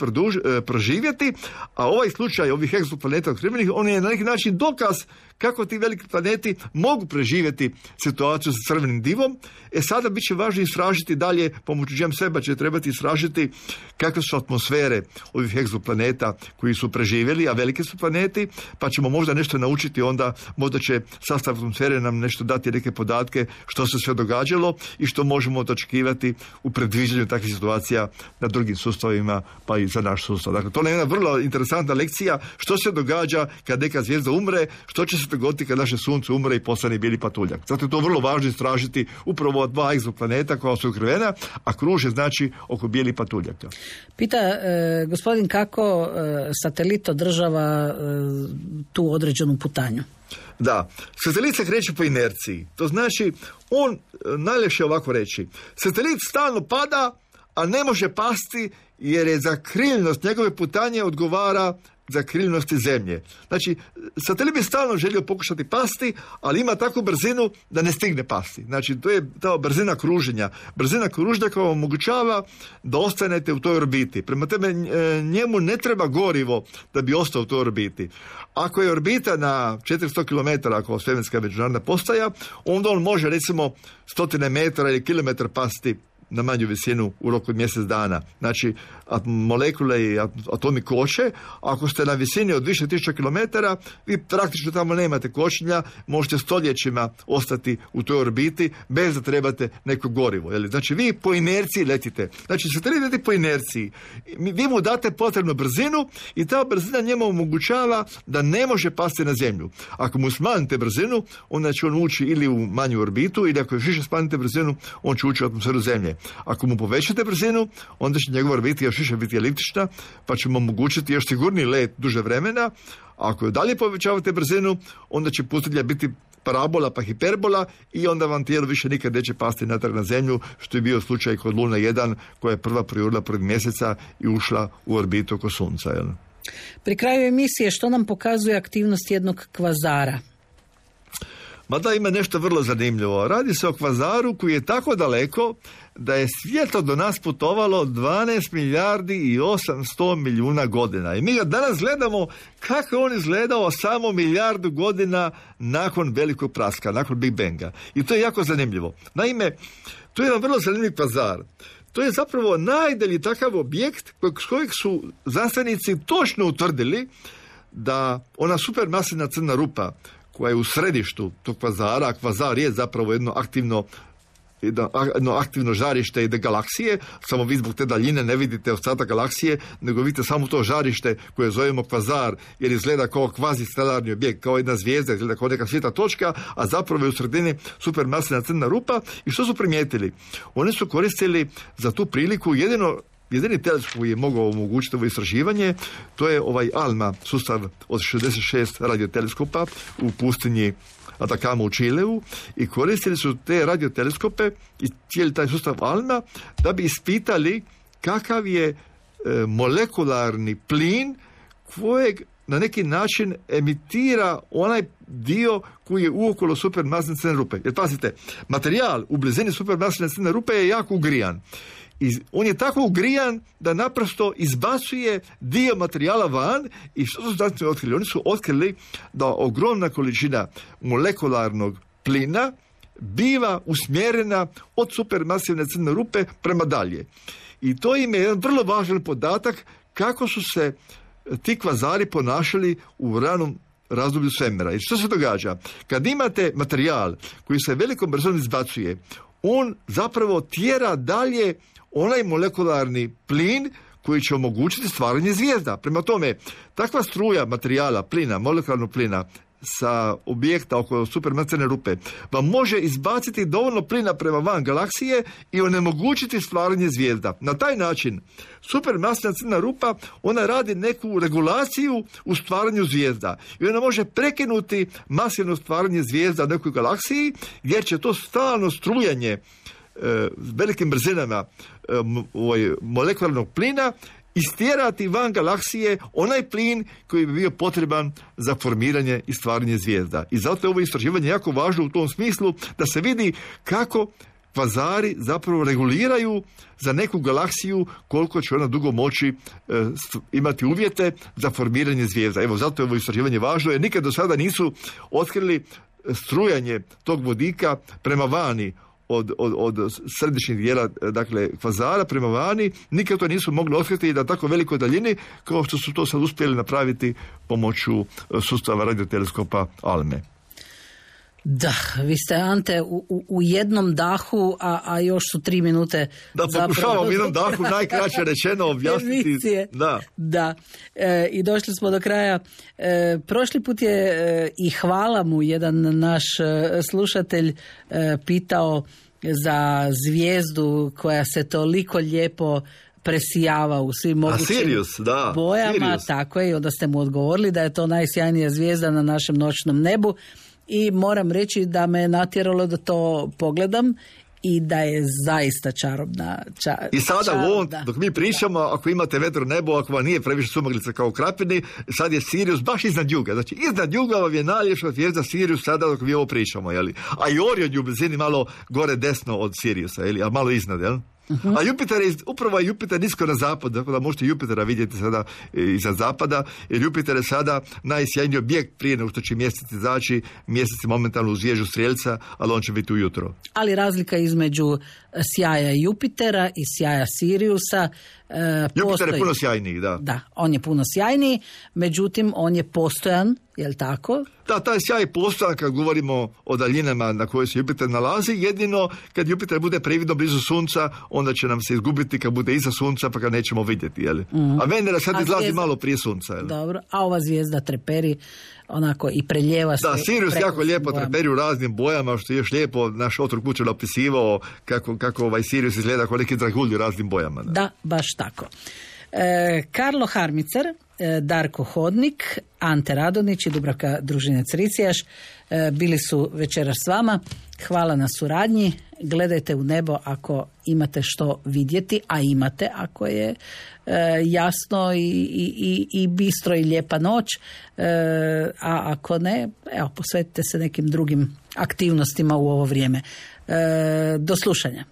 proživjeti, a ovaj slučaj ovih egzoplaneta otkrivenih, on je na neki način dokaz kako ti veliki planeti mogu preživjeti situaciju sa crvenim divom. Sada bit će važno istražiti dalje, pomoću James Webba će trebati istražiti kakve su atmosfere ovih egzoplaneta koji su preživjeli, a veliki su planeti, pa ćemo možda nešto naučiti onda, možda će sastav atmosfere nam nešto dati neke podatke što se sve događalo i što možemo očekivati u predviđanju takvih situacija na drugim sustavima, pa i za naš sustav. Dakle, to je jedna vrlo interesantna lekcija što se događa kad neka zvijezda umre, što će se dogoditi kad naše sunce umre i postane bijeli patuljak. Zato je to vrlo važno istražiti upravo 2 egzoplaneta koja su ukrivena, a kruže znači oko bijeli patuljaka. Pita gospodin kako satelit održava tu određenu putanju. Da, satelit se kreće po inerciji. To znači, on, najljepše ovako reći, satelit stalno pada, a ne može pasti jer je za kriljnost njegove putanje odgovara za kriljnosti Zemlje. Znači, satelit bi stalno želio pokušati pasti, ali ima takvu brzinu da ne stigne pasti. Znači, to je ta brzina kruženja. Brzina kruženja koja omogućava da ostanete u toj orbiti. Prema tome, njemu ne treba gorivo da bi ostao u toj orbiti. Ako je orbita na 400 km, ako svemirska međunarodna postaja, onda on može, recimo, 100 metara ili kilometar pasti na manju visinu u roku od mjesec dana. Znači, molekule i atomi koče. Ako ste na visini od više tisuća kilometara, vi praktično tamo nemate kočenja, možete stoljećima ostati u toj orbiti bez da trebate neko gorivo. Jeli? Znači, vi po inerciji letite. Znači, satelit leti po inerciji. Vi mu date potrebnu brzinu i ta brzina njemu omogućava da ne može pasti na Zemlju. Ako mu smanjite brzinu, onda će on ući ili u manju orbitu, ili ako još više smanjite brzinu, on će ući u atmosferu Zemlje. Ako mu povećate brzinu, onda će njegova orbita još više biti eliptična, pa će mu omogućiti još sigurniji let duže vremena. Ako dalje povećavate brzinu, onda će pustinja biti parabola pa hiperbola i onda vam tijelo više nikad neće pasti natrag na Zemlju, što je bio slučaj kod Luna 1, koja je prva projurila 1. mjeseca i ušla u orbitu oko Sunca. Jel? Pri kraju emisije, što nam pokazuje aktivnost jednog kvazara? Mada ima nešto vrlo zanimljivo. Radi se o kvazaru koji je tako daleko da je svjetlo do nas putovalo 12 milijardi i 800 milijuna godina. I mi ga danas gledamo kako je on izgledao samo milijardu godina nakon velikog praska, nakon Big Banga. I to je jako zanimljivo. Naime, to je jedan vrlo zanimljiv kvazar. To je zapravo najdalji takav objekt s kojeg su znanstvenici točno utvrdili da ona supermasivna crna rupa koja je u središtu tog kvazara, a kvazar je zapravo jedno aktivno žarište jedne galaksije, samo vi zbog te daljine ne vidite ostatak galaksije, nego vidite samo to žarište koje zovemo kvazar, jer izgleda kao kvazistelarni objekt, kao jedna zvijezda, izgleda kao neka svjetla točka, a zapravo je u sredini supermasivna crna rupa. I što su primijetili? Oni su koristili za tu priliku jedini teleskop koji je mogao omogućiti ovo istraživanje, to je ovaj ALMA, sustav od 66 radioteleskopa u pustinji Atacama u Čileu, i koristili su te radioteleskope i cijeli taj sustav ALMA da bi ispitali kakav je molekularni plin kojeg na neki način emitira onaj dio koji je uokolo supermasivne crne rupe. Jer pazite, materijal u blizini supermasivne crne rupe je jako ugrijan. I on je tako ugrijan da naprosto izbacuje dio materijala van. I što su znanstveni otkrili? Oni su otkrili da ogromna količina molekularnog plina biva usmjerena od supermasivne crne rupe prema dalje. I to im je jedan vrlo važan podatak kako su se ti kvazari ponašali u ranom razdoblju svemira. I što se događa? Kad imate materijal koji se velikom brzinom izbacuje, on zapravo tjera dalje onaj molekularni plin koji će omogućiti stvaranje zvijezda. Prema tome, takva struja materijala, plina, molekularnog plina sa objekta oko supermasivne rupe vam može izbaciti dovoljno plina prema van galaksije i onemogućiti stvaranje zvijezda. Na taj način supermasivna crna rupa, ona radi neku regulaciju u stvaranju zvijezda i ona može prekinuti masivno stvaranje zvijezda u nekoj galaksiji, jer će to stalno strujanje velikim brzinama molekularnog plina istjerati van galaksije onaj plin koji bi bio potreban za formiranje i stvaranje zvijezda. I zato je ovo istraživanje jako važno u tom smislu da se vidi kako kvazari zapravo reguliraju za neku galaksiju koliko će ona dugo moći imati uvjete za formiranje zvijezda. Evo, zato je ovo istraživanje važno, jer nikad do sada nisu otkrili strujanje tog vodika prema vani od središnjeg dijela, dakle, kvazara prema vani. Nikad to nisu mogli otkriti na tako velikoj daljini kao što su to sad uspjeli napraviti pomoću sustava radioteleskopa ALME. Da, vi ste, Ante, u jednom dahu, a još su 3 minute. Da, pokušavam u jednom dahu najkraće rečeno objasniti. Da. I došli smo do kraja. Prošli put je, i hvala mu, jedan naš slušatelj pitao za zvijezdu koja se toliko lijepo presijava u svim mogućim bojama. Sirius. Tako je, i onda ste mu odgovorili da je to najsjajnija zvijezda na našem noćnom nebu. I moram reći da me natjeralo da to pogledam i da je zaista čarobna. I sada dok mi pričamo, ako imate vedro nebo, ako vam nije previše sumaglica kao Krapini, sad je Sirius baš iznad juga. Znači, iznad juga vam je najljepša zvijezda Sirius sada dok mi ovo pričamo. Jeli? A i Orion je u blizini malo gore desno od Siriusa, jeli? A malo iznad, jel? Uh-huh. A Jupiter je, upravo je Jupiter nisko na zapad, tako da možete Jupitera vidjeti sada iza zapada, jer Jupiter je sada najsjajniji objekt prije nego što će mjesec izaći. Mjesec je momentalno u zvježu Strijelca, ali on će biti ujutro. Ali razlika između sjaja Jupitera i sjaja Siriusa Jupiter je puno sjajniji, da. Da, on je puno sjajniji, međutim on je postojan, je li tako? Da, taj sjaj je postojan kad govorimo o daljinama na kojoj se Jupiter nalazi. Jedino kad Jupiter bude previdno blizu Sunca, onda će nam se izgubiti kad bude iza Sunca, pa ga nećemo vidjeti, jel? Mm-hmm. A Venera sad izlazi malo prije Sunca, jel? Dobro, a ova zvijezda treperi onako i preljeva se. Da, Sirius jako lijepo treperi u raznim bojama, što je još lijepo naš otrok Kučan opisivao kako ovaj Sirius izgleda kao neki dragulj u raznim bojama. Da, baš tako. Karlo Harmicer, Darko Hodnik, Ante Radonić i Dubravka Družinec-Ricijaš bili su večeras s vama. Hvala na suradnji. Gledajte u nebo ako imate što vidjeti, a imate ako je jasno i bistro i lijepa noć, a ako ne, evo, posvetite se nekim drugim aktivnostima u ovo vrijeme. Do slušanja.